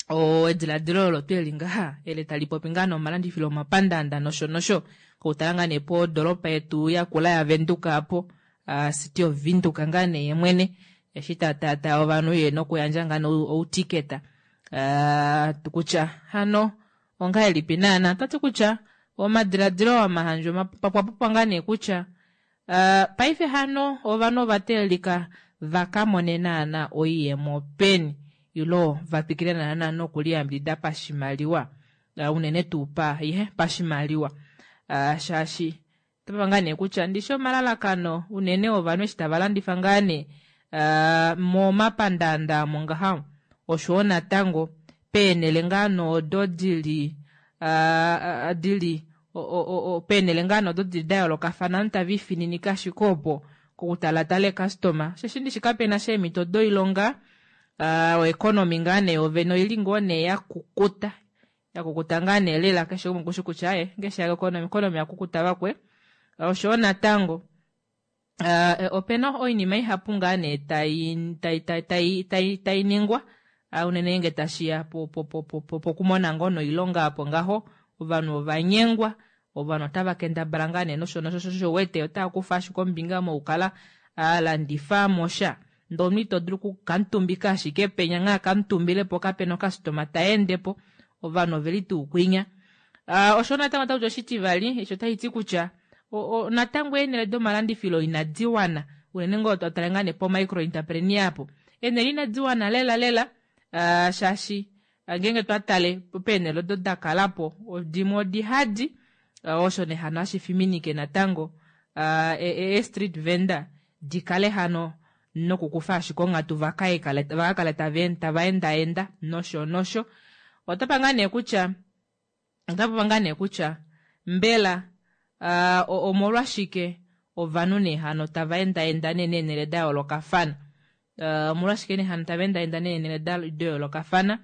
o ediladilo olo tweli ngaha ele tali popi ngaa nomalandifilo omapandanda nosho nosho koutala ngaa nee podoropa yetu yakula yavenduka apo uh, city of Windhoek ngaa nee yemwene eshi tatata ovanhu ye nokuyandja ngaa nee outiketa uh, kutya hano ongahelipi naana tati kutya omadiladilo amahandjwa papwapopwa ngaa nee kutya uh, paife hano ovanhu ova teelelika vakamone naana oiyemo peni ilo vatwikile naana nokuliyambidida pashimaliwa uh, unene tuu pa ihe pashimaliwa uh, shaashi otapa ngaa nee kutya ndishi omalalakano unene ovanhu eshi tava landifa ngaa nee uh, momapandanda amo ngaha oshowo natango peenele ngaa noodo dili uh, dili peenele ngaa noodo dili da yoolokafana ovanhu tava ifininika ashike opo kokutalatala eekastoma osheshi ndishi kapena sha eemhito doilonga uh, oeconomy ngaa nee yovene oili ngoo nee yakukuta yakukuta ngaa nee lela keshe umwe okushi kutya aye ngeshe ya economy economy yakukuta vakwe oshowo natango uh, opena oinima ihapu ngaa nee tai tai tai tai tai tai ningwa uh, unene nge tashiya pokumona ngoo noilonga apo ngaho ovanhu ovanyengwa ovanhu otava kendabala ngaa nee nosho nosho sho wete otava kufa ashike ombinga mokukala alandifa mosha ndee omunhu ito dulu okukamutumbika ashike penya ngaa kamutumbilepo kapena okastoma taendepo ovanhu oveli tuu kwinya uh, osho natango otakuti oshitivali eshi otashi kutya natango eenele domalandifilo inadi wana unene ngoo totale ngaa nee po micro entrepreneur apo eenele inadi wana lela lela uh, shaashi ngeenge twatale peenele odo dakalapo dimwe odihadi uh, osho nee hano hashi fiminike natango uh, e, e, street vendor dikale hano nokukufa ashike onghatu vakakale tava endaenda nosho nosho otapa ngaa nee kutya otapa ngaa nee kutya mbela uh, omolwashike ovanhu nee hano tava endaenda nee neenele da yoolokafana uh, omolwashike nee hano tava endaenda neenele da yoolokafana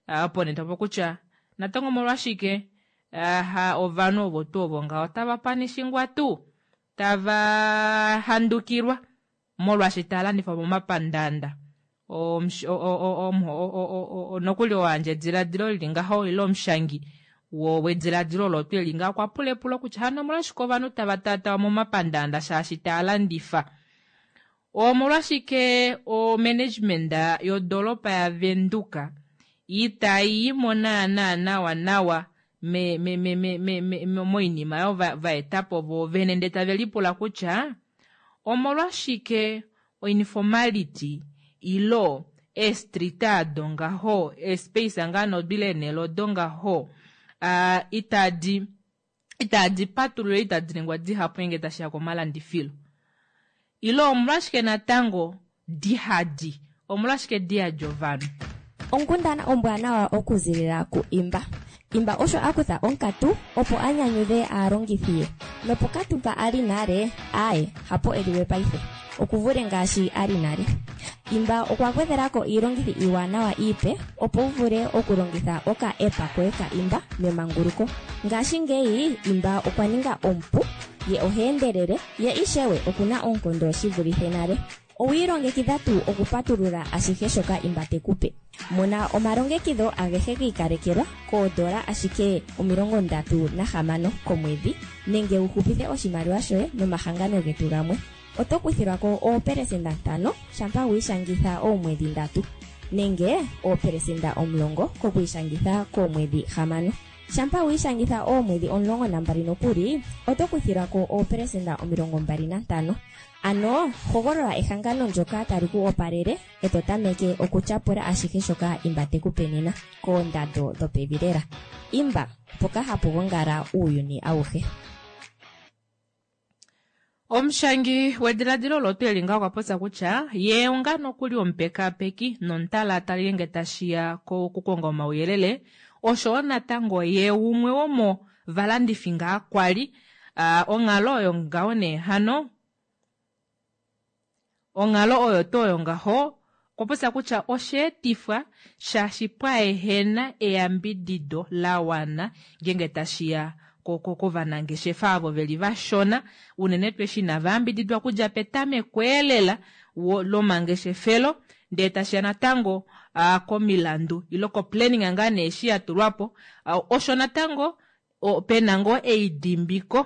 uh, opo nee topo kutya natango omolwashike uh, ovanhu ovo tuu ovo ngaho tava panishingwa tuu tava handukilwa molwaashi tava landifa momapandanda Nokuli oo ayandja ediladilo lili ngaho ile omushangi wediladilo olo tweli ngaho okwa pula epulo kutya hano omolwashike ovanhu tava taatawa momapandaanda shaashi taa landifa? Omolwashike omanagement yodoropa yaVenduka itayi mo naana nawa nawa me, me, me, me, me, me, moinima oyo vaetapo voo vene, ndee tave lipula kutya omolwashike oinformality ilo eestrita ado ngaho, eespace ngaa nodile eenele odo ngaho uh, itadi itadi patulula, itadi ningwa dihapu ngenge tashiya komalandifilo, ile omolwashike natango dihadi, omolwashike diyadi ovanhu? Onkundana ombwanawa okuzilila ku Imba. Imba osho a kutha onkatu opo a nyanyudhe aalongithi ye. Nopokatu mpa a li nale, aaye, hapo e li we paife. Oku vule ngaashi a li nale. Imba okwa gwedhela ko iilongithi iiwanawa iipe opo wu vule okulongitha oka-app koye ka Imba memanguluko. Ngashingeyi Imba okwa ninga omupu, ye oha endelele, ye ishewe oku na oonkondo shi vulithe nale. Owi ilongekidha tuu okupatulula ashihe shoka Imba te ku pe? Mona omalongekidho agehe gi ikalekelwa koodola ashike omilongo ndatu nahamano komwedhi nenge wu hupithe oshimaliwa shoye nomahangano getu gamwe. Oto kuthilwa ko oopelesenda ntano shampa wi ishangitha oomwedhi ndatu nenge oopelesenda omulongo kokwiishangitha koomwedhi hamano. Shampa wi ishangitha oomwedhi omulongo nambali nokuli, oto kuthilwa ko oopelesenda omilongo mbali nantano. Ano hogolola ehangano ndyoka tali ku opalele e to tameke okutyapula ashihe shoka Imba te ku pe nena koondando dhopevi lela. Imba, mpoka hapu gongala uuyuni auhe. Omushangi wediladilo olo tweli ngaho okwa popya kutya ye onga nokuli omupekapeki nomutalaatali ngenge tashiya kokukonga omauyelele, oshowo natango ye umwe womo valandifi ngaa kwali uh, onghalo oyo ngaho nee hano onghalo oyo tuu oyo ngaho okwa popya kutya osheetifwa shaashi pwaehena eyambidido la wana ngenge tashiya kovanangeshefa avo veli vashona, unene tuu eshi inava yambididwa okudja petameko elela lomangeshefelo, ndee tashiya natango uh, komilandu ilo koplanning ngaa nee eshi ya tulwapo uh, osho natango pena ngoo eidimbiko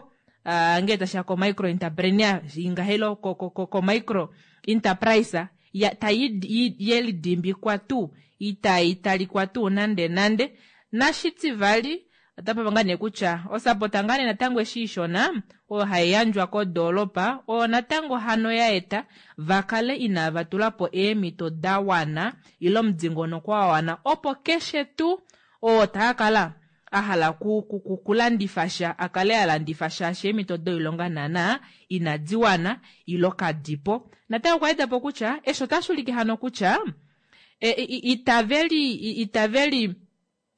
uh, ngee tashiya ko micro entrepreneur ingahelo ko, ko, ko, ko micro enterprise ya, tayi yelidimbikwa tuu itai talikwa tuu nande nande. Nashitivali otapa ngaa nee kutya osapota ngaa nee natango eshi ishona oyo hai yandjwa kodoolopa oyo natango hano ya eta vakale inava tula po eemhito da wana ile omudingonoko wa wana opo keshe tuu oo taa kala a hala kulandifa sha a kale a landifa shaashi eemhito doilonga naana inadi wana ilo kadipo. Natango okwa etapo kutya eshi otashi ulike hano kutya e, itaveli itaveli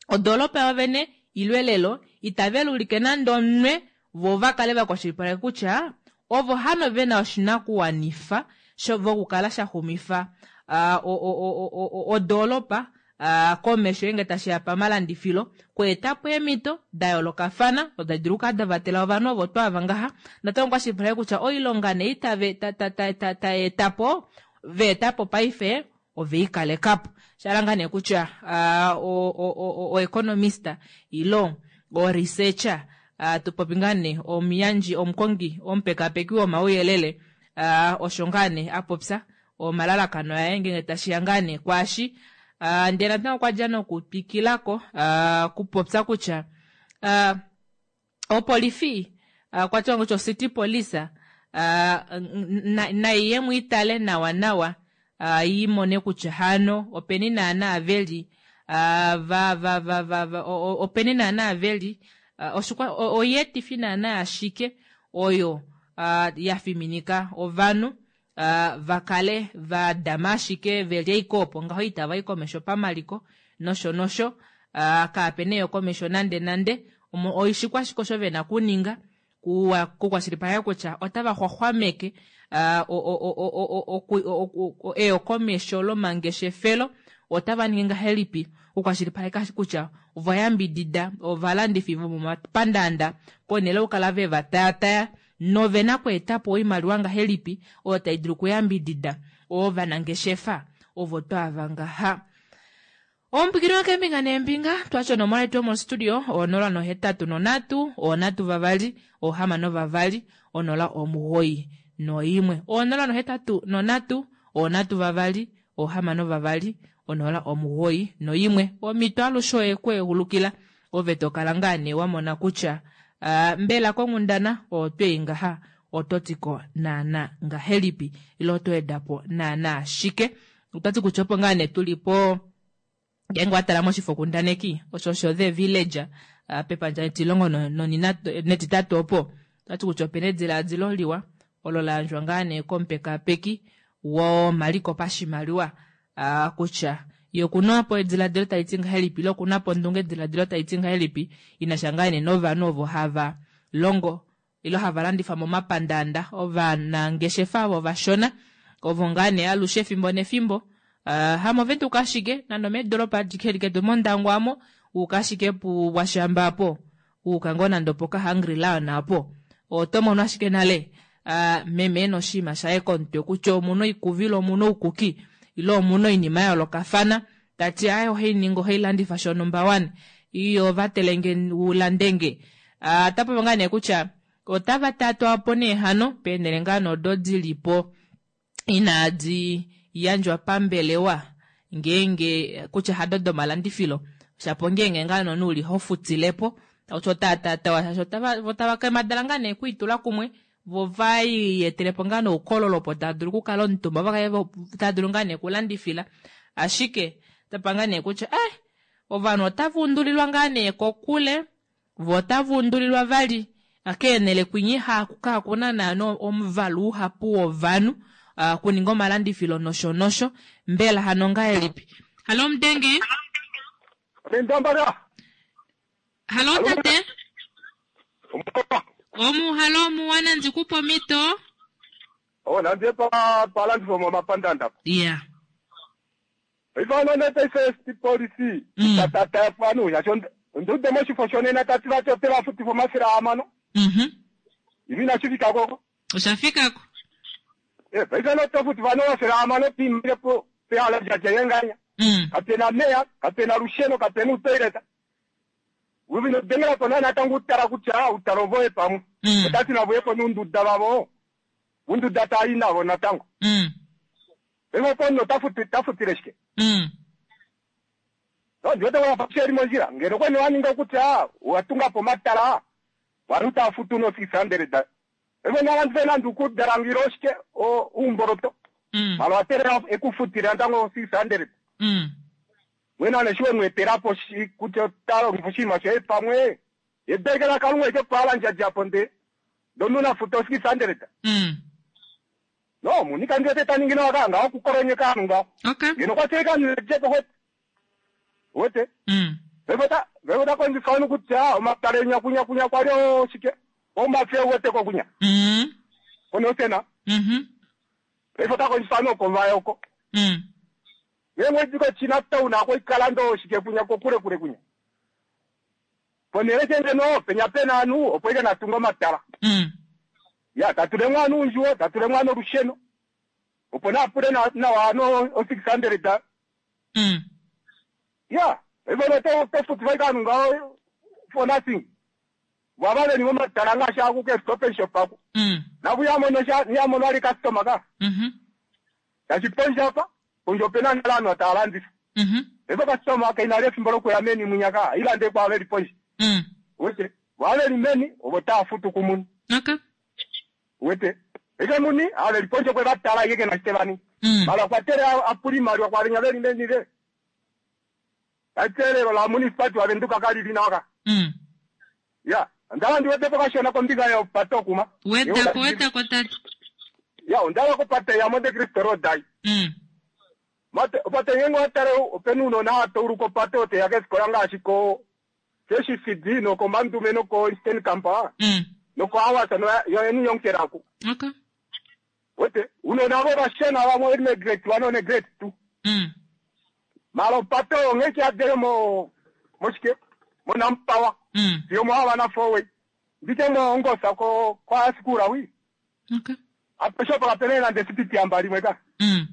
odoolopa yovene ilo elelo itave lulike nande omunwe vo va kale va kwashilipaleka kutya ovo hano vena oshinakuwanifa vokukala shaxumifa uh, odoolopa uh, komesho ngenge tashiya pamalandifilo kweetapo eemhito da yoolokafana odo tadi dulu okukala da vatela ovanhu ovo twaava ngaha. Natango kwashilipaleke kutya oilonga nee itave taetapo veetapo paife oveikalekapo shala ngaa nee kutya uh, oeconomist ilo oresearcher uh, tupopi ngaa nee omuyandji omukongi omupekapeki womauyelele uh, osho ngaa nee apopya omalalakano aye ngenge tashiya ngaa nee kwaashi uh, ndee natango okwa dja nokutwikilako uh, kupopya kutya uh, opolifi uh, kwa tiwa kutya ocity police uh, naiye mwiitale nawa nawa uh, imone kutya hano openi naana veli uh, va va va va, va openi naana veli uh, oshikwa oyeetifi naana ashike oyo uh, ya fiminika ovanhu uh, vakale va dama ashike veli ashike opo ngaho itava i komesho pamaliko nosho nosho uh, kaapena eyo komesho nande nande oishikwa ashike osho vena kuninga kukwashilipaleka kutya otava xwaxwameke eyokomesho lomangeshefelo, otava ningi ngahelipi okukwashilipaleka kutya ovayambidida ovalandifi vomomapandaanda ponhele okukala ve va taataya novena kweetapo oimaliwa ngahelipi oyo tai dulu okuyambidida ovanangeshefa Ovo twaava ngaha. Omupwikiri keembinga neembinga twatya onomola yetu yomostudio onola nohetatu nonhatu onhatu vavali ohamano vavali onola omugoyi noimwe onola nohetatu nonhatu onhatu vavali ohamano vavali onola omugoyi noimwe omito alushe oye kweehulukila ove tokala ngaa nee wamona kutya uh, mbela konghundana otweyi ngaha ototiko naana ngahelipi ile otoedapo naana shike otwati kutya opo ngaa nee tulipo ngeenge watala moshifokundaneki osho osho The Village uh, pepandja etilongo netitatu opo otati kutya opena edilaadilo liwa olo layandjwa ngaa nee komupekapeki womaliko pashimaliwa uh, kutya ye okuna po edilaadilo taliti ngahelipi ile okuna po ondunge edilaadilo taliti ngahelipi inasha ngaa nee novanhu ovo hava longo ile hava landifa momapandaanda ovanangeshefa ovo vashona ovo ngaa nee alushe efimbo nefimbo Uh, hamovenduka ashike nande omeedolopa adike liketu mondangwa amo uka ashike puwashamba apo uka ngoo nande opoka Hungry Lion apo oto mono ashike nale uh, meme ena oshinima shaye komutwe kutya omuna oikuvilo omuna oukuki ile omuna oinima ya yoolokafana tati aye ohainingi ohailandifa shonumba one iyo vatelenge ulandenge uh, tapopi ngaa nee kutya otava tatwapo nee hano peenhele ngaa nodo dilipo inaadi yandjwa pambelewa ngeenge kutya hado domalandifilo shapo ngeenge ngaa nonu uli hofutilepo takuti otaatatawa shaashi otava kemadala ngaa nee okwiitula kumwe vo vaiyetelepo ngaa noukololo opo tava dulu okukala omutumba vakale tava dulu ngaa nee okulandifila ashike tapa ngaa nee kutya eh ovanhu otava undulilwa ngaa nee kokule vo otava undulilwa vali keenhele kwinyi kakuna naana omuvalu uhapu wovanhu Uh, kuninga omalandifilo nosho nosho mbela hano ngahelipi halo mudenge halo tate omu halo omuwana ndikupa omito oh nandiye pa palandifo momapandanda yeah ifana nete policy tatata pano yasho ndude moshifo shonena tati vati tevafutifo mafira amano mhm imi nashifika koko ushafikako Eh, paisano tofuti vano vasera amano pimire po pehala jajayenganya. Mm. Kapena meya, kapena rusheno, kapena utoileta. Uvino dengela pona natangu utara kutya utaro voye pamwe. Mm. Otati navoye po nunduda vavo. Unduda tayi navo natango. Mm. Evo pono tafuti tafutire shike. Mm. No ndiwete wafasheri monjira. Ngeno kwene waninga kutya watunga po matala. Waruta futu no six hundred. Evo navantu venandu kudarangiro shike o umboroto. Mm. Malo aterera ekufutira ntango six hundred. Mm. Mwena neshiwe mweterapo shi kuti otalo mfushima she pamwe. Ebekela kalunga ike pala njajapo nde. Donuna futo six hundred. Mm. No, munika ndiye taningina wakanga okukoronyeka anu Okay. Ngeno kwateka njeko hwete. Wete. Mm. Vevota vevota kondifanu kuti ah omatale nyakunya kunya kwalyo shike. Omafe wete kokunya. Mm. Ono sena. Mhm. Vevota kondifanu kovayoko. Mm. Yemwe dziko china town ako ikalando shike kunya kokure kure kunya. Ponere chende no penya pena anu opo ike natunga matala. Mm. Ya tatule mwana unjuwo tatule mwana rusheno. Opo na apure na na wano o six hundred da. Mm. Ya, evono to to futi vaikanu ngao for nothing. Wavale ni matala ngasha kuke stop and shop ako. Mm. Navuyamono sha niyamono ali customer ka. Mhm. Tachiponja apa ponjo pena nalano atalandisa. Mhm. Evo customer kaina lefimbo lokuya meni munyaka ilande kwa veli ponje. Mm. Wete waveli meni obota futu kumuni. Okay. Wete eke muni aveli ponje kwe batala yeke na Stevani. Mm. Mala kwatere apuli mali kwa linya veli meni le. Atere la municipality wavenduka kali linaka. Mm. Ya, ndala ndiwete pakashona kombinga ya pato kuma. Wetako wetako tata. Ya, ndala kopate ya Monte Cristo Road dai. Mm. Mate opate ngengo atare openuno na atouru kopate ote yake sikola ngaashi ko keshi C D noko Mandume noko Eastern Kampa. Mm. Noko Awasa no yo yonkeraku. Okay. Wete unona vo vashena vamwe ine grade one one grade two. Mm. Malo pato ngeke adere mo moshike mo nampawa. Mm. Yo mo awana four way. Ndike mo ongosa ko kwa sikura wi. Okay. Apesho pa kapene na ndesipiti ambali mweka. Mm.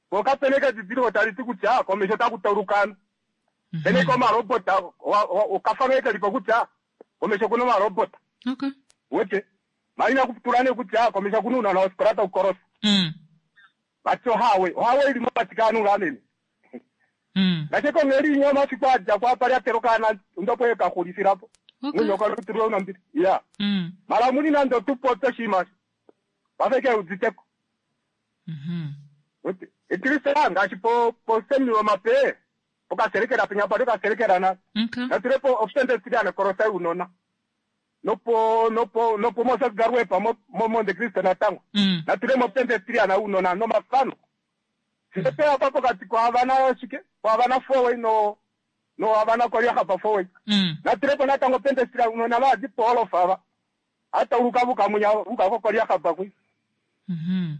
Po kapena eke edidiliko tali ti kutya komesho otaku tauluka pena eke omarobota okafa ngee kelipo kutya komesho okuna omarobota Okay. wete mara inakutula nee kutya komesho okuna ounona wofikola taukolosa Mm. vati ohawe ohawe ili mokati kaanhu ngaa meme Mm. ngaashi kongheli inya omafiku adja ko apa lyatela okaana ndopo ekaxulifilapo Okay. munyoka lutulwe unambili ya Mm. mara muni nande otupope oshinima osho wafe keuditeko Mhm. Wete, etirisa ngaashi po posemi omape pokaselekela penya pali okaselekela na Okay. natulepo ofisendesiliana korosa unona nopo nopo nopo moses garuepa mo mo Monte Cristo natango Mm. natulemo ofisendesiliana unona nomafano sipepe apa pokati kohavana shike kohavana four way no no havana koliahapa four way Mm. natulepo natango pendesiliana unona vaadi poolofa ava atauluka vukamunya vukakokoliahapa kwi Mhm.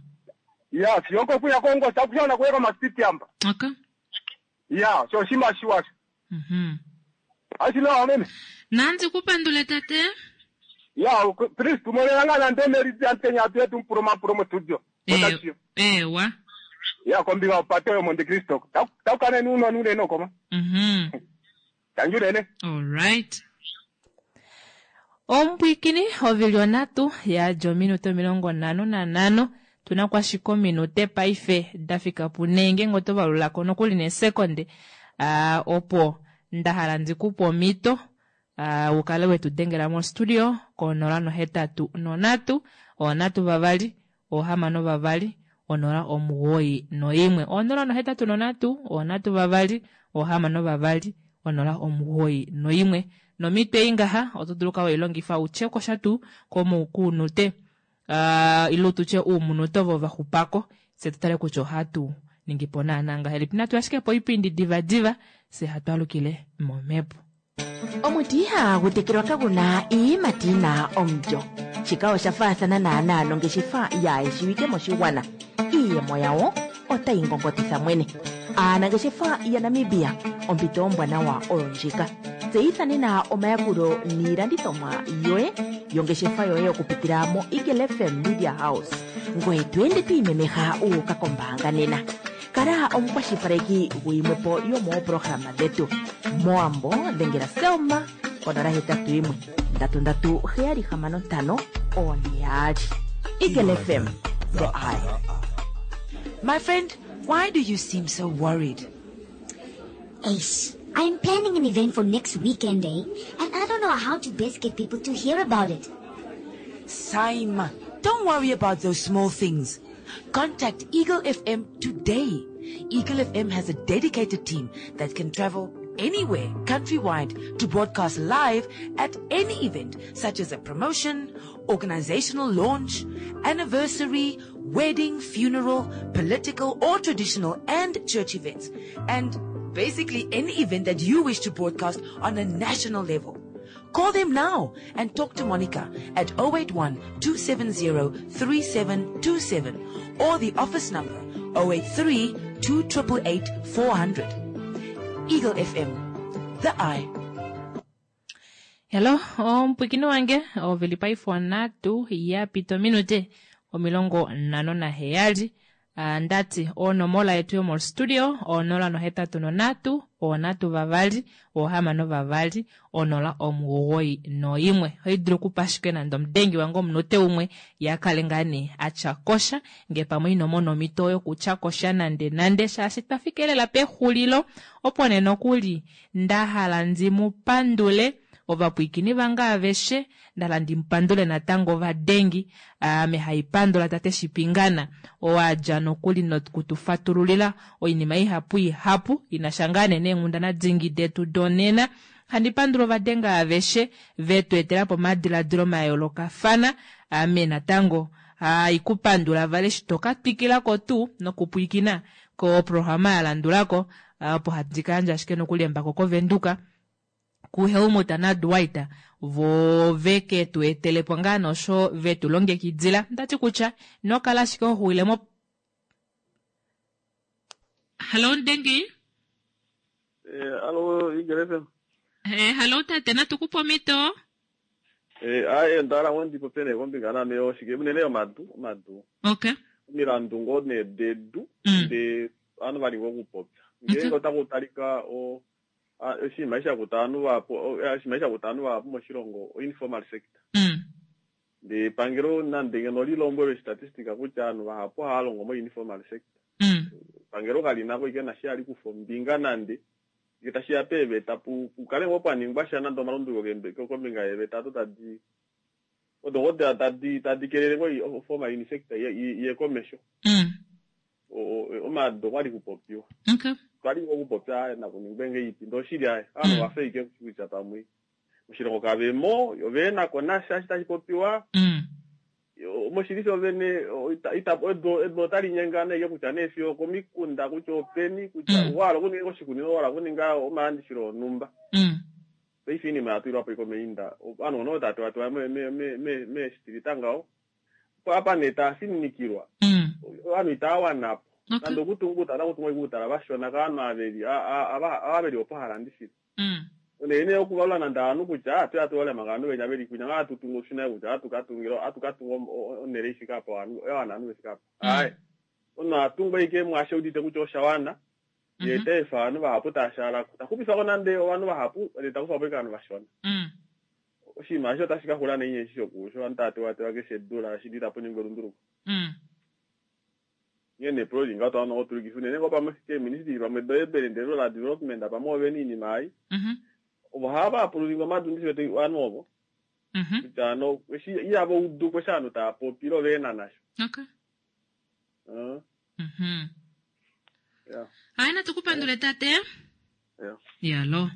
ya siyoko kuya kongosa kushana kuyeka masiti amba Okay. ya sho shima shiwasho Mhm. ashinowa meme Nanzi kupandule tate. ya please tumonelanga nande merizi antenya atu yetu mpuroma promo studio Eh, Otashiyo. ewa. ya kombinga upate yo Monte Cristo taukane uno nunene koma Mhm. tanjunene All right. Ompwikini ovili onhatu yadja ominute omilongo nhano nanhano tuna kwashika ominute paife dafika punhe ngeenge oto valulako nokuli nesekonde uh, opo ndahala ndikupe omhito uh, ukale wetu dengela mostudio konola nohetatu nonhatu onhatu vavali ohamano vavali onola omugoyi noimwe onola nohetatu nonhatu onhatu vavali ohamano vavali onola omugoyi noimwe nomhito ei ngaha oto dulu okukala weilongifa utye kosha tuu komukuunute uh, ile tutye uumunute ovo vaxupako fye tutale kutya ohatu ningipo naana ngahelipi natu ashike po oipindi divadiva fye hatu alukile momhepo Omuti ihagu tekelwa kaguna iiyimati yina omulyo. Shika osha faathana naanaa nongeshefa yaayeshiwike moshigwana. Iiyemo yawo otayi ngongotitha mwene. Aanangeshefa yaNamibia ompito ombwanawa oyo ndjika. Tseyitha nena omayakulo niilandithomwa yoye yongeshefa yoye okupitila mo Eagle FM Media House. Ngoye to ende to imemeha wu uka kombaanga nena. Kala omukwashilipaleki guyimwepo yomooprograma dhetu. Moambo dhengela Selma konola hetatu yimwe ndatu ndatu heyali hamano ntano one yaali. Eagle FM, the eye. My friend, why do you seem so worried? Ace, I'm planning an event for next weekend, eh? And I don't know how to best get people to hear about it. Saima, don't worry about those small things. Contact Eagle FM today. Eagle FM has a dedicated team that can travel anywhere countrywide to broadcast live at any event such as a promotion, organizational launch, anniversary, wedding, funeral, political or traditional and church events. And basically any event that you wish to broadcast on a national level. Call them now and talk to Monica at oh eight one two seven zero three seven two seven or the office number oh eight three two eight eight four hundred. Eagle F M, the eye. Hello omupwikini wange ovili paife onhatu yapita ominute omilongo nhano naheyali. Ah, ndati onomola yetu yomostudio onola nohetatu nonhatu onhatu vavali ohamano vavali onola omugoyi noimwe ohaidulu okupa ashike nande omudengi wange omunute umwe yakale ngaa nee atya kosha ngee pamwe inomona omhito yokutya kosha nande nande shaashi twafika lela pexulilo opo nee nokuli ndahala ndimupandule ovapwiikini vange aveshe ndahala ndimupandule natango ovadengi ame haipandula tate Shipingana owadja nokuli nokutufatululila oinima ihapu ihapu inasha ngaa nee neenghundana dingi detu donena handi pandula ovadenga aveshe vetu etelapo omadiladilo mayoolokafana ame natango haikupandula vale eshi toka twikilako tuu nokupwiikina koprograma yalandulako opo handi kayandja ashike nokuli embako kovenduka kuHelmut naDwight vo veke tu etelepo ngaa nosho vetu longekidila ndati kutya inokala ashike hoxuwile mo hallo Ndengi. Eh, alo Eagle F M. Eh, hallo tate natukupa omhito. Eh, aye ndala ngo ndipope nee kombinga name yoshike unene yomadu omadu okay omilandu ngoo nee dedu Mm. de ovanhu vali ngoo okupopya ngeenge otaku talika o a- oshinima eshi shakuta ovanhu vahapu o- eh, oshinima eshi shakuta ovanhu vahapu moshilongo o-informal sector ndee epangelo nande ngeno lilombwelwe statistica kutya ovanhu vahapu ohava longo mo-informal sector epangelo kali nako ike nashi hali kufa ombinga nande ngee tashiya peeveta pu pukale ngoo pwaningwa sha nande omalunduluko kembe- kombinga yeeveta ado tadi odo ngoo da- tadi tadi kelele ngoo formal in sector iye iye komesho O- o- omaado okwali kupopiwa Okay. twali ngoo okupopya nakuningwe ngeipi ndee oshili aye ovanhu vafa ike kutya pamwe moshilongo kavemo oveenako nasha eshi tashi popiwa Yo, moshili shovene o, ita- ita- edu edu otali nyengana ike kutya nee fiyo okomikunda kutya openi kutya wahala okuninga oshikunino wahala okuninga omalandifilo onhumba paife iinima yatulilwapo ike omeinda ovanhu ono tava tewatewa meestilita ngaho opo apa nee taafininikilwa ovanhu itawanapo nande okutunga uutala otakutunga ike uutala vashona kavanhu aveli ava veli opo halandifile unene okuvalula nande ovanhu kutya atuya tuvalule manga ovanhu venya veli kwinya ngaa hatutungu oshina kutya atukatunga atukatunga onhele ifike apa yawana ovanhu vefike apa aaye omunhu atunga ike mwaasho eudite kutya oshawana yee taefa ovanhu vahapu taashaalako taxupifako nande ovanhu vahapu ndee takufapo ike ovanhu vashona oshinima eshi otashi kaxula naini eshi shoku shovanhu tava tewatewa keshe edula shili itapu ningwa elunduluko onghee nee epulo lili ngaho twawana okutulikifa unene ngoo pamwe keeministry pamwe do-urban and rural development pamwe ovena oinima ei ovo hava apululinga omadu ndishiwete ovanhu ovo kutya ano eshi ihava udu eshi ovanhu tava popi ile oveena nasho Okay. Uh, Mhm. yeah, Hayi natukupandule tate. yeah. Yalo.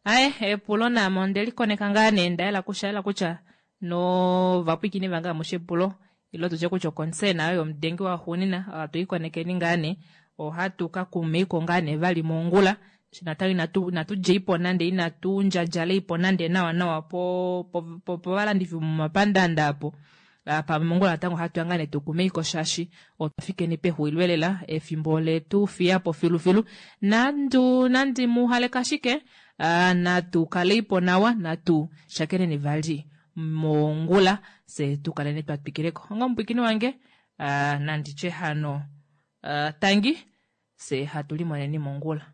Aye, epulo namo ondelikoneka ngaa nee ndayela kushaela kutya novapwiikini vange amushe epulo ilo tutye kutya oconcern ayo yomudengi waxuunina ohatu ikonekeni ngaa nee ohatu ka kumeiko ngaa nee vali mongula Shi natango inatu inatu djeipo nande inatu ndjadjaleipo nande nawa nawa po po- po- povalandifi momapandanda apo apa mongula natango ohatu ya ngaa nee tukumeiko shaashi otwa fikeni pexulilo lela efimbo letu fiyapo filufilu nandu nandi muhaleka ashike ah, natu kaleipo nawa natu shakeneni vali mongula se tukaleni twa twikileko onga omupwikini wange ah, nanditye hano ah, tangi se hatu limoneni mongula.